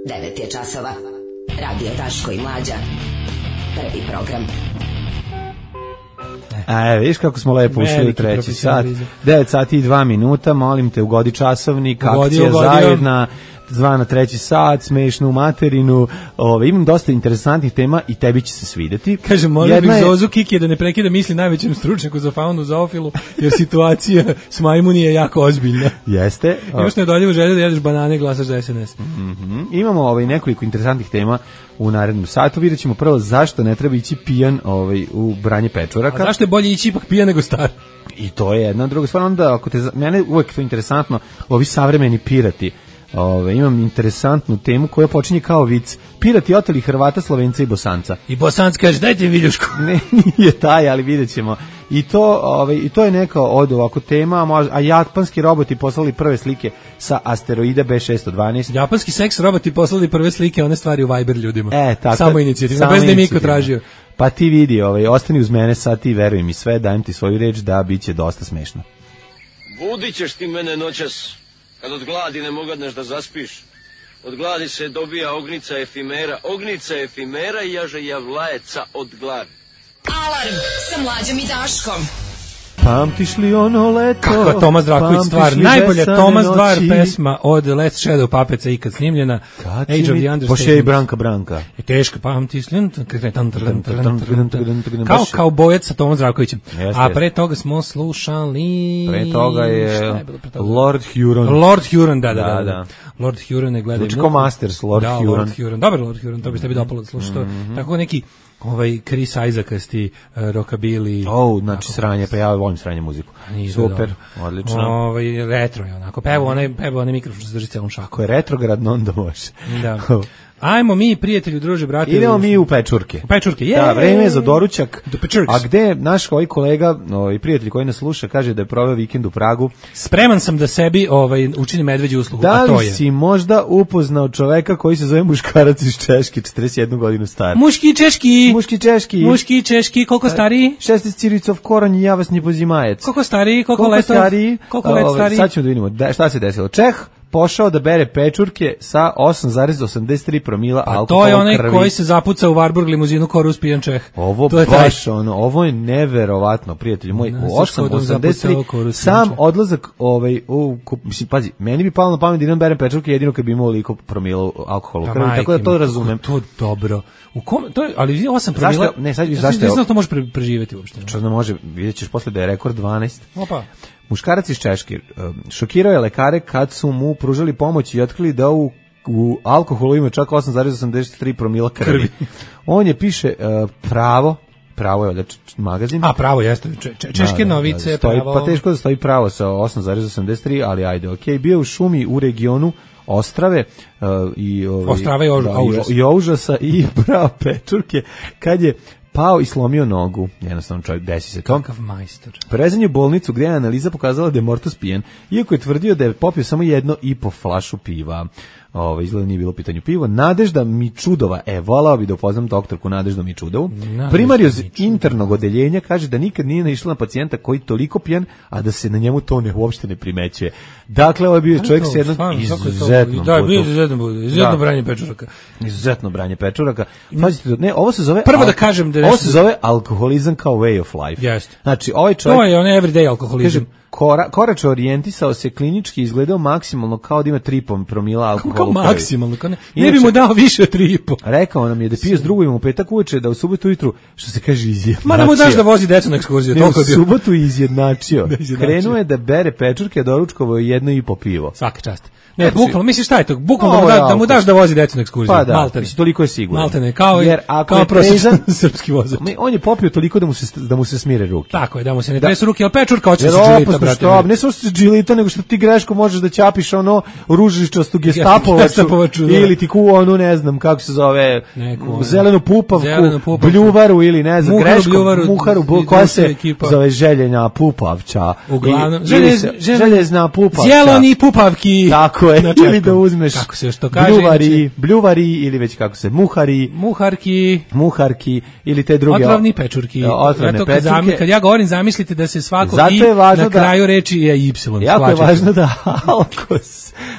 Speaker 10: 9 je časova. Radio Daško i Mlađa. Prvi program.
Speaker 6: Viš kako smo lepo ušli u treći sat. 9 sati i 2 minuta, molim te, ugodi časovnik, akcija zajedna, zvana treći sat, smešnu materinu. Imam dosta interesantnih tema i tebi će se svidjeti.
Speaker 5: Kažem, molio bih Zozu Kiki da ne prekida misli najvećem stručnjaku za faunu zoofilu, jer situacija s majmuni je jako ozbiljna.
Speaker 6: Jeste.
Speaker 5: Još ne odoljivo želje da jedeš banane i glasaš za SNS.
Speaker 6: Imamo nekoliko interesantnih tema u narednom satu. Vidjet ćemo prvo zašto ne treba ići pijan u branje pečuraka.
Speaker 5: A zašto je bolje ići ipak pijan nego star?
Speaker 6: I to je jedna druga stvar. Onda, mene uvijek to interesantno, ovi savremeni pirati. Imam interesantnu temu koja počinje kao vic. Pirati oteli Hrvata, Slovenca i Bosanca.
Speaker 5: I Bosanc kaže, dajte mi viljušku.
Speaker 6: Ne, nije taj, ali vidjet ćemo. I to je neka od ovako tema, a japanski roboti poslali prve slike sa asteroida B612.
Speaker 5: Japanski seks roboti poslali prve slike, one stvari u Viber ljudima.
Speaker 6: Tako,
Speaker 5: samo inicijativno, bez da je Miko tražio.
Speaker 6: Pa ti vidi, ostani uz mene sad, ti veruj mi sve, dajem ti svoju reč da biće dosta smešno.
Speaker 13: Budit ćeš ti mene noćas, kad od gladi ne mogadneš da zaspiš. Od gladi se dobija ognica efimera i jaže javlajeca od gladi.
Speaker 3: Alarm sa Mlađom i Daškom.
Speaker 6: Pamtiš li ono leto?
Speaker 5: Kako je Tomas Zdravković stvar? Najbolja Tomas Dvar pesma od Let's Shadow Puppetsa ikad snimljena. Age of the Understatement.
Speaker 6: Poše i Branka.
Speaker 5: Je teško, pamtiš li? Kao bojec sa Tomas Zdravkovićem. A pre toga smo slušali...
Speaker 6: Pre toga je Lord Huron.
Speaker 5: Lord Huron, da. Lord Huron je gledao...
Speaker 6: Znači ko Masters, Lord Huron.
Speaker 5: Dobar Lord Huron, to bi tebi dopalo da slušaš to. Tako neki... Chris Isaacasti, rockabilly.
Speaker 6: Znači sranje, pa ja volim sranje muziku. Super, odlično.
Speaker 5: Retro je onako. Peva onaj mikrofon što se drži celom šakom.
Speaker 6: Ko je retrogradno, onda može.
Speaker 5: Da. Ajmo mi, prijatelju, druže, brate.
Speaker 6: Idemo mi u Pečurke. Da, vreme je za doručak. A gde naš kolega, prijatelj koji nas sluša, kaže da je proveo vikend u Pragu.
Speaker 5: Spreman sam da sebi učinim medveđu uslugu, a to je.
Speaker 6: Da li si možda upoznao čoveka koji se zove muškarac iz Češke, 41 godinu star?
Speaker 5: Muški češki, koliko stariji?
Speaker 6: 16 ciricov koranj i ja vas ne pozimajec.
Speaker 5: Koliko stariji, koliko let stariji?
Speaker 6: Sad ćemo da vidimo šta se desilo. Čeh pošao da bere pečurke sa 8,83 promila alkohola u krvi.
Speaker 5: A to je onaj koji se zapuca u Warburg limuzinu korus pijan Čeh.
Speaker 6: Ovo je neverovatno, prijatelji moj. 8,83 sam odlazak mislim, pazi, meni bi palo na pamet da idem berem pečurke jedino kad bi imao liko promila alkohola u krvi, tako da to razumem.
Speaker 5: To dobro. Ali 8 promila...
Speaker 6: Zašto je?
Speaker 5: Ne znam to može preživeti uopšte.
Speaker 6: Što ne može, vidjet ćeš posle da je rekord 12.
Speaker 5: Opa.
Speaker 6: Muškarac iz Češke šokirao je lekare kad su mu pružali pomoć i otkrili da u alkoholu ima čak 8,83 promila krvi. On je piše Pravo je magazin.
Speaker 5: A Pravo jeste, Češke novice, Pravo.
Speaker 6: Pa teško da stoji Pravo sa 8,83, ali ajde, okej. Bio u šumi u regionu Ostrave i Oužasa i brao pečurke kad je pao i slomio nogu. Jednostavno čovjek, desi se to.
Speaker 5: Kakav majstor.
Speaker 6: Prevezan je u bolnicu gdje je analiza pokazala da je mortos pijen, iako je tvrdio da je popio samo 1,5 flašu piva. Izgleda nije bilo pitanju piva. Nadežda Mičudova, volao bi da upoznam doktorku Nadeždu Mičudovu. Primarioz internog odeljenja kaže da nikad nije naišla na pacijenta koji toliko pijan, a da se na njemu to uopšte ne primećuje. Dakle, ovo je bio čovjek s jednom izuzetnom izuzetno branje pečuraka. Pazite, ne, ovo se zove...
Speaker 5: Prvo da kažem da
Speaker 6: ovo se zove alkoholizam kao way of life.
Speaker 5: Jeste.
Speaker 6: Znači, ovaj čovjek...
Speaker 5: To je on everyday alkoholizam.
Speaker 6: Koračno orijentisao se, klinički izgledao maksimalno kao da ima 3 promila alkohola.
Speaker 5: Kao maksimalno? Ne bi mu dao više od 3,5.
Speaker 6: Rekao nam je da pije s drugim u petak uveče, da u subotu ujutru, što se kaže, izjednačio.
Speaker 5: Ma da mu daš da vozi decu na ekskurziju.
Speaker 6: Ne, u subotu izjednačio. Krenuo je da bere pečurke, a doručkovo je 1,5 pivo.
Speaker 5: Svaka čast. Ne, bukvalno, misliš šta je to? Bukvalno da mu daš da vozi decu na ekskurziju.
Speaker 6: Pa da, toliko je sigurno.
Speaker 5: Maltene, kao prosječan srpski vozač.
Speaker 6: On je popio toliko da mu se smire ruke.
Speaker 5: Tako je, da mu se ne tresu ruke, ali pečurka hoće se džilita, brate.
Speaker 6: Ne samo se džilita, nego što ti greško možeš da ćapiš ružičastu gestapovaču ili ti ne znam kako se zove, zelenu pupavku, bljuvaru ili ne znam, muharu, koja se zove željena pupavča.
Speaker 5: Uglavnom,
Speaker 6: željezna pupavča.
Speaker 5: Zeleni pupavki.
Speaker 6: Tako je, ili da uzmeš bljuvari ili već kako se, muharki ili te druge
Speaker 5: otrovni pečurki. Kad ja govorim, zamislite da se svako i na kraju reči je y.
Speaker 6: Jako je važno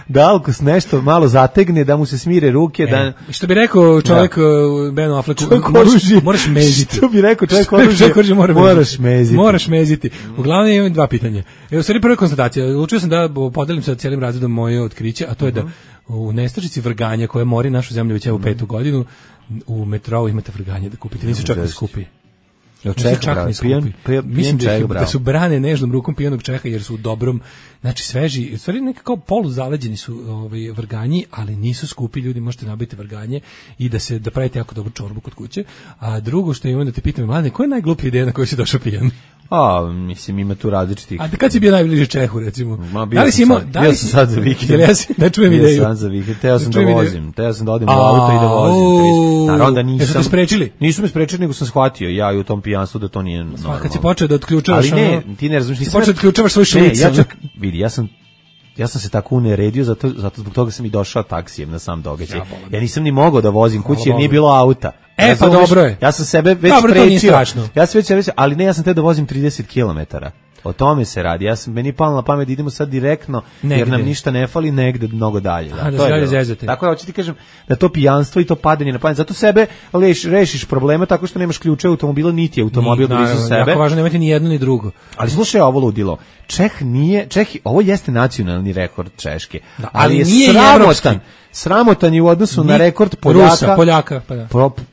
Speaker 6: da alkos nešto malo zategne, da mu se smire ruke.
Speaker 5: Što bi rekao čovjek Ben Affleck, moraš meziti.
Speaker 6: Što bi rekao čovjek oružje, moraš meziti.
Speaker 5: Uglavnom imam 2 pitanja. U stvari prva konstatacija, učio sam da podelim sa cijelim razredom moje otkriće, a to je da u nestašici vrganja koja mori našu zemlju već evo 5. godinu, u metrou imate vrganje da kupite, nisu čak ni skupi. Mislim da su brane nežnom rukom pijanog Čeha jer su u dobrom, znači sveži, u stvari nekako poluzaleđeni su vrganji, ali nisu skupi, ljudi, možete nabiti vrganje i da pravite jako dobru čorbu kod kuće. A drugo što imam da te pitam, mlade, koja je najgluplja ideja na koju si došao pijan?
Speaker 6: Mislim, ima tu različitih.
Speaker 5: A kad si bio najbliže Čehu, recimo?
Speaker 6: Bio sam sad za vikend.
Speaker 5: Da čujem ideju.
Speaker 6: Bio sam za vikend, teo sam da vozim. Teo sam da odim u auto i da vozim. Naravno da nisam.
Speaker 5: Jesu te sprečili?
Speaker 6: Nisu me sprečili, nego sam shvatio ja i u tom pijanstvu da to nije normalno.
Speaker 5: Kad si počeo da otključavaš...
Speaker 6: Ali ne, ti ne razumiješ.
Speaker 5: Ti počeo da otključavaš svoj šlic.
Speaker 6: Vidi, ja sam se tako uneredio, zato zbog toga sam i došao taksijem na sam događaj. Ja nisam ni mogao da vozim kući jer nije bilo auta.
Speaker 5: Pa dobro je.
Speaker 6: Ja sam sebe već sprečio. Ja sam već, ali ne, ja sam te da vozim 30 km. O tome se radi. Meni palo na pamet da idemo sad direktno, jer nam ništa ne fali, negde mnogo dalje. Tako je, hoću ti kažem da to pijanstvo i to padanje na pamet, zato sebe rešiš problema tako što nemaš ključe automobila, niti automobil blizu sebe.
Speaker 5: Jako važno, nemate ni jedno ni drugo.
Speaker 6: Ali slušaj ovo ludilo. Ovo jeste nacionalni rekord Češke, ali je sramotan je u odnosu na rekord
Speaker 5: Poljaka.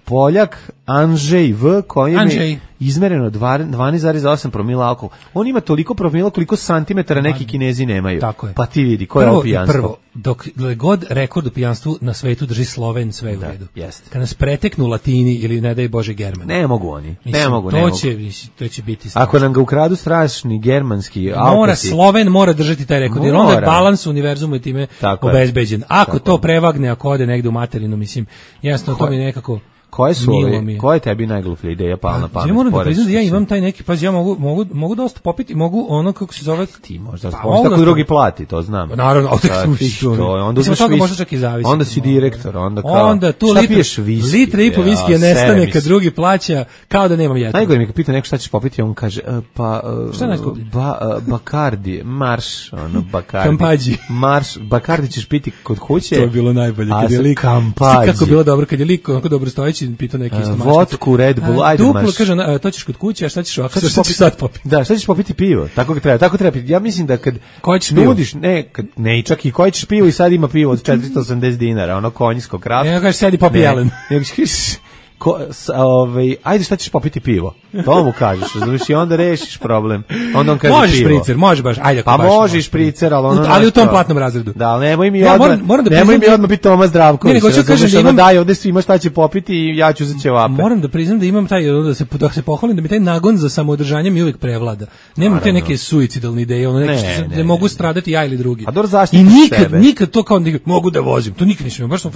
Speaker 6: Poljak Andrzej V, kojem je izmereno 12,8 promila alkohola. On ima toliko promila koliko santimetara neki Kinezi nemaju.
Speaker 5: Tako je.
Speaker 6: Pa ti vidi, koje je ovo pijanstvo?
Speaker 5: Prvo, dok god rekord u pijanstvu na svetu drži Sloven, sve u redu.
Speaker 6: Jeste.
Speaker 5: Kad nas preteknu Latini ili ne daj Bože Germani.
Speaker 6: Ne mogu oni.
Speaker 5: To će biti strašno.
Speaker 6: Ako nam ga ukradu strašni germanski Alpasi.
Speaker 5: Sloven mora držati taj rekord, jer onda je balans univerzuma i time obezbeđen. Ako to prevagne, ako ode negde u materinu, mislim, jasno, to mi nekako...
Speaker 6: Koja je tebi najgluplja ideja pala na pamet?
Speaker 5: Ja moram da priznam da ja imam taj neki, ja mogu dosta popiti, mogu ono kako se zove...
Speaker 6: Ti možda tako drugi plati, to znam.
Speaker 5: Naravno,
Speaker 6: onda uzmeš onda si direktor,
Speaker 5: onda tu litre i po viskija nestane kad drugi plaća, kao da nemam jedno.
Speaker 6: Najgore mi kad pita neko šta ćeš popiti, on kaže,
Speaker 5: šta je najskuplje?
Speaker 6: Bakardi, marš, Bakardi.
Speaker 5: Kampađi.
Speaker 6: Marš, Bakardi ćeš piti kod kuće.
Speaker 5: To je bilo najbolje, kad je lik.
Speaker 6: Kampađi.
Speaker 5: Kako je bilo dobro, kad je lik onako dobro stojeći, pitao neki isto mašnicu.
Speaker 6: Vodku, Red Bull, ajde
Speaker 5: duplo, kaže, to ćeš kod kuće, a šta ćeš ovako? Šta ćeš sad popiti?
Speaker 6: Da, šta ćeš popiti pivo? Tako treba. Ja mislim da kad nudiš, ne, čak i koje ćeš pivo i sad ima pivo od 480 dinara, ono konjsko, kraft.
Speaker 5: Ne, kažeš, sedi popi jelen.
Speaker 6: Ajde šta ćeš popiti pivo? To mu kažeš, razumiješ, i onda rešiš problem. Onda on kaže
Speaker 5: možeš
Speaker 6: pivo.
Speaker 5: Špricer, može baš, ajde.
Speaker 6: Pa možeš špricer,
Speaker 5: ali u tom platnom razredu.
Speaker 6: Da, nemoj mi odmah biti Toma Zdravković. Daj, ovde svima šta će popiti i ja ću za ćevape.
Speaker 5: Moram da priznam da imam taj, da se pohvalim, da mi taj nagon za samoodržanje mi uvijek prevlada. Nemam te neke suicidalne ideje, ne mogu stradati ja ili drugi.
Speaker 6: A dobro zaštiti
Speaker 5: sebe. I nikad to kao mogu da vozim, to nikad nisam. Baš sam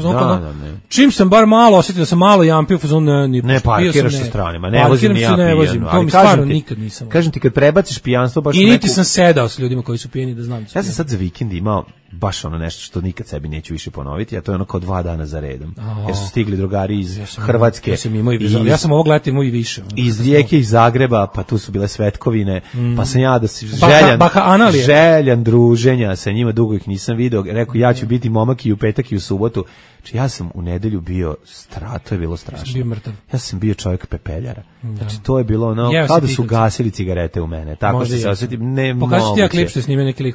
Speaker 5: čim sam bar malo osetio da sam malo jampio,
Speaker 6: ne parkiraš sa stranima, ne vozim ni ja pijan.
Speaker 5: To mi stvarno nikad nisam.
Speaker 6: Kažem ti, kad prebaciš pijanstvo baš...
Speaker 5: I niti sam sedao s ljudima koji su pijeni da znam.
Speaker 6: Ja sam sad za vikend imao baš ono nešto što nikad sebi neću više ponoviti, a to je ono kao 2 dana za redom. Jer su stigli drugari iz Hrvatske.
Speaker 5: Ja sam ovog leta imao i više.
Speaker 6: Iz Rijeke, iz Zagreba, pa tu su bile svetkovine, pa sam ja željan druženja sa njima, dugo ih nisam video, rekao ja ću biti momak i u petak i u subotu. Znači ja sam u nedelju bio to je bilo strašno. Ja sam bio čovjek pepeljara. Znači to je bilo ono, kao da su gasili cigarete u mene. Tako se osjetim, ne moguće.
Speaker 5: Pokaži ti ja klip što snime neki lik.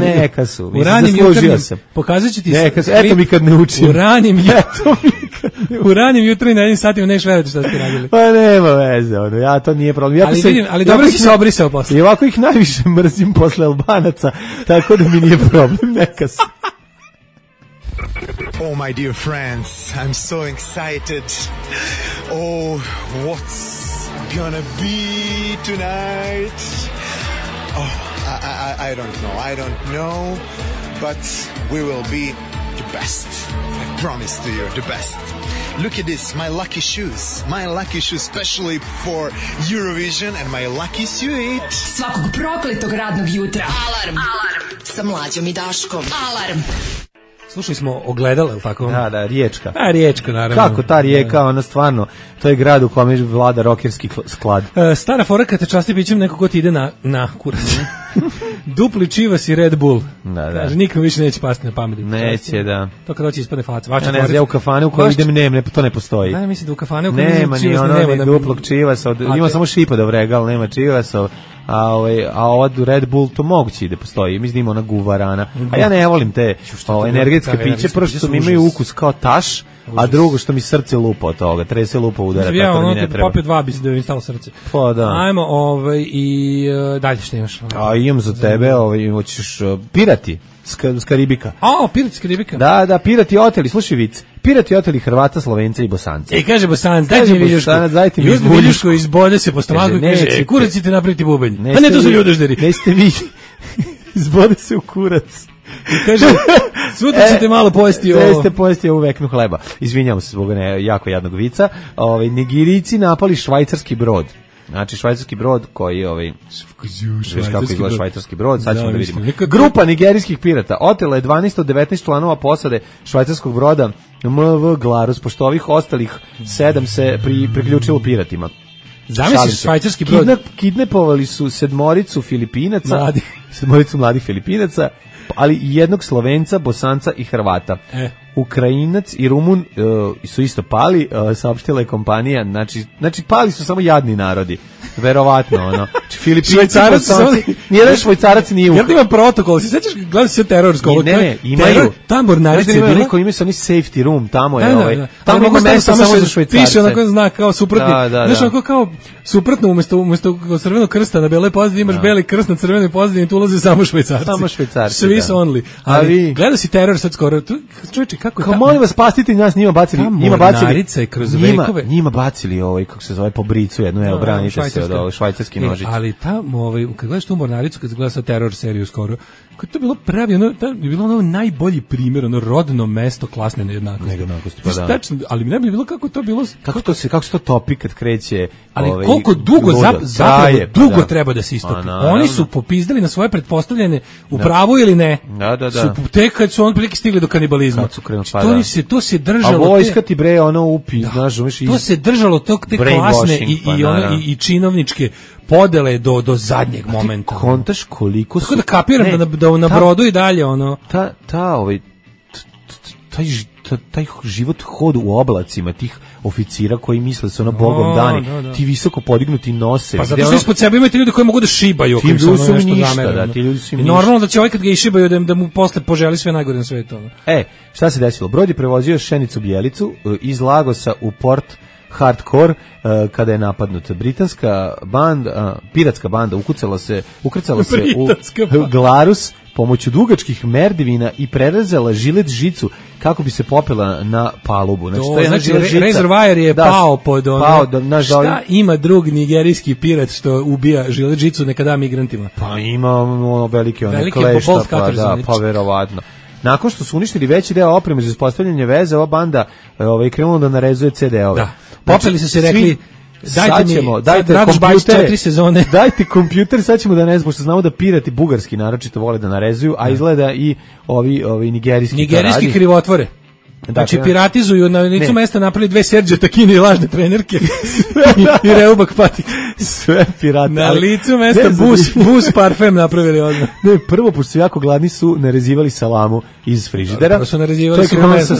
Speaker 6: Neka su. Zaslužio sam.
Speaker 5: Pokazat ću ti
Speaker 6: eto mi kad ne učim.
Speaker 5: U ranim jutro i na jednim satima neš verovati šta ste radili.
Speaker 6: Pa nema veze, ja to nije problem.
Speaker 5: Ali dobro si se obrisao posle.
Speaker 6: I ovako ih najviše mrzim posle Albanaca, tako da mi nije problem, neka se.
Speaker 14: Oh, my dear friends, I'm so excited. Oh, what's gonna be tonight? Oh, I don't know, but we will be the best. I promise to you, the best. Look at this, my lucky shoes, especially for Eurovision, and my lucky suit.
Speaker 3: Svakog prokletog radnog jutra. Alarm sa Mlađom i Daškom. Alarm.
Speaker 5: Slušali smo Ogledala, ili tako?
Speaker 6: Da, Riječka.
Speaker 5: Riječka, naravno.
Speaker 6: Kako ta Rijeka, ona stvarno, to je grad u kome vlada rokerski sklad.
Speaker 5: Stara fora kad te časti pićem neko ko ti ide na kurac. Dupli čivas i Red Bull.
Speaker 6: Da.
Speaker 5: Kaže, nikom više neće pasti na pamet.
Speaker 6: Neće, da.
Speaker 5: To kad hoće ispadne faca.
Speaker 6: Ja u kafane u kojoj idem, to ne postoji.
Speaker 5: Da, mislim da u kafane u kojoj
Speaker 6: nema ni ono duplog čivasa, ima samo Šipadov regal, nema čivasa. A ova Red Bull to moguće da postoji, mislim da ima ona guvarana. A ja ne volim te energetske piće, prvo što imaju ukus kao taš, a drugo što mi srce lupa od toga, trese lupa udara, tako da mi ne treba.
Speaker 5: Popio 2 bi da mi stalo srce.
Speaker 6: Pa da.
Speaker 5: Ajmo, i dalje što imaš?
Speaker 6: A imam za tebe, hoćeš pirati s Karibika.
Speaker 5: Pirati s Karibika.
Speaker 6: Da, pirati oteli, slušaj vic. Pirati oteli Hrvata, Slovenca i Bosanca.
Speaker 5: Kaže Bosanac, dajte mi viljušku.
Speaker 6: Dajte mi
Speaker 5: viljušku, izbode se po stomaku i kaže, kurac ćete napraviti bubanj. A ne, to su ljudožderi.
Speaker 6: Neste vi, izbode se u kurac.
Speaker 5: I kaže, sutra ćete malo pojesti ovo.
Speaker 6: Jeste pojesti ovu veknu hleba. Izvinjamo se zbog jako jadnog vica. Nigerijci napali švajcarski brod. Znači švajcarski brod koji viš kako izgleda švajcarski brod, sad ćemo da vidimo. Grupa nigerijskih pirata otela je 12 od 19 članova posade švajcarskog broda MV Glarus, pošto ovih ostalih 7 se priključilo piratima.
Speaker 5: Zamisliš švajcarski brod?
Speaker 6: Kidnapovali su sedmoricu mladih Filipinaca, ali i jednog Slovenca, Bosanca i Hrvata. Ukrajinac i Rumun su isto pali, saopštila je kompanija, znači pali su samo jadni narodi. Verovatno, Filipinci, Bosanci, nijedan Švajcarac nije
Speaker 5: Ukrajinac. Ima protokol, si sećaš, gledaj se terorsko.
Speaker 6: Ne, imaju.
Speaker 5: Ta mornarica je bila.
Speaker 6: Imaju su oni safety room, tamo je tamo ima mesta samo za Švajcarce.
Speaker 5: Piše onako znak kao suprotni. Znaš, onako kao suprotno, umesto crvenog krsta na beloj pozadini imaš beli krst na crvenoj pozadini, tu ulaze samo Švajcarci.
Speaker 6: Samo Švajcarci.
Speaker 5: Swiss only. Ali gledaj si teror sad skoro. Čovječe, kako je
Speaker 6: kao molim vas, spastite nas, njima bacili.
Speaker 5: Njima
Speaker 6: bacili kako se zove, po bricu jednu, branite se od švajcarski nožić.
Speaker 5: Ali tamo, kad gledaš tu mornaricu, kad gledaš sa teror seriju skoro, kako je to bilo pravi, je bilo najbolji primjer, rodno mesto klasne nejednakosti.
Speaker 6: Pa da.
Speaker 5: Tačno, ali mi ne bi bilo kako to bilo.
Speaker 6: Kako se to topi kad kreće.
Speaker 5: Ali koliko dugo dugo treba da se istopi. Oni su popizdali na svoje pretpostavljene u pravu ili ne.
Speaker 6: Da.
Speaker 5: Tek kad su on prilike stigli do kanibalizma. To se držalo.
Speaker 6: A vojska ti bre upi, znaš,
Speaker 5: to se držalo te klasne i činovničke podele do zadnjeg momenta.
Speaker 6: Kontaš koliko su...
Speaker 5: Tako da kapiram da na brodu i dalje,
Speaker 6: taj život hod u oblacima tih oficira koji misle da su Bogom dani, ti visoko podignuti nose.
Speaker 5: Pa zato što ispod sebe imate ljudi koji mogu da šibaju.
Speaker 6: Ti ljudi su ništa, ti ljudi su ništa.
Speaker 5: Normalno da će kad ga išibaju da mu posle poželi sve najgore na svetu.
Speaker 6: Šta se desilo? Brod je prevozio pšenicu Bjelicu iz Lagosa u port Hardcore kada je napadnut. Britanska banda, piratska banda ukrcala se u Glarus pomoću dugačkih merdivina i prerezala žilet žicu kako bi se popela na palubu.
Speaker 5: Znači rezervoar je pao pod šta ima drug nigerijski pirat što ubija žilet žicu nekada migrantima?
Speaker 6: Pa ima velike klešta, pa verovatno. Nakon što su uništili veći deo opreme za uspostavljanje veze, ova banda krenula da narezuje CD-ove.
Speaker 5: Popeli su se rekli, dajte
Speaker 6: kompjuter,
Speaker 5: 4 sezone.
Speaker 6: Dajte kompjuter, sad ćemo da ne znam, pošto znamo da pirati bugarski naročito vole da narezuju, a izgleda i ovi nigerijski
Speaker 5: krivotvore. Znači piratizuju na licu mesta, napravili 2 Serđe Takine i lažne trenerke i Reubak patik.
Speaker 6: Sve pirati.
Speaker 5: Na licu mesta bus parfem napravili odmah.
Speaker 6: Ne, prvo, pošto su jako gladni, su narezivali salamu iz frižidera.
Speaker 5: Prvo su narezivali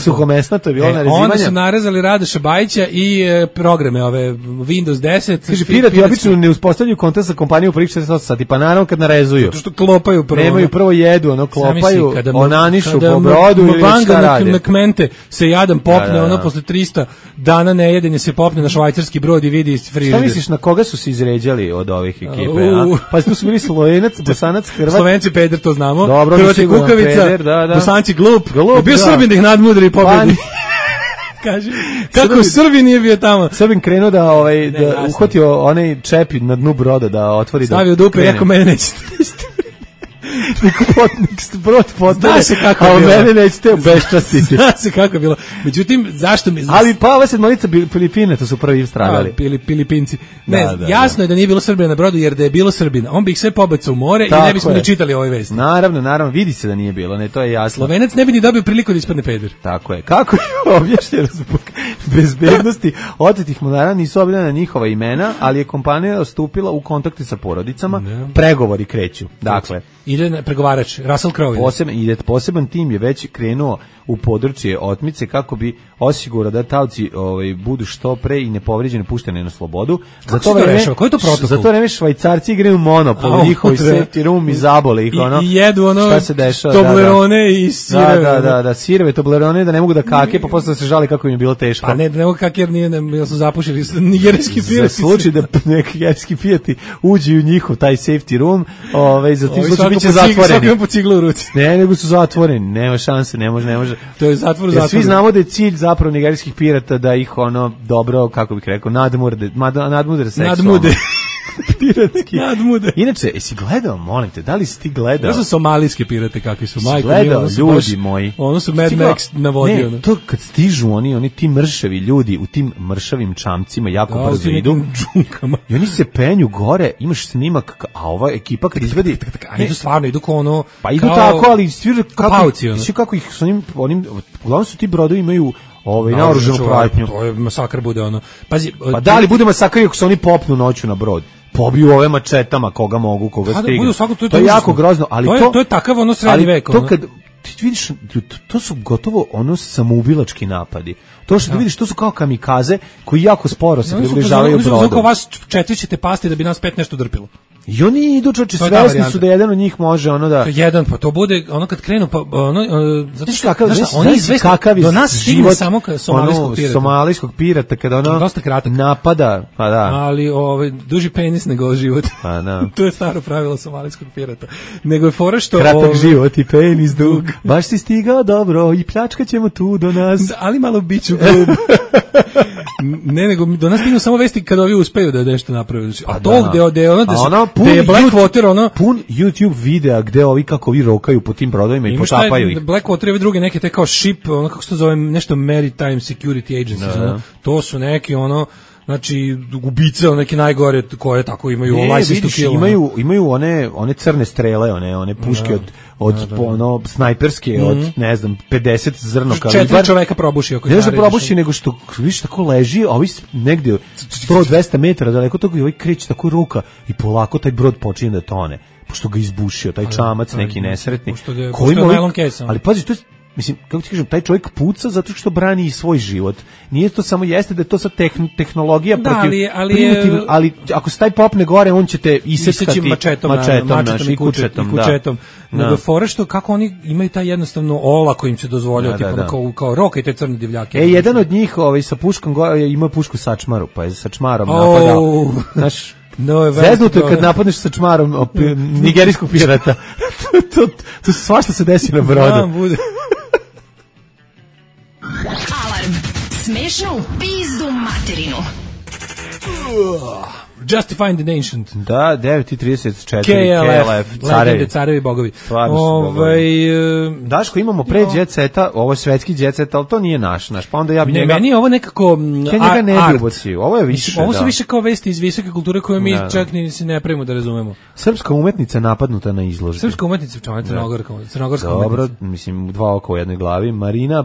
Speaker 6: suhomesna, to je bilo narezivanje.
Speaker 5: Onda su narezali Radoša Bajića i programe ove Windows 10.
Speaker 6: Kaže, pirati obično ne uspostavljaju kontakt sa kompanijom prvih 48 sati, pa naravno kad narezuju.
Speaker 5: Zato što klopaju prvo.
Speaker 6: Nemaju prvo jedu, klopaju, onanišu po brodu ili šta rade.
Speaker 5: Se jadan popne, posle 300 dana nejedenja se popne na švajcarski brod i vidi iz frižidera.
Speaker 6: Šta misliš, na koga su se izređali od ovih ekipe? Pa tu su bili Slovenac, Bosanac, Hrvat.
Speaker 5: Slovenci peder, to znamo.
Speaker 6: Dobro,
Speaker 5: Hrvati kukavica, Bosanci glup. Bio Srbin da ih nadmudri i pobedi. Kaži, kako u Srbiji nije bio tamo?
Speaker 6: Srbin krenuo da uhvatio onaj čep na dnu broda da otvori.
Speaker 5: Stavio dupe, jako mene nećete.
Speaker 6: Brod potane, a mene nećete obeščastiti.
Speaker 5: Zna se kako je bilo. Međutim, zašto mi...
Speaker 6: Ali pa ova sedmorica Filipine, to su prvi stradali.
Speaker 5: Filipinci. Jasno je da nije bilo Srbina na brodu, jer da je bilo Srbina, on bi ih sve pobacao u more i ne bismo ni čitali ove vesti.
Speaker 6: Naravno, vidi se da nije bilo, to je jasno.
Speaker 5: Slovenac ne bi ni dobio priliku da ispadne peder.
Speaker 6: Tako je. Kako je objašnjeno zbog bezbednosti otetih monara nisu objavljena njihova imena, ali je kompanija stupila u kontakte sa porodicama, pregovori kreću. Dakle,
Speaker 5: ide pregovarač, Russell Crowe.
Speaker 6: Poseban tim je već krenuo u područje otmice kako bi osigurao da taoci budu što pre i nepovređeno pušteni na slobodu.
Speaker 5: Za to
Speaker 6: vreme Švajcarci igraju Monopol, njihovi safety room i zabole ih
Speaker 5: i jedu ono
Speaker 6: šta se dešava,
Speaker 5: Toblerone i sireve.
Speaker 6: Da, sireve, Toblerone, da ne mogu da kake, pa posle se žali kako im je bilo teško.
Speaker 5: Pa ne mogu kake jer jer su zapušili nigerijski pijati.
Speaker 6: Za slučaj da neki nigerijski pijati uđu u njihov taj safety room, za tim slučaj biće zatvoreni.
Speaker 5: Svaki ima po ciglu u ruci.
Speaker 6: Ne, nego su zatvoreni, nema šanse, ne može.
Speaker 5: To je zatvor.
Speaker 6: Svi znamo da je cilj zapravo nigerijskih pirata da ih dobro, kako bih rekao, nadmude seksualno. Piratski.
Speaker 5: Nadmude.
Speaker 6: Inače, jesi gledao, molim te, da li si ti gledao?
Speaker 5: To su somalijske pirate, kakvi su.
Speaker 6: Majko, gledao, ljudi moji.
Speaker 5: Ono su Mad Max navodio.
Speaker 6: Ne, to kad stižu oni ti mršavi ljudi u tim mršavim čamcima jako brzo idu. I oni se penju gore, imaš snimak, a ova ekipa kad izvedi...
Speaker 5: Idu stvarno, idu kao ono...
Speaker 6: Pa idu tako, ali svi kako ih s onim... Uglavnom su ti brodovi imaju naoružanu pratnju.
Speaker 5: To je masakr bude ono. Pazi,
Speaker 6: pa da li bude masakr ako se oni popnu noću na brod? Pobiju ove mačetama koga mogu, koga stignu. To je jako grozno, ali
Speaker 5: to je takav srednji vek.
Speaker 6: To kad ti vidiš, to su gotovo samoubilački napadi. To što ti vidiš, to su kao kamikaze koji jako sporo se približavaju brodu.
Speaker 5: Zato vas 4 ćete pasti da bi nas 5 nešto drpilo.
Speaker 6: I oni idu, čoče, svesni su da jedan od njih može da...
Speaker 5: Jedan, pa to bude, kad krenu, pa zato što,
Speaker 6: oni izvesni,
Speaker 5: do nas stigne samo
Speaker 6: somalijskog pirata, kada
Speaker 5: dosta kratak
Speaker 6: napada, pa da.
Speaker 5: Ali duži penis nego život.
Speaker 6: Pa da.
Speaker 5: To je staro pravilo somalijskog pirata. Nego je fora što...
Speaker 6: Kratak život i penis dug. Baš si stigao dobro i pljačkat ćemo tu do nas.
Speaker 5: Ali malo biću grub. Ne, nego do nas stignu samo vesti kada ovi uspeju da nešto naprave. A to gde je Blackwater,
Speaker 6: pun YouTube videa gde ovi kako vi rokaju po tim brodovima i potapaju ih.
Speaker 5: Blackwater i druge neke te kao ship, kako se to zove, nešto Maritime Security Agency, to su neki znači ubice, neke najgore koje tako imaju license to kill.
Speaker 6: Imaju one crne strele, one puške od snajperske, od ne znam 50 zrno kalibra.
Speaker 5: 4 čoveka probuši ako
Speaker 6: ne probuši, nego što viš tako leži, a ovi negde 100-200 metara daleko toga i ovaj kreće tako ruka i polako taj brod počinje da tone, pošto ga izbušio taj čamac neki nesretni. Ali pazi, to je, mislim, kako ti kažem, taj čovjek puca zato što brani i svoj život. Nije to samo jeste da je to sad tehnologija protiv primitivna, ali ako se taj popne gore, on će te iseckati mačetom i kučetom.
Speaker 5: Nego fora što kako oni imaju taj jednostavno olako im se dozvoljava, kao roka te crne divljake.
Speaker 6: Jedan od njih sa puškom ima pušku sačmaru, pa je sačmarom napadao. Znaš, zeznuto je kad napadneš sa čmarom nigerijskog pirata. To svašta se desi na brodu.
Speaker 3: Alarm. Smešno u pizdu materinu.
Speaker 5: Justifying the Ancient.
Speaker 6: Da, 9:34
Speaker 5: KLF, legende, carevi, bogovi.
Speaker 6: Daško, imamo pre Jet Seta, ovo je svetski Jet Set, ali to nije naš, pa onda ja bi njega...
Speaker 5: Meni je ovo nekako
Speaker 6: njega ne bi ubocio, ovo je više,
Speaker 5: ovo su više kao vesti iz visoke kulture koje mi čak ni ne pravimo da razumemo.
Speaker 6: Srpska umetnica napadnuta na izložbi.
Speaker 5: Srpska umetnica, crnogorska umetnica.
Speaker 6: Dobro, mislim, 2 oka u jednoj glavi. Marina,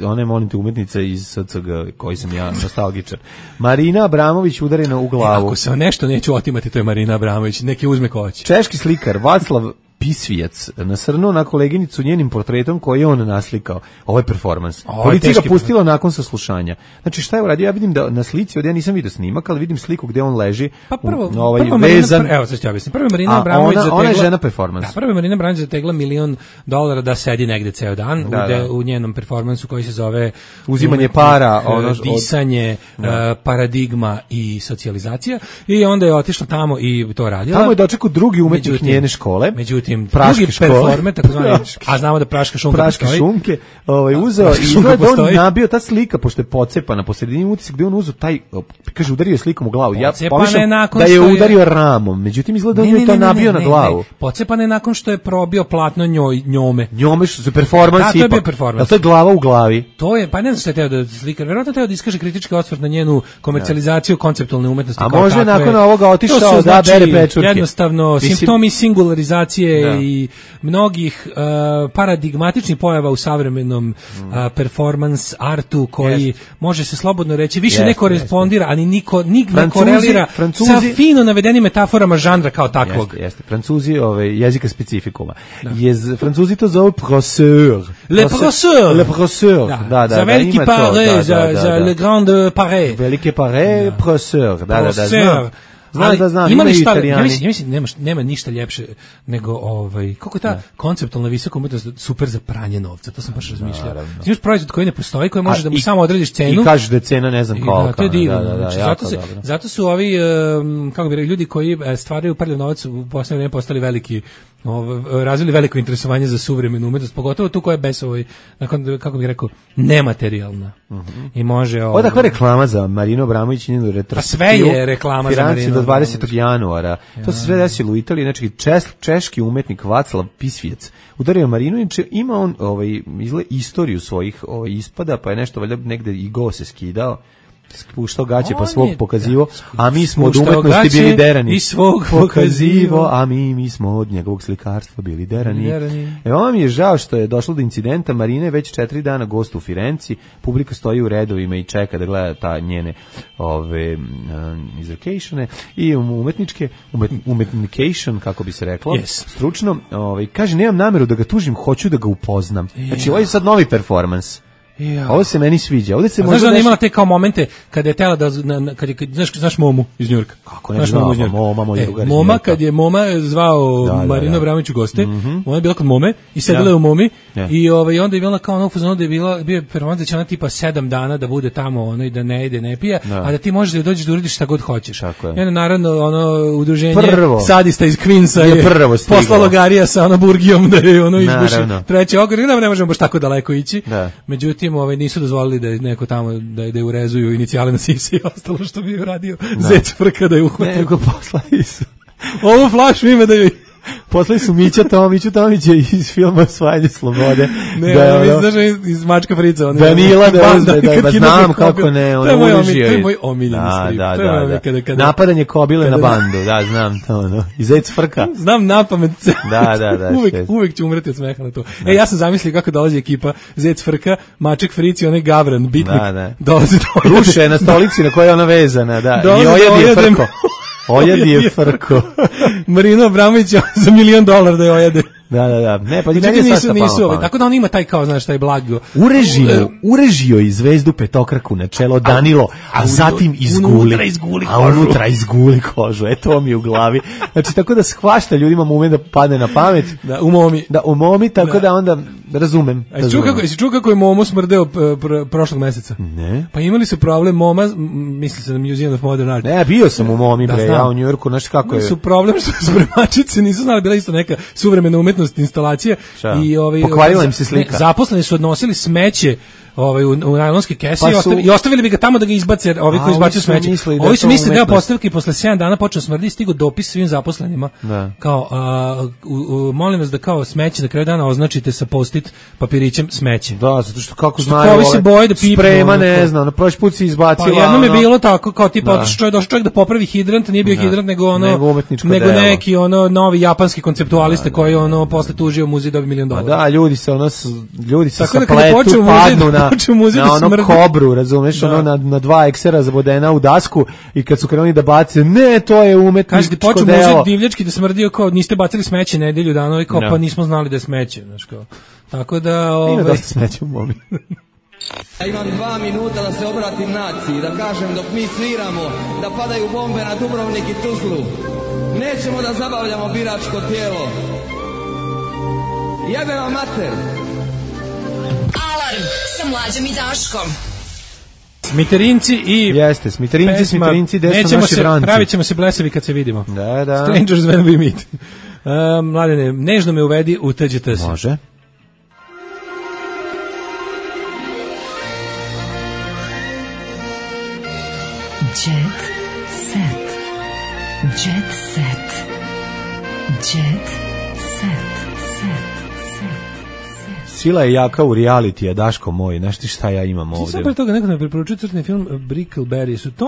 Speaker 6: ona je, molim te, umetnica iz SCG, koji sam ja nostalgičar. Marina Abramović udarena u glavu.
Speaker 5: Ako se nešto neću otimati, to je Marina Abramović, neki uzme ko hoće.
Speaker 6: Češki slikar Vaclav Pisvijac nasrnuo na koleginicu njenim portretom koji je on naslikao. Ovo je performans. Policija ga pustila nakon saslušanja. Znači šta je uradio? Ja vidim da na slici, ja nisam vidio snimak, ali vidim sliku gde on leži.
Speaker 5: Pa prvo
Speaker 6: vezan.
Speaker 5: Evo sad ću objasniti. Prvo Marina Abramović zategla.
Speaker 6: Ona je žena performans.
Speaker 5: Da, prvo Marina Abramović zategla $1.000.000 da sedi negde ceo dan u njenom performansu koji se zove
Speaker 6: uzimanje para,
Speaker 5: disanje, paradigma i socijalizacija. I onda je otišla tamo i to radila.
Speaker 6: Tamo je dočekao drugi umetnik njene škole.
Speaker 5: Međutim, drugi performe, takozvani, a znamo da praška šunke
Speaker 6: uzeo i izgleda on nabio ta slika, pošto je pocepana po sredini, utisak gde on uzeo taj, kaže, udario je slikom u glavu. Ja pomišljam da je udario ramom, međutim izgleda on je to nabio na glavu.
Speaker 5: Pocepana je nakon što je probio platno njome.
Speaker 6: Njome što su performans ipak.
Speaker 5: Da, to je bio performans.
Speaker 6: To je glava u glavi.
Speaker 5: To je, pa ne znam što je teo da slika, verovatno teo da iskaže kritički osvrt na njenu komercijalizaciju konceptualne umetnosti.
Speaker 6: A može nakon ovoga otišao da bere pečurke.
Speaker 5: Jednostavno, simptomi singularizacije muzike i mnogih paradigmatičnih pojava u savremenom performance artu koji može se slobodno reći više ne korespondira, ali niko ne korelira sa fino navedenim metaforama žanra kao takvog.
Speaker 6: Jeste. Francuzi jezika specifikuma. Francuzi to zove professeur.
Speaker 5: Le professeur.
Speaker 6: Da.
Speaker 5: Za veliki pare, za le grande pare.
Speaker 6: Velike pare, professeur. Da. Znam,
Speaker 5: ima li šta, ja mislim, nema ništa ljepše nego kako je ta konceptualna visoka umetnost super za pranje novca, to sam baš razmišljao. Imaš proizvod koji ne postoji, koji može da mu samo odrediš cenu.
Speaker 6: I kažeš da je cena ne znam kolika.
Speaker 5: To je divno. Zato su ovi, kako bi rekli, ljudi koji stvaraju prljav novac u poslednje vreme postali veliki, razvili veliko interesovanje za suvremenu umetnost, pogotovo tu koja je bez kako bih rekao, nematerijalna. I može...
Speaker 6: Odakle reklama za Marinu Abramović i njenu retrospektivu?
Speaker 5: A sve je reklama za Marinu
Speaker 6: do 20. januara. To se sve desilo u Italiji, znači češki umetnik Vaclav Pisvijec udario Marinu, inače ima on istoriju svojih ispada, pa je nešto valjda negde i go se skidao, spuštao gaće pa svog pokazivo, a mi smo od umetnosti bili derani.
Speaker 5: I svog pokazivo,
Speaker 6: a mi smo od njegovog slikarstva bili derani. Ovo mi je žao što je došlo do incidenta. Marina je već 4 dana gost u Firenci, publika stoji u redovima i čeka da gleda ta njene izrekejšene i umetnication, kako bi se reklo, stručno. Kaže, nemam nameru da ga tužim, hoću da ga upoznam. Znači, ovo je sad novi performans. Ovo se meni sviđa. Ovdje se
Speaker 5: znaš da ona imala te kao momente kada je tela da znaš Momu iz Njujorka.
Speaker 6: Kako ne znam,
Speaker 5: Moma kad je Moma zvao Marinu Abramović u goste, ona je bila kod Mome i sedela je u Momi i onda je bila kao ono fuzon da je bio performans da će ona tipa 7 dana da bude tamo i da ne ide, ne pije, a da ti možeš da dođeš da uradiš šta god hoćeš. I onda naravno udruženje sadista iz Queensa je poslalo Garija sa Burgijom da je izbuši treći ogor, ne možemo baš tako daleko ići. Međutim, nisu dozvolili da je neko tamo da je urezuju inicijale na sise i ostalo što bi uradio Zec Frka da je uhvatio.
Speaker 6: Nego poslali su.
Speaker 5: Ovu flašu ima da joj...
Speaker 6: Poslali su Mića Tomića iz filma Osvajanje slobode.
Speaker 5: Znaš iz Mačka Frica.
Speaker 6: Danila, da znam kako ne, on urežio.
Speaker 5: To je moj omiljeni strip.
Speaker 6: Napadanje kobile na bandu, da, znam to. I Zec Frka.
Speaker 5: Znam napamet.
Speaker 6: Da.
Speaker 5: Uvek ću umreti od smeha na to. Ja sam zamislio kako dolazi ekipa Zec Frka, Maček Fric i onaj Gavran, bitnik. Dolazi do
Speaker 6: ruše na stolici na kojoj je ona vezana, da. I ojedi Frko. Ojedi je Frko.
Speaker 5: Marino Abramović za $1 milion da je ojede.
Speaker 6: Da. Ne, pa
Speaker 5: nisu. Tako da on ima taj kao, znaš, taj blago.
Speaker 6: Urežio i zvezdu petokraku na čelo Danilo, a zatim unutra izguli kožu. Eto mi je u glavi. Znači, tako da shvašta ljudima moment da padne na pamet.
Speaker 5: Da, u momi.
Speaker 6: Tako da onda razumem.
Speaker 5: Jesi čuo kako je Momo smrdeo prošlog meseca?
Speaker 6: Ne.
Speaker 5: Pa imali su problem Moma, misli se na Museum of Modern Art.
Speaker 6: Ne, bio sam u Momi, ja u Njujorku, znaš kako je.
Speaker 5: Su problem što spremačice nisu znali, bila isto neka suvremena umetnost instalacije. I
Speaker 6: pokvarila im se slika.
Speaker 5: Zaposleni su odnosili smeće u najlonske kese i ostavili bi ga tamo da ga izbace, ovi koji izbacuju smeće. Ovi su mislili deo postavke i posle 7 dana počeo smrdi i stigo dopis svim zaposlenima. Kao, molim vas da kao smeće na kraju dana označite sa post-it papirićem smeće.
Speaker 6: Da, zato što kako znaju
Speaker 5: ovi se boje da pipnu.
Speaker 6: Sprema ne znam, na prošli put si izbacila.
Speaker 5: Pa jednom je bilo tako, kao tipa došao čovjek da popravi hidrant, nije bio hidrant, nego neki novi japanski konceptualista koji posle tužio muzej dobio $1 milion.
Speaker 6: Da, ljudi se sapletu, padnu na ono kobru, razumeš, na 2 eksera zabodena u dasku i kad su krenuli da bace, ne, to je umetničko delo.
Speaker 5: Kažete, počeo muzej divljački da smrdio kao, niste bacili smeće nedelju dana i kao, pa nismo znali da je smeće, znaš kao. Tako da...
Speaker 6: Ima dosta smeće u Momi.
Speaker 15: Ja imam 2 minuta da se obratim naciji, da kažem dok mi sviramo, da padaju bombe na Dubrovnik i Tuzlu. Nećemo da zabavljamo biračko tijelo. Jebe vam mater!
Speaker 3: Alarm sa Mlađom i Daškom.
Speaker 5: Smiterinci i...
Speaker 6: Jeste, Smiterinci, gde su naši branci.
Speaker 5: Pravit ćemo se blesavi kad se vidimo.
Speaker 6: Da.
Speaker 5: Strangers when we meet. Mladene, nežno me uvedi u TGT.
Speaker 6: Može.
Speaker 10: Jet set. Jet set. Jet set.
Speaker 6: Sila je jaka u realitija, Daško moj, znaš ti šta ja imam ovdje.
Speaker 5: Sam pre toga neko me preporučio crtni film Brickleberry, su to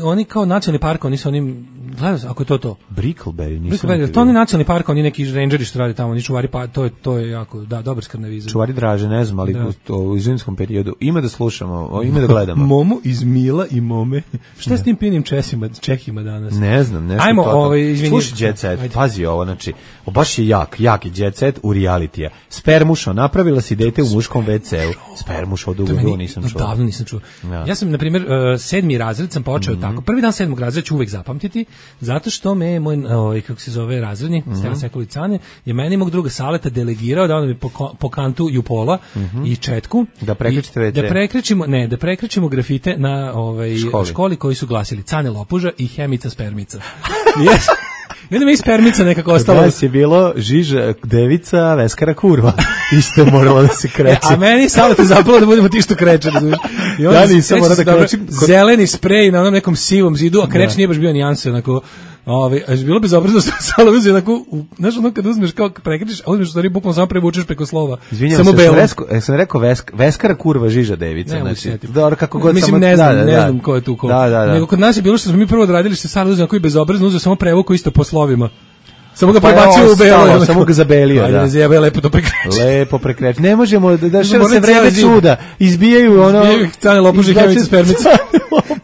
Speaker 5: oni kao nacionalni park, oni su onim Gledaj, ako je to.
Speaker 6: Brickleberry, nisam.
Speaker 5: To je nacionalni park, oni neki rangeri što rade tamo, oni čuvari, pa to je jako, da, dobar skarnavizam.
Speaker 6: Čuvari Draže, ne znam, ali u zimskom periodu ima da slušamo, ima da gledamo.
Speaker 5: Momo iz Mila i Mome. Šta s tim pinim Čehima danas?
Speaker 6: Ne znam, nešto.
Speaker 5: Ajmo, izvini.
Speaker 6: Slušaj Jet Set, pazi ovo, znači, baš je jak je Jet Set u realitija. Spermušo, napravila si dete u muškom WC-u. Spermušo, dugo nisam čuo.
Speaker 5: Davno nisam čuo. Ja sam, na primjer, 7. razred sam počeo tako. Prvi dan 7. razreda ću uvek zapamtiti, zato što me moj, kako se zove, razredni, Stela Sekulicane, je meni mog druga Saleta delegirao da on mi po kantu Jupola i Četku.
Speaker 6: Da prekrećete WC.
Speaker 5: Da prekrećemo grafite na školi koji su glasili Cane Lopuža i Hemica Spermica. I onda mi je Spermica nekako ostalo.
Speaker 6: Danas je bilo Žiža Devica, Veskara Kurva. Isto je moralo da se kreće.
Speaker 5: A meni Saleta zapalo da budemo ti što kreće. I onda nisam morao da krećem. Zeleni sprej na onom nekom sivom zidu, a kreć nije baš bio nijanse, onako. Bilo bi zaobrazno što Salo uzeo onako, znaš ono kad uzmeš kao prekričiš, a uzmeš u stvari bukvalno samo prevučeš preko slova.
Speaker 6: Izvinjam se, sam rekao Veskara Kurva Žiža Devica. Znači, dobro, kako god.
Speaker 5: Mislim, ne znam ko je tu ko. Nego kod nas je bilo što smo mi prvo odradili, što Salo uzeo onako i bezobrazno, uzeo samo prevuku isto po slovima. Samo ga prebacio u belo,
Speaker 6: samo ga zabelio,
Speaker 5: da. Ajde, zjebe, lepo to prekreće.
Speaker 6: Lepo prekreće. Ne možemo da se vreme čuda. Izbijaju ono...
Speaker 5: Izbijaju Cane Lopuže i Hemice Spermice.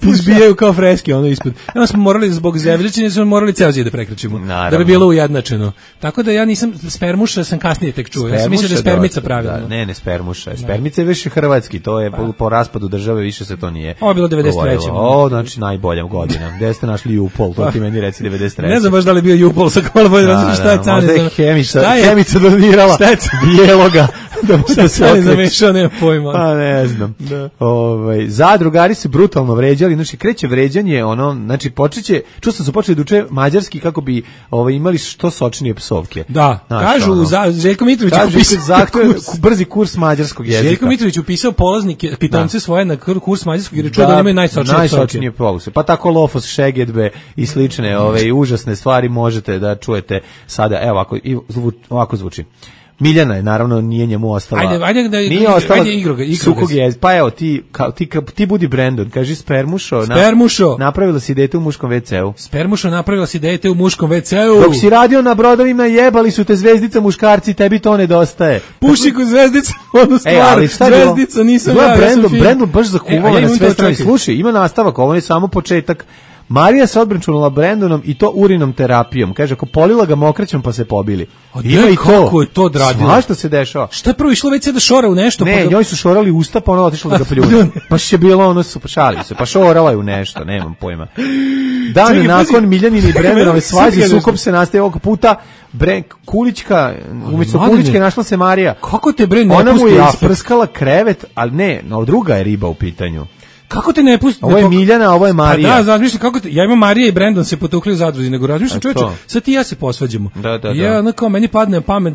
Speaker 5: Izbijaju kao freski ono ispod. Onda smo morali zbog zevljičenja, smo morali ceo zid da prekrećemo. Da bi bilo ujednačeno. Tako da ja nisam Spermuša, sam kasnije tek čuo. Ja sam mislio da je Spermica pravilno.
Speaker 6: Ne, Spermuša. Spermica je više hrvatski, to je po raspadu države, više se to nije.
Speaker 5: Ovo je bilo 93.
Speaker 6: Znači najbolja godina. Gde ste našli Jupol, to ti meni reci 93.
Speaker 5: Ne znam baš da li bio Jupol, sa malo šta je Cane
Speaker 6: Hemica donirala bijeloga
Speaker 5: da se Cane zamešao, nema pojma.
Speaker 6: Pa ne znam. Zadrugari su brutalno vređali, znači kreće vređanje, znači počeće, čuo sam su počeli da uče mađarski kako bi imali što sočnije psovke.
Speaker 5: Da, kažu Željko Mitrović
Speaker 6: brzi kurs mađarskog jezika.
Speaker 5: Željko Mitrović upisao polaznike, pitomce svoje na kurs mađarskog jer čuo da imaju
Speaker 6: najsočnije psovke. Pa tako Lofos, Šegedbe i slične užasne stvari možete da čujete sada, evo ovako zvuči. Miljana je, naravno, nije njemu ostala.
Speaker 5: Nije ostala
Speaker 6: sukog jezika. Pa evo, ti budi Brandon, kaži Spermušo. Napravila si dete u muškom WC-u.
Speaker 5: Spermušo, napravila si dete u muškom WC-u.
Speaker 6: Dok si radio na brodovima, jebali su te zvezdica muškarci, tebi to nedostaje.
Speaker 5: Pušiku zvezdica, ono stvar, zvezdica, nisam ja.
Speaker 6: Brandon baš zakuvao na sve strane. Slušaj, ima nastavak, ovo je samo početak. Marija se odbrančunula Brandonom i to urinom terapijom. Kaže, ako polila ga mokraćom pa se pobili.
Speaker 5: Ima i to. Kako je to odradilo?
Speaker 6: Svašta se dešava.
Speaker 5: Šta je prvo išlo već da šora u nešto?
Speaker 6: Ne, njoj su šorali usta, pa ona otišla da ga pljune. Pa je bilo šalili se, pa šorala je u nešto, nemam pojma. Dan nakon Miljanine i Brandonove svađe, sukob se nastaje ovog puta. Kulićka, umjesto Kulićke našla se Marija.
Speaker 5: Kako te bre ne
Speaker 6: pusti? Ona mu je isprskala krevet, ali ne, druga je riba u pitanju.
Speaker 5: Kako te ne pusti?
Speaker 6: Ovo je Miljana, ovo je Marija.
Speaker 5: Pa da, razmišljam kako te, ja imam Marija i Brandon se potukli u zadruzi, nego razmišljam čoveče, sad ti ja se posvađamo.
Speaker 6: Da.
Speaker 5: Ja kao meni padne pamet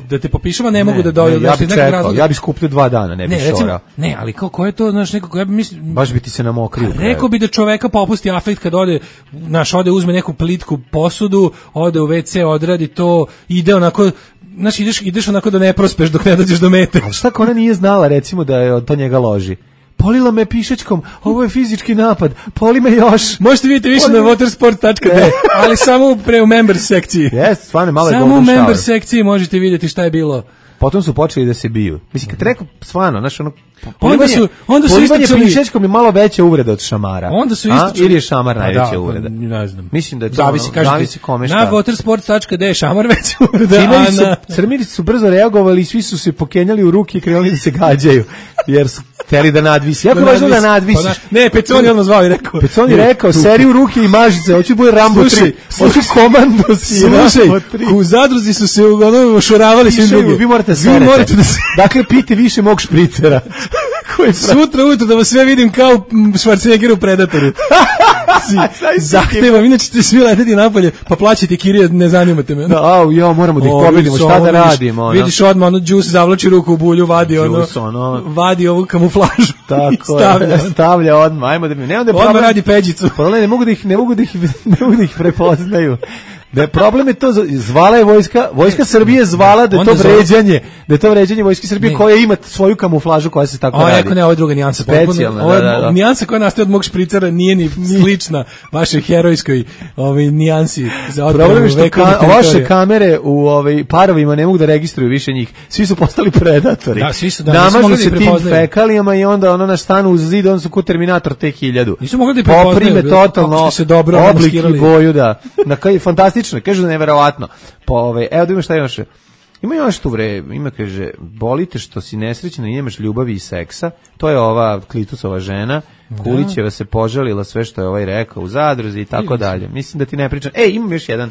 Speaker 5: da te popišem, a ne mogu da dođem
Speaker 6: iz nekog razloga. Ja bih skupljao 2 dana, ne bih šorao.
Speaker 5: Ne, ali kako je to, znaš, nekako ja mislim
Speaker 6: baš bi ti se namokrio.
Speaker 5: Rekao bi da čoveka popusti afekt kad ode uzme neku plitku posudu, ode u WC, odradi to, ide onako. Znaš, ideš onako da ne prospeš dok ne dođeš do mete.
Speaker 6: Ali šta ako ona nije znala, recimo, da je to njega loži? Polila me pišečkom, ovo je fizički napad, poli me još.
Speaker 5: Možete vidjeti više na watersport.de, ali samo u members sekciji.
Speaker 6: Stvarno, malo je
Speaker 5: samo u members sekciji možete vidjeti šta je bilo.
Speaker 6: Potom su počeli da se biju. Mislim, kad rekao, stvarno, znaš,
Speaker 5: onda su
Speaker 6: istočili pišečkom je malo veća uvreda od šamara.
Speaker 5: Onda su istočili.
Speaker 6: Ili je šamar najveća uvreda?
Speaker 5: Ne znam.
Speaker 6: Mislim da je to
Speaker 5: zavisi kome šta. Na watersports.de je šamar veća uvreda.
Speaker 6: Crmiri su brzo reagovali i svi su se pokenjali u ruke i krenuli da se gađaju. Jer su hteli da nadvisi. Jako važno da nadvisiš.
Speaker 5: Ne, Peconi odmah zvao i rekao.
Speaker 6: Peconi rekao, seri u ruke i mažice, hoću bude Rambo 3. Hoću Komandos i Rambo 3.
Speaker 5: U zadruzi su se ošoravali svi drugi.
Speaker 6: Vi morate serete. Dakle, pijte više mog špricera.
Speaker 5: Sutra ujutro da vas sve vidim kao Schwarzenegger u Predatoru. Zahtevam, inače ćete svi leteti napolje, pa plaćajte kirije, ne zanimate me.
Speaker 6: Moramo da ih pobedimo, šta da radimo.
Speaker 5: Vidiš odmah, Juice zavlači ruku u bulju, vadi ovu kamuflažu.
Speaker 6: Tako stavlja odmah, ajmo da mi...
Speaker 5: Odmah radi peđicu.
Speaker 6: Ne mogu da ih prepoznaju. Da je problem je to, zvala je vojska Srbije zvala da je to vređanje vojske Srbije koja ima svoju kamuflažu koja se tako radi.
Speaker 5: Ne, ovo je druga nijansa.
Speaker 6: Specijalna,
Speaker 5: da. Nijansa koja nastaje od mog špricera nije ni slična vašoj herojskoj nijansi.
Speaker 6: Problem je što vaše kamere u parovima ne mogu da registruju više njih. Svi su postali predatori.
Speaker 5: Da, svi su
Speaker 6: namažu se tim fekalijama i onda na stanu uz zid, on su ko Terminator T-1000.
Speaker 5: Nisu mogli da prepoznaju.
Speaker 6: Poprime totalno
Speaker 5: se dobro
Speaker 6: oblik i boju, da. Fantastično, kažu da neverovatno. Evo da ima šta još. Ima još tu ima kaže, bolite što si nesrećna i nemaš ljubavi i seksa. To je ova Klitusova žena. Kulićeva se požalila sve što je rekao u zadruzi i tako dalje. Mislim da ti ne pričam. Imam još jedan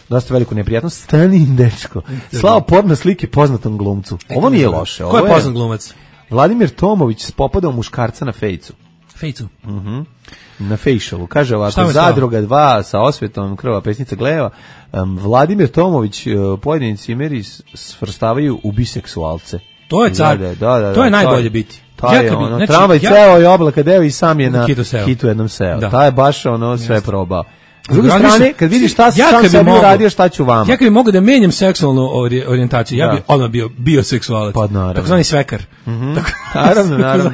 Speaker 6: dosta veliku neprijatnost. Stanin dečko. Slao porno slike poznatom glumcu. Ovo nije loše.
Speaker 5: Ko je poznat glumac?
Speaker 6: Vladimir Tomović spopadao muškarca na fejcu.
Speaker 5: Fejcu?
Speaker 6: Na facialu. Kaže ovako, Zadruga 2 sa osvetom krva pesnica gleva. Vladimir Tomović, pojedini cimeri svrstavaju u biseksualce.
Speaker 5: To je car. To je najbolje biti.
Speaker 6: Tramvaj ceo i oblaka deo i sam je na hitu jednom seo. Ta je baš sve probao. S druge strane, kad vidiš šta sam sebi uradio, šta ću vama.
Speaker 5: Ja kad bi mogu da menjam seksualnu orijentaciju, ja bi odmah bio bioseksualac. Tako zvani svekar.
Speaker 6: Naravno.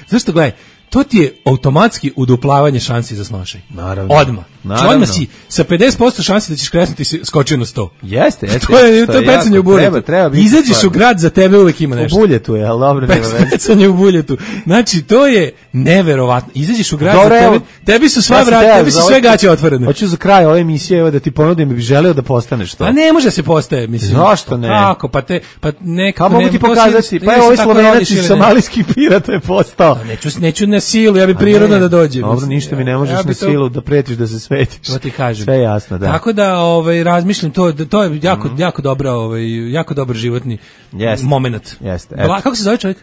Speaker 5: Zašto, gledaj, to ti je automatski uduplavanje šansi za snošaj.
Speaker 6: Naravno.
Speaker 5: Odmah. Odmah si sa 50% šansi da ćeš kresnuti si skočio na 100.
Speaker 6: Jeste.
Speaker 5: To je pecanje u buljetu. Izađeš u grad, za tebe uvek ima nešto.
Speaker 6: U buljetu je, ali dobro nema veze.
Speaker 5: Pecanje u buljetu. Znači, to je neverovatno. Izađeš u grad, za tebe, tebi su sva vrata, tebi su sve gaće otvorene.
Speaker 6: Hoću za kraj ove emisije da ti ponudim, bih želeo da postaneš to.
Speaker 5: A ne može se postaje, mislim.
Speaker 6: Zašto ne?
Speaker 5: Kako?
Speaker 6: Kako mogu ti pokazati? Pa ovaj Slovenac iz somalijskih pirata je postao.
Speaker 5: Neću na silu, ja bi prirodno da dođem.
Speaker 6: Dobro, ništa mi ne možeš na silu da pretiš da se svetiš.
Speaker 5: To ti kažem.
Speaker 6: Sve je jasno, da.
Speaker 5: Tako da razmišljam to je jako dobra jako dobar životni momenat.
Speaker 6: Jeste.
Speaker 5: Kako se zove čovjek?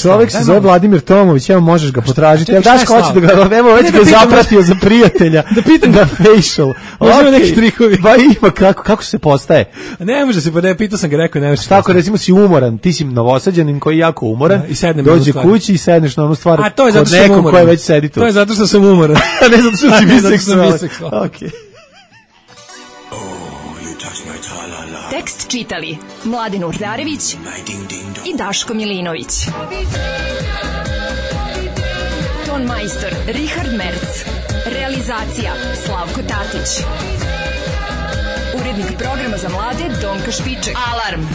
Speaker 6: Čovjek se zove Vladimir Tomović, evo možeš ga potražiti. Evo daš hoće da ga, evo već ga zapratio za prijatelja.
Speaker 5: Da pitam
Speaker 6: na facial.
Speaker 5: Možemo neki trikovi.
Speaker 6: Ba ima kako se postaje.
Speaker 5: Ne može se, pitao sam ga, rekao ne može.
Speaker 6: Šta ako recimo si umoran, ti si Novosađanin koji je jako umoran, dođe kući i sedneš na onu stvar kod nekog koji već sedi tu.
Speaker 5: To je zato što sam umoran.
Speaker 6: Ne zato što si biseksualan. Okej.
Speaker 3: Tekst čitali Mladen Urdarević i Daško Milinović. Ton majstor Richard Merc. Realizacija Slavko Tatić. Urednik programa za mlade Donka Špiček. Alarm!